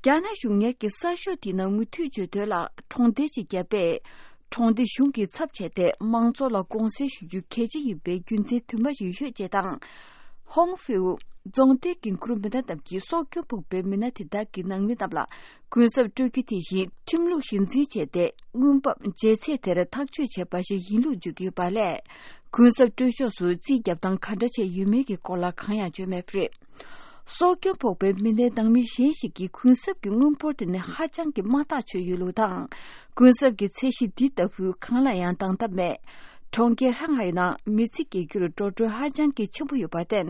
རྒྱ་ནག་གཞུང་གཉེར་གྱི་གསར་ཤོག་འདིའི་ནང་མུ་མཐུད་བརྗོད་དོན་ལ། གྲོང་སྡེ་གཅིག་བརྒྱབ་པས། གྲོང་སྡེ་གཞུང་གིས་ཚབ་བྱས་ཏེ་མང་ཚོགས་ལ་དགོངས་སེལ་ཞུ་རྒྱུ་གལ་ཆེ་ཡིན་པའི་རྒྱུ་མཚན་དུ་མ་ཞིག་ཡོད་ཅེས་དང་། ཧོང་ཧྥེའུ་རྫོང་སྡེའི་འགན་འཁུར་མི་སྣ་རྣམས་ཀྱིས་སྲོག་སྐྱོན་ཕོག་པའི་མི་སྣ་དེ་དག་གི་ནང་མི་རྣམས་ལ་གུན་གསབ་སྤྲོད་རྒྱུ་དེ་བཞིན་ཁྲིམས་ལུགས་གཞི་འཛིན་བྱས་ཏེ། དངུལ་འབབ་འཇལ་ཚད་དེར་ཐག་གཅོད་བྱས་པ་ཞིག་ཡིན་ལུགས་བརྗོད་ཀྱི་ཡོད་པ་ལས། གུན་གསབ་སྤྲོད་ཕྱོགས་སུ་རྩིས་རྒྱབ་སྟངས་ག་འདྲ་བྱས་ཡོད་མེད་ཀྱི་སྐོར་ལ་གང་ཡང་བརྗོད་མེད་པ་རེད། སྲོག་སྐྱོན་ཕོག་པའི་མི་སྣའི་ནང་མི་གཞན་ཞིག་གིས་གུན་གསབ་ཀྱི་དངུལ་འབོར་དེ་ནི་ཧ་ཅང་གི་དམའ་ཐག་ཆོད་ཡོད་ལུགས་དང་། གུན་གསབ་ཀྱི་ཚད་གཞི་འདི་ལྟ་བུའི་གང་ལ་ཡང་འདང་ཐབས་མེད། གྲོང་ཁྱེར་ཧྲང་ཧའེ་ནང་མི་ཚེ་སྐྱེལ་རྒྱུར་འགྲོ་གྲོན་ཧ་ཅང་གི་ཆེན་པོ་ཡོད་པར་བརྟེན།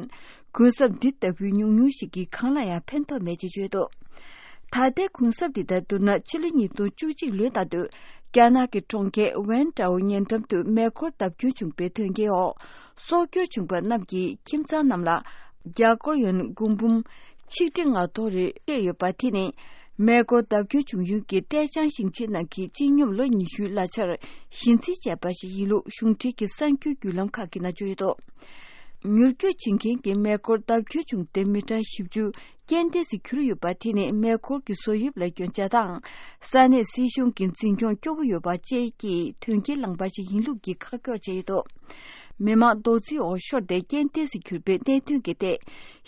གུན་གསབ་འདི་ལྟ་བུའི་ཉུང་ཉུང་ཞིག་གིས་གང་ལ་ཡང་ཕན་ཐོགས་མེད་ཅེས་བརྗོད་འདུག་ད་ལྟའི་གུན་གསབ་འདི་དང་བསྡུར་ན། ཕྱི་ལོ་ཉིས་སྟོང་བཅུ་གཅིག་ལོའི་ཟླ་སྟོད། རྒྱ་ནག་གི་གྲོང་ཁྱེར་ཝན་ཀྲའོ་ཉེ་འགྲམ་དུ་མེ་འཁོར་བརྡབ་སྐྱོན་བྱུང་བའི་དོན་རྐྱེན་འོག་སྲོག་སྐྱོན་བྱུང་བ་རྣམས་ཀྱི་ཁྱིམ་ཚང་རྣམས་ལ་རྒྱ་སྒོར་ཡོན་སྒོར་འབུམ་ཆིག་ཁྲི་ལྔ་སྟོང་རེ་སྤྲད་ཡོད་པ། དེ་ནི་མེ་འཁོར་བརྡབ་སྐྱོན་བྱུང་ཡུལ་གྱི་ཀྲེ་ཅང་ཞིང་ཆེན་ནང་གི་སྤྱི་སྙོམས་ལོ་ཉི་ཤུའི་གླ་ཆར་གཞི་འཛིན་བྱས་པ་ཞིག་ཡིན་ལུགས་གཞུང་འབྲེལ་གྱི་གསར་འགྱུར་བརྒྱུད་ལམ་ཁག་གིས་ནང་བརྗོད་ཡོད་འདུག་མྱུར་སྐྱོབ་བྱེད་མཁན་གྱིས་མེ་འཁོར་བརྡབ་སྐྱོན་བྱུང་སྟེ་མི་གྲངས་བཞི་བཅུ་རྐྱེན་འདས་སུ་གྱུར་ཡོད་པ། དེ་ནི་མེ་འཁོར་གྱི་བཟོ་དབྱིབས་ལ་སྐྱོན་ཆ་དང་། ས་གནས་སྲིད་གཞུང་གི་འཛིན་སྐྱོང་སྐྱོ་བོ་ཡོད་པ་བཅས་ཀྱི་དོན་རྐྱེན་བསླངས་པ་ཞིག་ཡིན་ལུགས་ཀྱི་ཁ་སྐྱོར་བྱས་ཡོད་འདུག་མི་མང་རྡོག་རྫིས་འོག་ཤོར་ཏེ་རྐྱེན་འདས་སུ་གྱུར་པའི་གནད་དོན་གྱི་ཐད།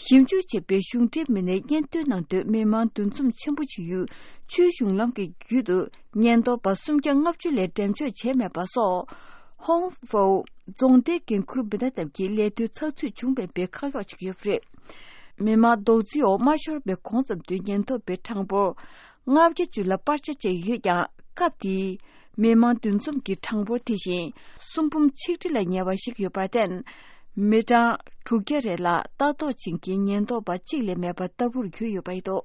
ཞིབ་འཇུག་བྱས་པའི་གཞུང་འབྲེལ་མི་སྣའི་སྙན་ཐོའི་ནང་དུ། མི་མང་འདུ་འཛོམས་ཆེན་པོ་བྱེད་ཡུལ་ཆུའི་གཞུང་ལམ་གྱི་རྒྱུད་དུ་ཉེན་རྟོག་པ་སུམ་བརྒྱ་ལྔ་བཅུ་ལས་འགྲེམས་འཇོག་བྱས་མེད་པ་སོགས། ཧོང་ཧྥོའུ་རྫོང་སྡེའི་འགན་འཁུར་མི་སྣ་རྣམས་ཀྱིས་ལས་དོན་ཚགས་ཚུད་བྱུང་མེད་པའི་ཁ་གཡོག་བྱེད་ཀྱི་ཡོད་པ་རེད། མི་མང་རྡོག་རྫིས་འོག་མ་ཤོར་བའི་གོང་ཙམ་དུ་ཉེན་རྟོག་པའི་གྲངས་འབོར་ལྔ་བརྒྱ་བཅུ་ལ་སྤར་ཆ་བྱས་ཡོད་ཀྱང་། སྐབས་དེའི་མི་མང་འདུ་འཛོམས་ཀྱི་གྲངས་འབོར་དེ་བཞིན་སུམ་འབུམ་ཆིག་ཁྲི་ལ་ཉེ་བ་ཞིག་ཡོད་པར་བརྟེན། མི་གྲངས་དྲུག་བརྒྱ་རེ་ལ་ལྟ་རྟོག་བྱེད་མཁན་ཉེན་རྟོག་པ་གཅིག་ལས་མེད་པ་ལྟ་བུར་གྱུར་ཡོད་པ་རེད་འདུག་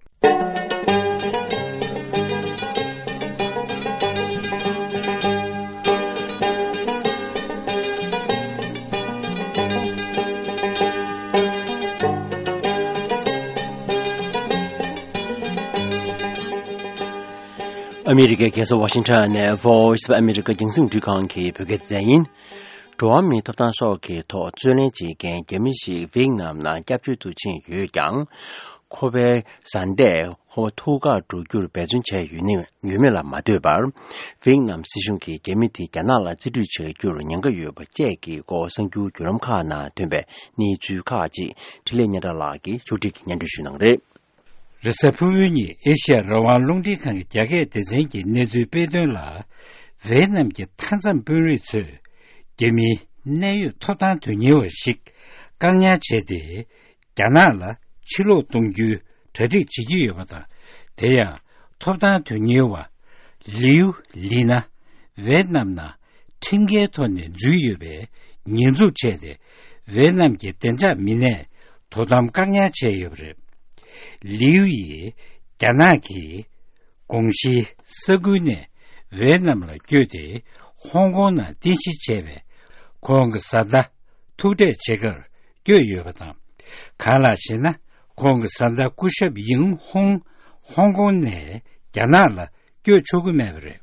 ཨ་མི་རི་ཀའི་རྒྱལ་ས་ཝ་ཤིང་ཊོན་ནས་Voice of America རྒྱང་སྲིང་རླུང་འཕྲིན་ཁང་གི་བོད་སྐད་སྡེ་ཚན་ཡིན། འགྲོ་བ་མིའི་ཐོབ་ཐང་སོགས་ཀྱི་ཐོག་རྩོད་ལེན་བྱེད་མཁན་རྒྱ་མི་ཞིག་ཝེད་ནམ་ནང་སྐྱབས་བཅོལ་དུ་ཕྱིན་ཡོད་ཀྱང་། ཁོ་པའི་བཟའ་ཟླས་ཁོ་པ་ཐུག་གར་འགྲོ་རྒྱུར་འབད་བརྩོན་བྱས་ཡོད་ནི་ཡོད་མེད་ལ་མ་ལྟོས་པར། ཝེད་ནམ་སྲིད་གཞུང་གིས་རྒྱ་མི་དེ་རྒྱ་ནག་ལ་རྩིས་སྤྲོད་བྱ་རྒྱུར་ཉེན་ཁ་ཡོད་པ་བཅས་ཀྱི་སྐོར་གསར་འགྱུར་བརྒྱུད་ལམ་ཁག་ནང་ཐོན་པའི་གནས་ཚུལ་ཁག་ཅིག་འཕྲིན་ལས་སྙན་གྲགས་ལགས་ཀྱིས་ཕྱོགས་སྒྲིག་གིས་སྙན་སྒྲོན་ཞུ་གནང་གི་རེད། རེས་གཟའ་ཕུར་བུའི་ཉིན་ཨེ་ཤི་ཡ་རང་དབང་རླུང་འཕྲིན་ཁང་གི་རྒྱ་སྐད་སྡེ་ཚན་གྱིས་གནས་ཚུལ་སྤེལ་དོན་ལ། ཝེད་ནམ་གྱི་མཐའ་མཚམས་དཔོན་རིགས་ཚོས་རྒྱ་མིའི་གནད་ཡོད་ཐོབ་ཐང་དོན་གཉེར་བ་ཞིག་བཀག་ཉར་བྱས་ཏེ། རྒྱ་ནག་ལ་ཕྱིར་ལོག་གཏོང་རྒྱུའི་གྲ་སྒྲིག་བྱེད་ཀྱི་ཡོད་པ་དང་། དེ་ཡང་ཐོབ་ཐང་དོན་གཉེར་བ་ལིའུ་ལི་ན་ཝེད་ནམ་ནང་ཁྲིམས་འགལ་ཐོག་ནས་འཛུལ་ཡོད་པའི་ཉེས་འཛུགས་བྱས་ཏེ། ཝེད་ནམ་གྱི་བདེ་འཇགས་མི་སྣས་དོ་དམ་བཀག་ཉར་བྱས་ཡོད་པ་རེད། ལིའུ་ཡིས་རྒྱ་ནག་གི་དགོངས་གཞིའི་ས་ཁུལ་ནས་ཝེད་ནམ་ལ་བསྐྱོད་དེ་ཧོང་ཀོང་ནང་རྟེན་གཞི་བྱས་པའི་ཁོང་གི་བཟའ་ཟླ་ཐུག་འཕྲད་བྱེད་གར་བསྐྱོད་ཡོད་པ་དང་། གང་ལགས་ཤེ་ན། ཁོང་གི་བཟའ་ཟླ་སྐུ་ཞབས་ཡིང་ཧོང་ཧོང་ཀོང་ནས་རྒྱ་ནག་ལ་བསྐྱོད་ཆོག་གི་མེད་པ་རེད།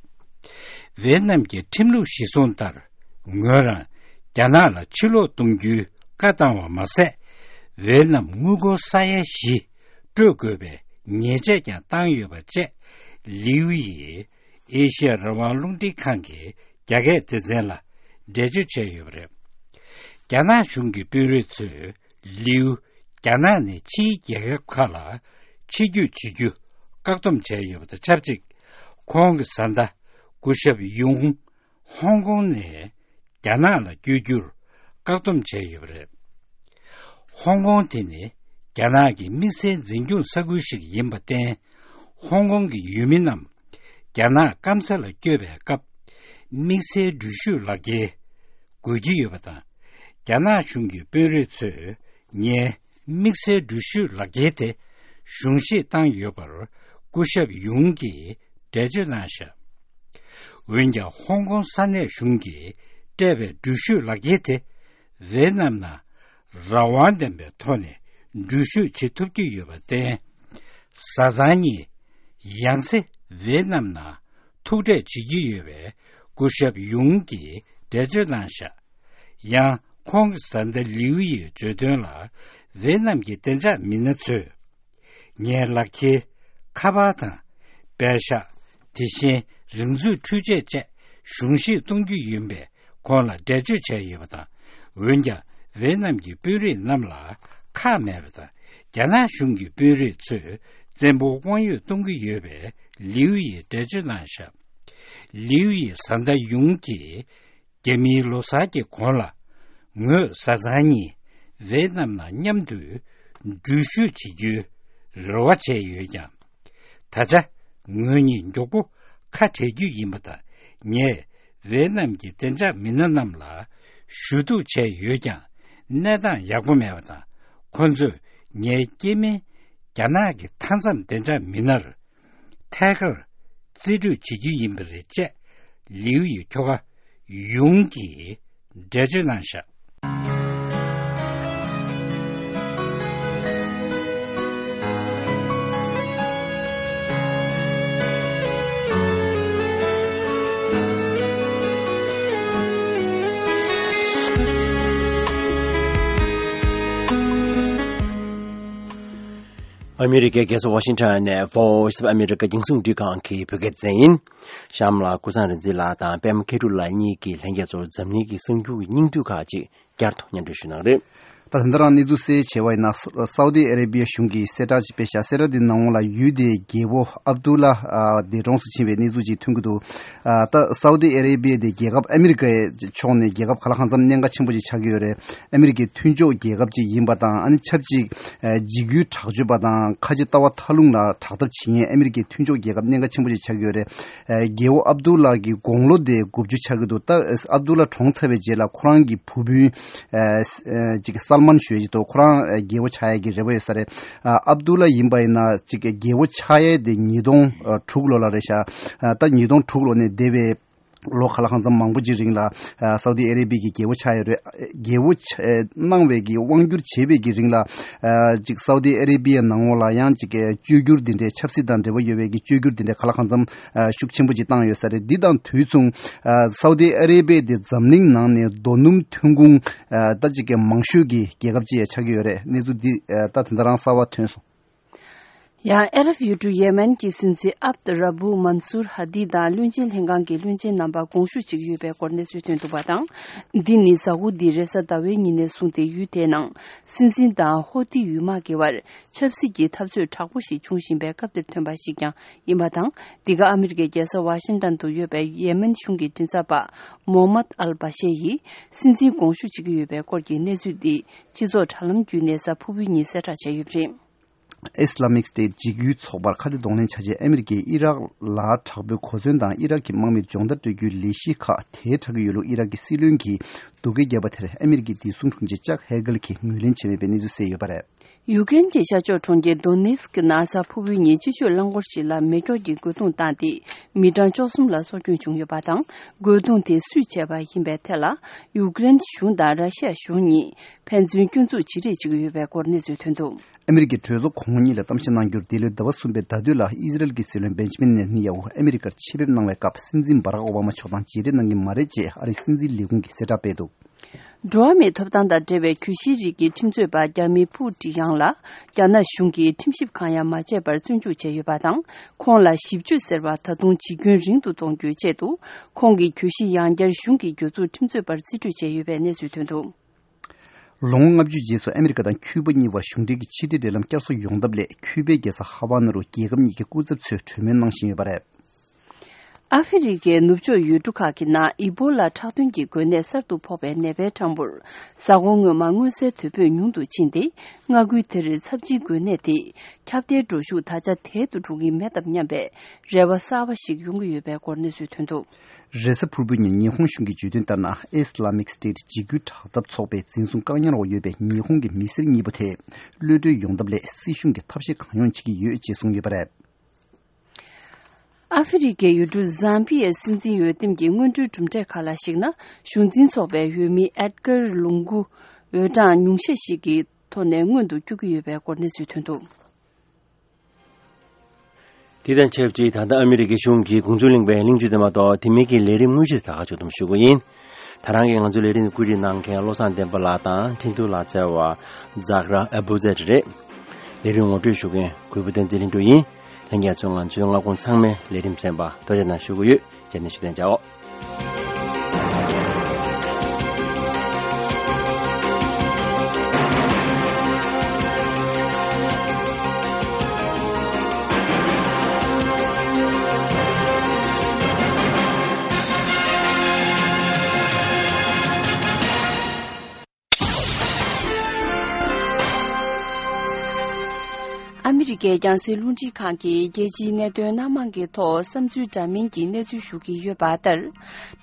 ཝེད་ནམ་གྱི་ཁྲིམས་ལུགས་གཞིར་བཟུང་ལྟར། ངོས་རང་རྒྱ་ནག་ལ་ཕྱིར་ལོག་གཏོང་རྒྱུའི་བཀའ་བཏང་བ་མ་ཟད། ཝེད་ནམ་དངུལ་སྒོར་ས་ཡ་བཞི་སྤྲོད་དགོས་པའི་ཉེས་ཆད་ཀྱང་བཏང་ཡོད་པ་བཅས། ལིའུ་ཡིས་ཨེ་ཤི་ཡ་རང་དབང་རླུང་འཕྲིན་ཁང་གི་རྒྱ་སྐད་སྡེ་ཚན་ལ་འགྲེལ་བརྗོད་བྱས་ཡོད་པ་རེད། རྒྱ་ནག་གཞུང་གི་དཔོན་རིགས་ཚོས་ལིའུ་རྒྱ་ནག་ནས་ཕྱིའི་རྒྱལ་ཁབ་ཁག་ལ་ཕྱིར་སྐྱོད་བྱེད་རྒྱུ་བཀག་སྡོམ་བྱས་ཡོད་པ་དང་ཆབས་ཅིག་ཁོང་གི་བཟའ་ཟླ་སྐུ་ཞབས་ཡུང་ཧོང་ཀོང་ནས་རྒྱ་ནག་ལ་བསྐྱོད་རྒྱུར་བཀག་སྡོམ་བྱས་ཡོད་པ་རེད། ཧོང་ཀོང་དེ་ནི་རྒྱ་ནག་གི་དམིགས་བསལ་འཛིན་སྐྱོང་ས་ཁུལ་ཞིག་ཡིན་པར་བརྟེན། ཧོང་ཀོང་གི་ཡུལ་མི་རྣམས་རྒྱ་ནག་སྐམ་ས་ལ་བསྐྱོད་པའི་སྐབས། དམིགས་བསལ་འགྲུལ་བཞུད་ལག་འཁྱེར་དགོས་ཀྱི་ཡོད་པ་དང་། རྒྱ་ནག་གཞུང་གི་དཔོན་རིགས་ཚོས་ངའི་དམིགས་བསལ་འགྲུལ་བཞུད་ལག་འཁྱེར་དེ་ གཞུང་བཞེས་བཏང་ཡོད་པར་སྐུ་ཞབས་ཡུང་གིས་འགྲེལ་བརྗོད་གནང་བཞག་འོན་ཀྱང་ཧོང་ཀོང་ས་གནས་གཞུང་གིས་སྤྲད་པའི་འགྲུལ་བཞུད་ལག་འཁྱེར་དེ་ཝེ་ནམ་ནང་རང་དབང་ལྡན་པའི་ཐོག་ནས་འགྲུལ་བཞུད་བྱེད་ཐུབ་ཀྱི་ཡོད་པར་བརྟེན། བཟའ་ཚང་གཉིས་ཡང་སེ་ཝེ་ནམ་ནང་ཐུག་འཕྲད་བྱེད་ཀྱི་ཡོད་པའི་སྐུ་ཞབས་ཡུང་གིས་འགྲེལ་བརྗོད་གནང་བཞག་ཡང་ཁོང་གི་བཟའ་ཟླ་ལིའུ་ཡིས་བརྗོད་དོན་ལ། ཝེ་ནམ་གྱི་བདེ་འཇགས་མི་སྣ་ཚོས་ངའི་ལག་འཁྱེར། ཁ་པར་དང་། པད་ཤག་དེ་བཞིན་རིག་མཛོད་འཕྲུལ་ཆས་བཅས་གཞུང་བཞེས་གཏོང་རྒྱུ་ཡིན་པས་ཁོང་ལ་འགྲེལ་བརྗོད་བྱས་ཡོད་པ་དང་། འོན་ཀྱང་ཝེ་ནམ་གྱི་དཔོན་རིགས་རྣམས་ལ་ཁག་མེད་པ་དང་། རྒྱ་ནག་གཞུང་གི་དཔོན་རིགས་ཚོས་བཙན་པོ་དབང་ཡོད་གཏོང་གི་ཡོད་པས་ལིའུ་ཡིས་འགྲེལ་བརྗོད་གནང་བཞག་ལིའུ་ཡི་བཟའ་ཟླ་ཡུང་གིས་རྒྱ་མིའི་ལོ་གསར་གྱི་གོང་ལ། ངོས་བཟའ་ཚང་གཉིས་ཝེ་ནམ་ནང་མཉམ་དུ་འགྲུལ་བཞུད་བྱེད་རྒྱུའི་རེ་བ་བྱས་ཡོད་ཀྱང་། ད་ཆ་ངོས་གཉིས་མགྱོགས་པོ་ཁ་བྲལ་རྒྱུ་ཡིན་པ་དང་། ངས་ཝེ་ནམ་གྱི་བདེ་འཇགས་མི་སྣ་རྣམས་ལ་ཞུ་གཏུག་བྱས་ཡོད་ཀྱང་གནས་སྟངས་ཡག་པོ་མེད་པ་དང་། ཁོ་ཚོས་ངའི་སྐྱེ་དམན་རྒྱ་ནག་གི་མཐའ་མཚམས་བདེ་འཇགས་མི་སྣར་ཐད་ཀར་རྩིས་སྤྲོད་བྱེད་རྒྱུ་ཡིན་པ་རེད་ཅེས་ལིའུ་ཡི་ཁྱོ་ག་ཡུང་གིས་འགྲེལ་བརྗོད་གནང་བཞག་ཨ་མི་རི་ཀའི་རྒྱལ་ས་ཝ་ཤིང་ཊོན་ནས་Voice of America རྒྱང་སྲིང་རླུང་འཕྲིན་ཁང་གི་བོད་སྐད་སྡེ་ཚན་ཡིན། གཤམ་ལ་ཀུན་བཟང་རིག་འཛིན་ལགས་དང་པད་མ་མཁས་གྲུབ་ལགས་གཉིས་ཀྱིས་ལྷན་རྒྱས་ཚོར་འཛམ་གླིང་གི་གསར་འགྱུར་གྱི་སྙིང་བསྡུས་ཁག་ཅིག་བསྐྱར་དུ་སྙན་སྒྲོན་ཞུ་གནང་རེད། ད་ད་ལྟ་རང་གནས་ཚུལ་གསལ་བྱས་པ་ཡིན་ན། སའུ་ཏི་ཨ་རེ་བི་ཡ་གཞུང་གིས་གསལ་བསྒྲགས་ཅིག་སྤེལ་ཤག་སའུ་ཏི་ནང་ལ་ཡུལ་དེའི་རྒྱལ་པོ་ཨབ་དུ་ལ་ཨ་འདས་གྲོངས་སུ་ཕྱིན་པའི་གནས་ཚུལ་ཅིག་ཐོན་གྱི་འདུག་ཨ་ད་སའུ་ཏི་ཨ་རེ་བི་ཡ་དེ་རྒྱལ་ཁབ་ཨ་མི་རི་ཀའི་ཕྱོགས་ནས་རྒྱལ་ཁབ་ག་ལ་གང་འཚམ་གནད་འགག་ཆེན་པོ་ཅིག་ཆགས་ཀྱི་ཡོད་རེད། ཨ་མི་རི་ཀའི་མཐུན་ཕྱོགས་རྒྱལ་ཁབ་ཅིག་ཡིན་པ་དང་། ཨ་ནི་ཆབས་ཅིག་ཨ་འཇིགས་སྐུལ་དྲག་སྤྱོད་པ་དང་ཁ་ཆེ་ལྟ་བ་ཐལ་རླུང་ལ་དྲག་འཐབ་བྱེད་མཁན་ཨ་མི་རི་ཀའི་མཐུན་ཕྱོགས་རྒྱལ་ཁབ་གནད་འགག་ཆེན་པོ་ཅིག་ཆགས་ཀྱི་ཡོད་རེད། ཨ་རྒྱལ་པོ་ཨབ་དུ་ལ་གི་དགུང་ལོ་དེ་དགུ་བཅུ་ཆགས་ཀྱི་འདུག་ད་ཨབ་དུ་ལ་གྲོངས་ཚར་བའི་རྗེས་ལ་ཁོ་རང་གི་བུ་སྤུན་ཨ་ཨ་ཅིག་སལ་མན་ཞུ་ཡ་ཅིག་འདུག་ཁོ་རང་ཨ་རྒྱལ་པོ་ཆགས་ཡ་གི་རེ་བ་ཡོད་ས་རེད། ཨ་ཨབ་དུ་ལ་ཡིན་པ་ཡིན་ན་ཅིག་རྒྱལ་པོ་ཆགས་ཡ་དེ་ཉིས་སྟོང་དྲུག་ལོ་ལ་རེད་ཤག་ཨ་ད་ཉིས་སྟོང་དྲུག་ལོ་ནས་འདས་པའི་ལོ་ག་ལ་གང་འཚམ་མང་པོ་ཅིག་རིང་ལ་ཨ་སའུ་ཏི་ཨ་རེ་བི་གི་རྒྱལ་པོ་ཆགས་ཡོད་རེད། རྒྱལ་པོ་ཆ་ཨ་གནང་བའི་གི་དབང་བསྒྱུར་བྱེད་པའི་གི་རིང་ལ་ཨ་ཅིག་སའུ་ཏི་ཨ་རེ་བི་ཡ་ནང་ལོགས་ལ་ཡང་ཅིག་བཅོས་བསྒྱུར་འདི་འདྲའི་ཆབ་སྲིད་དང་འབྲེལ་བ་ཡོད་པའི་གི་བཅོས་བསྒྱུར་འདི་འདྲའི་ག་ལ་གང་འཚམ་ཨ་ཤུགས་ཆེན་པོ་ཅིག་བཏང་ཡོད་ས་རེད། འདི་དང་དུས་མཚུངས་ཨ་སའུ་ཏི་ཨ་རེ་བི་ཡ་དེ་འཛམ་གླིང་ནང་ནས་རྡོ་སྣུམ་ཐོན་ཁུངས་ཨ་ད་ཅིག་གི་མང་ཤོས་ཀྱི་རྒྱལ་ཁབ་ཅིག་ཡང་ཆགས་ཀྱི་ཡོད་རེད། གནས་ཚུལ་འདི་ཨ་ད་ད་ལྟ་རང་གསར་པ་ཐོན་སོང་། ཡང་ཨ་རབ་ཡུལ་གྲུ་ཡེ་མེན་གྱི་སྲིད་འཛིན་ཨབ་ཏུ་ར་བུ་མན་སུར་ཧ་དི་དང་བློན་ཆེན་ལྷན་ཁང་གི་བློན་ཆེན་རྣམ་པ་དགོངས་ཞུ་བྱེད་ཀྱི་ཡོད་པའི་སྐོར་གནས་ཚུལ་ཐོན་འདུག་པ་དང་། འདི་ནི་གཟའ་འཁོར་འདིའི་རེས་གཟའ་ཟླ་བའི་ཉིན་ནས་བཟུང་སྟེ་ཡུལ་དེའི་ནང་སྲིད་འཛིན་དང་ཧོ་ཏི་ཡུལ་དམག་གི་བར་ཆབ་སྲིད་ཀྱི་འཐབ་རྩོད་དྲག་པོ་ཞིག་འབྱུང་བཞིན་པའི་སྐབས་འདིར་ཐོན་པ་ཞིག་ཀྱང་ཡིན་པ་དང་། འདི་ག་ཨ་མི་རི་ཀའི་རྒྱལ་ས་ཝ་ཤིང་ཏན་དུ་ཡོད་པའི་ཡེ་མེན་གཞུང་གི་མགྲིན་ཚབ་པ་མོ་མད་ཨལ་བ་ཤེ་ཡིས་སྲིད་འཛིན་དགོངས་ཞུ་བྱེད་ཀྱི་ཡོད་པའི་སྐོར་གྱི་གནས་ཚུལ་འདི་སྤྱི་ཚོགས་དྲ་ལམ་བརྒྱུད་ནས་གཟའ་ཕུར་བུའི་ཉིན་གསལ་བསྒྲགས་བྱས་ཡོད་པ་རེད། ཨི་སི་ལ་མིག་སི་ཊེཊ་འཇིགས་སྐུལ་ཚོགས་པར་ཁ་གཏད་གདོང་ལེན་བྱ་ཆེད་ཨ་མི་རི་ཀས་ཨི་རག་ལ་དྲག་པོའི་གོ་མཚོན་དང་ཨི་རག་གི་དམག་མིར་སྦྱོང་བརྡར་སྤྲོད་རྒྱུའི་ལས་གཞི་ཁག་དེ་དྲག་གི་ཡོད་ལུགས་ཨི་རག་གི་སྲིད་བློན་གྱིས་སྡུག་སྐད་བརྒྱབ་པ་དེར་ཨ་མི་རི་ཀའི་བདེ་སྲུང་དྲུང་ཆེ་ཅག་ཧེ་གལ་གྱིས་ངོས་ལེན་བྱས་མེད་པའི་གནས་ཚུལ་གསལ་ཡོད་པ་རེད། ཡུ་ཀེ་རེན་གྱི་ཤར་ཕྱོགས་གྲོང་ཁྱེར་དོ་ནེ་སི་ཀི་ནང་གཟའ་ཕུར་བུའི་ཉིན་སྤྱི་སྤྱོད་རླངས་འཁོར་ཞིག་ལ་མེ་སྒྱོགས་ཀྱིས་རྒོལ་རྡུང་བཏང་སྟེ་མི་གྲངས་བཅུ་གསུམ་ལ་སྲོག་སྐྱོན་བྱུང་ཡོད་པ་དང་། རྒོལ་རྡུང་དེ་སུས་བྱས་པ་ཡིན་པའི་ཐད་ལ་ཡུ་ཀེ་རེན་གཞུང་དང་ར་ཤི་ཡ་གཞུང་གཉིས་ཕན་ཚུན་སྐྱོན་འཛུགས་བྱེད་རེས་བྱེད་ཀྱི་ཡོད་པའི་སྐོར་གནས་ཚུལ་ཐོན་འདུག་ཨ་མི་རི་ཀའི་གྲོས་ཚོགས་གོང་འོག་གཉིས་ལ་གཏམ་བཤད་གནང་རྒྱུར་འདི་ལོའི་ཟླ་བ་གསུམ་པའི་ཟླ་སྟོད་ལ་ཨི་ཟི་རལ་གྱི་སྲིད་བློན་བེན་ཇི་མིན་ནེ་ཐན་ཡ་ཧུ་ཨ་མི་རི་ཀར་ཆེད་ཕེབས་གནང་བའི་སྐབས་སྲིད་འཛིན་བྷ་རག་ཨོ་བྷ་མ་མཆོག་དང་མཇལ་འཕྲད་གནང་གི་མ་རེད་ཅེས་ཨ་རིའི་སྲིད་འཛིན་ལས་ཁུངས་ཀྱིས་གསལ་བསྒྲགས་སྤེལ་འདུག་འགྲོ་བ་མིའི་ཐོབ་ཐང་དང་འབྲེལ་བའི་གྱོད་གཞིའི་རིགས་ཀྱི་ཁྲིམས་རྩོད་པ་རྒྱ་མི་ཕུའུ་ཀྲི་ཡང་ལ་རྒྱ་ནག་གཞུང་གིས་ཁྲིམས་ཞིབ་ཁང་ཡང་མ་བྱས་པར་བཙོན་འཇུག་བྱས་ཡོད་པ་དང་། ཁོང་ལ་ཞིབ་དཔྱོད་ཟེར་བ་ད་དུང་ཇི་ཁྱོན་རིང་དུ་གཏོང་རྒྱུའི་ཆེད་དུ། ཁོང་གི་གྱོད་གཞི་ཡང་བསྐྱར་གཞུང་གི་གྱོད་ཚུལ་ཁྲིམས་རྩོད་པར་རྩིས་སྤྲོད་བྱས་ཡོད་པའི་གནས་ཚུལ་ཐོན་འདུག་ལོ་ངོ་ལྔ་བཅུ་རྗེས་སུ་ཨ་མི་རི་ཀ་དང་ཁྱུ་པ་གཉིས་བར་གཞུང་འབྲེལ་གྱི་ཕྱི་འབྲེལ་འབྲེལ་ལམ་བསྐྱར་གསོ་ཡོང་ཐབས་སླད། ཁྱུ་པའི་རྒྱལ་ས་ཧ་ཝ་ན་རུ་རྒྱལ་ཁབ་གཉིས་ཀྱི་སྐུ་ཚབ་ཚོས་གྲོས་མོལ་གནང་བཞིན་ཡོད་པ་རེད། ཨ་ཧྥེ་རི་ཁའི་ནུབ་ཕྱོགས་ཡུལ་གྲུ་ཁག་གི་ནང་ཨི་བོ་ལ་ཁྲག་དོན་གྱི་འགོས་ནད་གསར་དུ་ཕོག་པའི་ནད་པའི་གྲངས་འབོར་གཟའ་འཁོར་སྔོན་མ་མངོན་གསལ་དོད་པོས་ཉུང་དུ་ཕྱིན་ཏེ། མངའ་ཁུལ་དེར་ཚབས་ཆེའི་འགོས་ནད་དེ་ཁྱབ་གདལ་འགྲོ་ཤུགས་ད་ཆ་དལ་དུ་འགྲོ་གི་མེད་དམ་སྙམ་པའི་རེ་བ་གསར་པ་ཞིག་ཡོང་གི་ཡོད་པའི་སྐོར་གནས་ཚུལ་ཐོན་འདུག། རེས་གཟའ་ཕུར་བུའི་ཉིན་ཉི་ཧོང་གཞུང་གིས་བརྗོད་དོན་ལྟར་ན། Islamic State འཇིགས་སྐུལ་དྲག་འཐབ་ཚོགས་པས་འཛིན་བཟུང་བཀག་ཉར་འོག་ཡོད་པའི་ཉི་ཧོང་གི་མི་སེར་གཉིས་པོ་དེ་གློད་གྲོལ་ཡོང་ཐབས་སླད་སྲིད་གཞུང་གིས་ཐབས་ཤེས་གང་ཡོང་བྱེད་ཀྱི་ཡོད་ཅེས་གསུངས་ཡོད་པ་རེད། ཨ་ཧྥེ་རི་ཁའི་ཡུལ་གྲུ་ཛམ་བི་ཡའི་སྲིད་འཛིན་འོས་འདེམས་ཀྱི་སྔོན་འགྲོའི་གྲུབ་འབྲས་ཁག་ལ་གཞིགས་ན། གཞུང་འཛིན་ཚོགས་པའི་འོས་མི་ཨེད་གར་ལུང་གུ་འོས་གྲངས་ཉུང་ཤས་ཤིག་གི་ཐོག་ནས་སྔོན་དུ་བསྐྱོད་ཀྱི་ཡོད་པའི་སྐོར་གནས་ཚུལ་ཐོན་འདུག། དེ་དང་ཆབས་ཅིག་ད་ལྟ་ཨ་མི་རི་ཀའི་གཞུང་གིས་དགོངས་ཚུལ་གླེང་བའི་གླེང་བརྗོད་དེ་མ་གཏོགས། དེ་མིན་གྱི་ལས་རིམ་དངོས་གཞི་ད་ག་ཕྱོགས་བསྡོམས་ཞུ་གི་ཡིན། ད་རང་གིས་ང་ཚོའི་ལས་རིམ་བཀོད་སྒྲིག་གནང་མཁན་བློ་བཟང་བསྟན་པ་ལགས་དང་འཕྲིན་ཐུང་ལག་རྩལ་བ་ཛག་ར་ཨ་བུ་ཛེ་རེད། ལས་རིམ་ངོ་སྤྲོད་ཞུ་མཁན་གུས་པ་བསྟན་འཛིན་ལྷུན་གྲུབ་ཡིན། ལྷན་རྒྱས་ཚོས་ང་ཚོའི་སྔ་དགོང་ཚང་མའི་ལས་རིམ་གསན་པར་ཐུགས་རྗེ་གནང་ཞུ་གི་ཡོད། རྗེས་ནས་ཞུ་གཏན་འཇགས། ཨ་མི་རི་ཀའི་རྒྱང་སྲིང་རླུང་འཕྲིན་ཁང་གིས་རྒྱལ་སྤྱིའི་གནད་དོན་སྣ་མང་གི་ཐོག་བསམ་ཚུལ་འདྲ་མིན་གྱི་གནས་ཚུལ་ཞུ་གི་ཡོད་པ་ལྟར།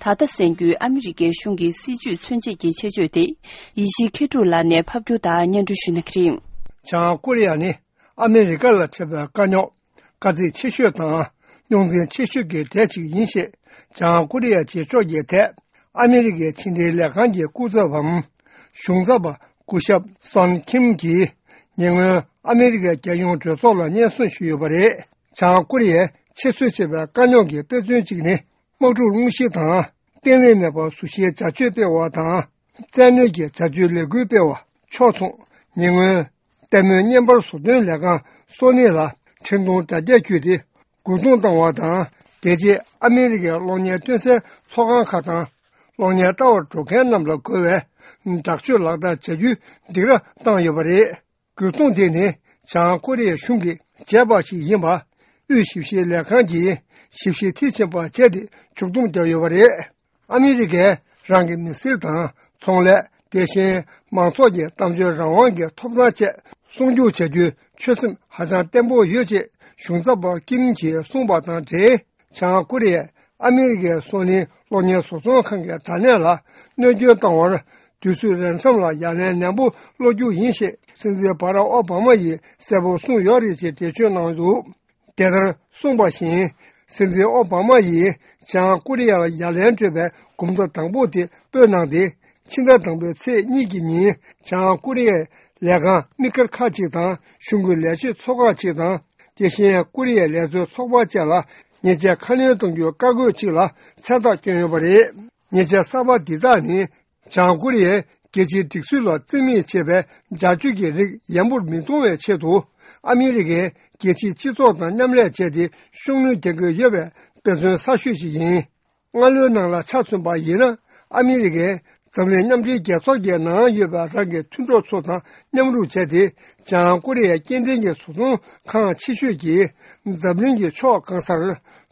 ད་ལྟ་གསན་རྒྱུའི་ཨ་མི་རི་ཀའི་གཞུང་གི་སྲིད་བྱུས་མཚོན་བྱེད་ཀྱི་ཆེད་བརྗོད་དེ། ཡེ་ཤེས་མཁས་གྲུབ་ལགས་ནས་ཕབ་སྒྱུར་དང་སྙན་སྒྲོན་ཞུ་གནང་གི་རེད། བྱང་ཀོ་རི་ཡ་ནི་ཨ་མི་རི་ཀ་ལ་འཕྲད་པའི་དཀའ་རྙོག་དཀའ་ཚེགས་ཆེ་ཤོས་དང་རྙོག་འཛིང་ཆེ་ཤོས་ཀྱི་གྲས་ཤིག་ཡིན་ཞེས། བྱང་ཀོ་རི་ཡའི་བྱེད་ཕྱོགས་ཀྱི་ཐད་ཨ་མི་རི་ཀའི་ཕྱི་འབྲེལ་ལས་ཁང་གི་སྐུ་ཚབ་བམ་གཞུང་ཚབ་པ་སྐུ་ཞབས་སོན་ཁིམ་གྱིས་ཉེ་སྔོན་ཨ་མི་རི་ཀའི་རྒྱལ་ཡོངས་གྲོས་ཚོགས་ལ་སྙན་སེང་ཞུས་ཡོད་པ་རེད། བྱང་ཀོ་རི་ཡས་ཆེད་བཟོས་བྱས་པའི་དཀའ་རྙོག་གི་དཔེ་མཚོན་གཅིག་ནི། དམག་འཁྲུག་སློང་གཞི་དང་། བརྟན་ལྷིང་མེད་པར་ཟུར་བཞིའི་བྱ་སྤྱོད་སྤེལ་བ་དང་། བཙན་གནོན་གྱི་བྱ་སྤྱོད་ལས་འགུལ་སྤེལ་བ་ཕྱོགས་མཚུངས། ཉེ་སྔོན། ལྟད་མོའི་བརྙན་པར་བཟོ་སྟོན་ལས་ཁང་སོ་ནི་ལ་འཕྲིན་ཐུང་དྲ་རྒྱ་བརྒྱུད་དེ་རྒོལ་རྡུང་བཏང་བ་དང་། རྒྱལ་སྤྱིའི་ཨ་མི་རི་ཀའི་གློག་བརྙན་སྟོན་སའི་ཚོགས་ཁང་ཁག་དང་། གློག་བརྙན་ལྟ་བར་འགྲོ་མཁན་རྣམས་ལ་རྒོལ་བའི་དྲག་སྤྱོད་ལག་བསྟར་བྱ་རྒྱུའི་སྡིགས་ར་བཏང་ཡོད་པ་རེད། རྒོལ་རྡུང་དེ་ནི་བྱང་ཀོ་རི་ཡའི་གཞུང་གིས་བྱས་པ་ཞིག་ཡིན་པ། དབུས་ཞིབ་བཤེར་ལས་ཁང་གིས་ཞིབ་བཤེར་མཐིལ་ཕྱིན་པ་བྱས་ཏེ་མཇུག་སྡོམ་བརྒྱབ་ཡོད་པ་རེད། ཨ་མི་རི་ཀས་རང་གི་མི་སེར་དང་ཚོང་ལས། དེ་བཞིན་མང་ཚོགས་ཀྱི་གཏམ་བརྗོད་རང་དབང་གི་ཐོབ་ཐང་བཅས་སྲུང་སྐྱོབ་བྱ་རྒྱུའི་ཆོད་སེམས་ཧ་ཅང་བརྟན་པོ་ཡོད་ཅེས་གཞུང་ཚབ་པ་ཀིམ་གྱིས་གསུངས་པ་དང་འབྲེལ། བྱང་ཀོ་རི་ཡས་ཨ་མི་རི་ཀའི་སོ་ནིའི་གློག་བརྙན་བཟོ་ཚོང་ཁང་གི་དྲ་གནས་ལ་གནོད་སྐྱོན་བཏང་བར་དུས་ཚོད་རན་མཚམས་ལ་ཡ་ལན་ནན་པོ་སློག་རྒྱུ་ཡིན་ཞེས་སྲིད་འཛིན་བྷ་རག་ཨོ་བྷ་མ་ཡིས་གསལ་པོ་གསུངས་ཡོད་རེད་ཅེས་འགྲེལ་བརྗོད་གནང་འདུག། དེ་ལྟར་གསུངས་པ་བཞིན། སྲིད་འཛིན་ཨོ་བྷ་མ་ཡིས་བྱང་ཀོ་རི་ཡ་ལ་ཡ་ལན་སྤྲོད་པའི་གོམ་བརྡ་དང་པོ་དེ་སྤོས་གནང་སྟེ། ཕྱི་ཟླ་དང་པོའི་ཚེས་གཉིས་ཀྱི་ཉིན་བྱང་ཀོ་རི་ཡའི་ལས་ཁང་དམིགས་བཀར་ཁག་ཅིག་དང་གཞུང་གི་ལས་བྱེད་ཚོ་ཁག་ཅིག་དང་། དེ་བཞིན་ཀོ་རི་ཡའི་ལས་བཟོའི་ཚོགས་པ་བཅས་ལ་ཉེས་ཆད་ཁ་སྣོན་གཏོང་རྒྱུའི་བཀའ་བཀོད་ཅིག་ལ་མཚན་རྟགས་བསྐྱོན་ཡོད་པ་རེད། ཉེས་ཆད་གསར་པ་འདི་དག་ནི། བྱང་ཀོ་རི་ཡས་རྒྱལ་སྤྱིའི་སྒྲིག་སྲོལ་ལ་རྩིས་མེད་བྱས་པའི་བྱ་སྤྱོད་ཀྱི་རིགས་ཡན་པོར་མི་གཏོང་བའི་ཆེད་དུ། ཨ་མི་རི་ཀས་རྒྱལ་སྤྱིའི་སྤྱི་ཚོགས་དང་མཉམ་ལས་བྱས་ཏེ་ཤུགས་སྣོན་རྒྱག་གི་ཡོད་པའི་དཔེ་མཚོན་གསར་ཤོས་ཤིག་ཡིན། སྔ་ལོའི་ནང་ལ་ཆ་མཚོན་པ་ཡིན་ན། ཨ་མི་རི་ཀས་འཛམ་གླིང་མཉམ་འབྲེལ་རྒྱལ་ཚོགས་ཀྱི་ནང་ཡོད་པའི་རང་གི་མཐུན་གྲོགས་ཚོ་དང་མཉམ་རུབ་བྱས་ཏེ། བྱང་ཀོ་རི་ཡའི་སྐྱེལ་འདྲེན་གྱི་བཟོ་ཚོང་ཁང་ཆེ་ཤོས་ཀྱིས་འཛམ་གླིང་གི་ཕྱོགས་གང་སར་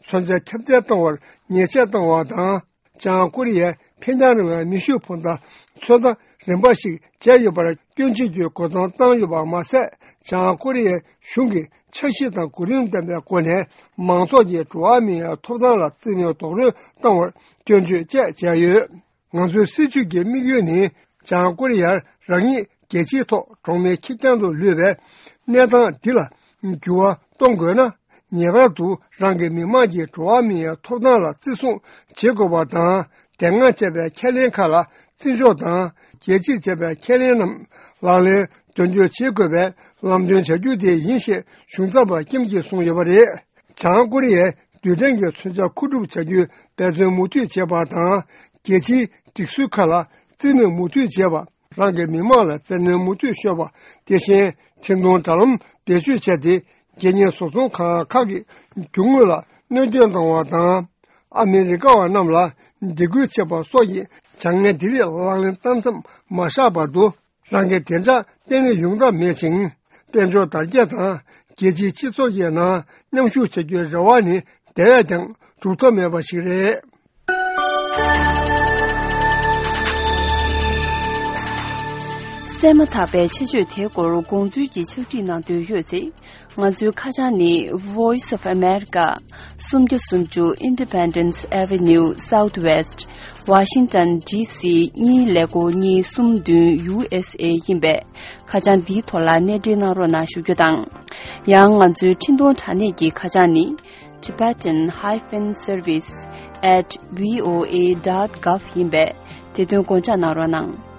མཚོན་ཆ་ཁྱབ་གདལ་གཏོང་བར་ཉེས་ཆད་བཏང་བ་དང་། བྱང་ཀོ་རི་ཡའི་འཕེན་རྒྱང་རིང་བའི་མེ་ཤུགས་འཕུར་མདའ་ཚོད་ལྟ་རིམ་པ་ཞིག་བྱས་ཡོད་པར་སྐྱོན་བརྗོད་ཀྱི་རྒོལ་རྡུང་བཏང་ཡོད་པ་མ་ཟད། བྱང་ཀོ་རི་ཡའི་གཞུང་གིས་འཆར་གཞི་དང་གོ་རིམ་ལྡན་པའི་སྒོ་ནས་མང་ཚོགས་ཀྱི་འགྲོ་བ་མིའི་ཐོབ་ཐང་ལ་རྩིས་མེད་རྡོག་རོལ་བཏང་བར་སྐྱོན་བརྗོད་བཅས་བྱས་ཡོད། ང་ཚོའི་སྲིད་བྱུས་ཀྱི་དམིགས་ཡུལ་ནི། བྱང་ཀོ་རི་ཡར་རང་ཉིད་རྒྱལ་སྤྱིའི་ཐོག་གྲོགས་མེད་ཁེར་རྐྱང་དུ་ལུས་པའི་གནས་སྟངས་འདི་ལ་འགྱུར་བ་གཏོང་དགོས་ན། ངེས་པར་དུ་རང་གི་མི་དམངས་ཀྱི་འགྲོ་བ་མིའི་ཐོབ་ཐང་ལ་བརྩི་སྲུང་བྱེད་དགོས་པ་དང་། དེ་སྔ་བྱས་པའི་ཁས་ལེན་ཁག་ལ་བརྩི་འཇོག་དང་། རྒྱལ་སྤྱིར་བྱས་པའི་ཁས་ལེན་རྣམས་ལག་ལེན་དོན་འཁྱོལ་བྱེད་དགོས་པའི་ལམ་སྟོན་བྱ་རྒྱུ་དེ་ཡིན་ཞེས་གཞུང་ཚབ་པ་ཀིམ་གྱིས་གསུངས་ཡོད་པ་རེད། བྱང་ཀོ་རི་ཡས་རྡུལ་ཕྲན་གྱི་མཚོན་ཆ་མཁོ་སྒྲུབ་བྱ་རྒྱུའི་འབད་བརྩོན་མུ་མཐུད་བྱེད་པ་དང་། རྒྱལ་སྤྱིའི་སྒྲིག་སྲོལ་ཁག་ལ་རྩིས་མེད་མུ་མཐུད་བྱེད་པ། རང་གི་མི་དམངས་ལ་བཙན་གནོན་མུ་མཐུད་ཤོར་བ། དེ་བཞིན་འཕྲིན་གཏོང་དྲ་ལམ་བེད་སྤྱོད་བྱས་ཏེ། རྒྱལ་གཉེར་བཟོ་ཚོང་ཁང་ཁག་གི་རྒྱུ་དངོས་ལ་གནོད་སྐྱོན་བཏང་བ་དང་། ཨ་མི་རི་ཀ་བ་རྣམས་ལ་སྡིགས་སྐུལ་བྱེད་པ་སོགས་ཀྱི་བྱ་ངན་འདི་རིགས་ལག་ལེན་བསྟར་མཚམས་མ་བཞག་བར་དུ། རང་གི་བདེ་འཇགས་བརྟན་ལྷིང་ཡོང་ཐབས་མེད་ཅིང་། དཔལ་འབྱོར་དར་རྒྱས་དང་རྒྱལ་སྤྱིའི་སྤྱི་ཚོགས་ཀྱི་ནང་མཉམ་ཞུགས་བྱ་རྒྱུའི་རེ་བ་ནི་དེ་བས་ཀྱང་ གྲུབ་ཐོབ་མེད་པ་ཞིག་རེད། གསན་མ་ཐག་པའི་ཆེད་བརྗོད་དེའི་སྐོར་དགོངས་ཚུལ་གྱི་ཕྱག་བྲིས་གནང་འདོད་ཡོད་ཚེ། ང་ཚོའི་ཁ་བྱང་ནི། Voice of America། སུམ་བརྒྱ་སུམ་ཅུ་Independence Avenue Southwest། Washington D C གཉིས་ཀླད་ཀོར་གཉིས་གསུམ་བདུན་U S A ཡིན་པས། ཁ་བྱང་འདིའི་ཐོག་ལ་གནས་འབྲེལ་གནང་རོགས་གནང་ཞུ་རྒྱུ་དང་། ཡང་ང་ཚོའི་འཕྲིན་གཏོང་དྲ་གནས་ཀྱི་ཁ་བྱང་ནི། Tibetan hyphen service at V O A dot gov ཡིན་པས། དེ་དོན་དགོངས་འཇགས་གནང་རོགས་གནང་།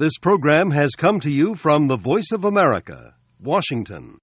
This program has come to you from the Voice of America, Washington.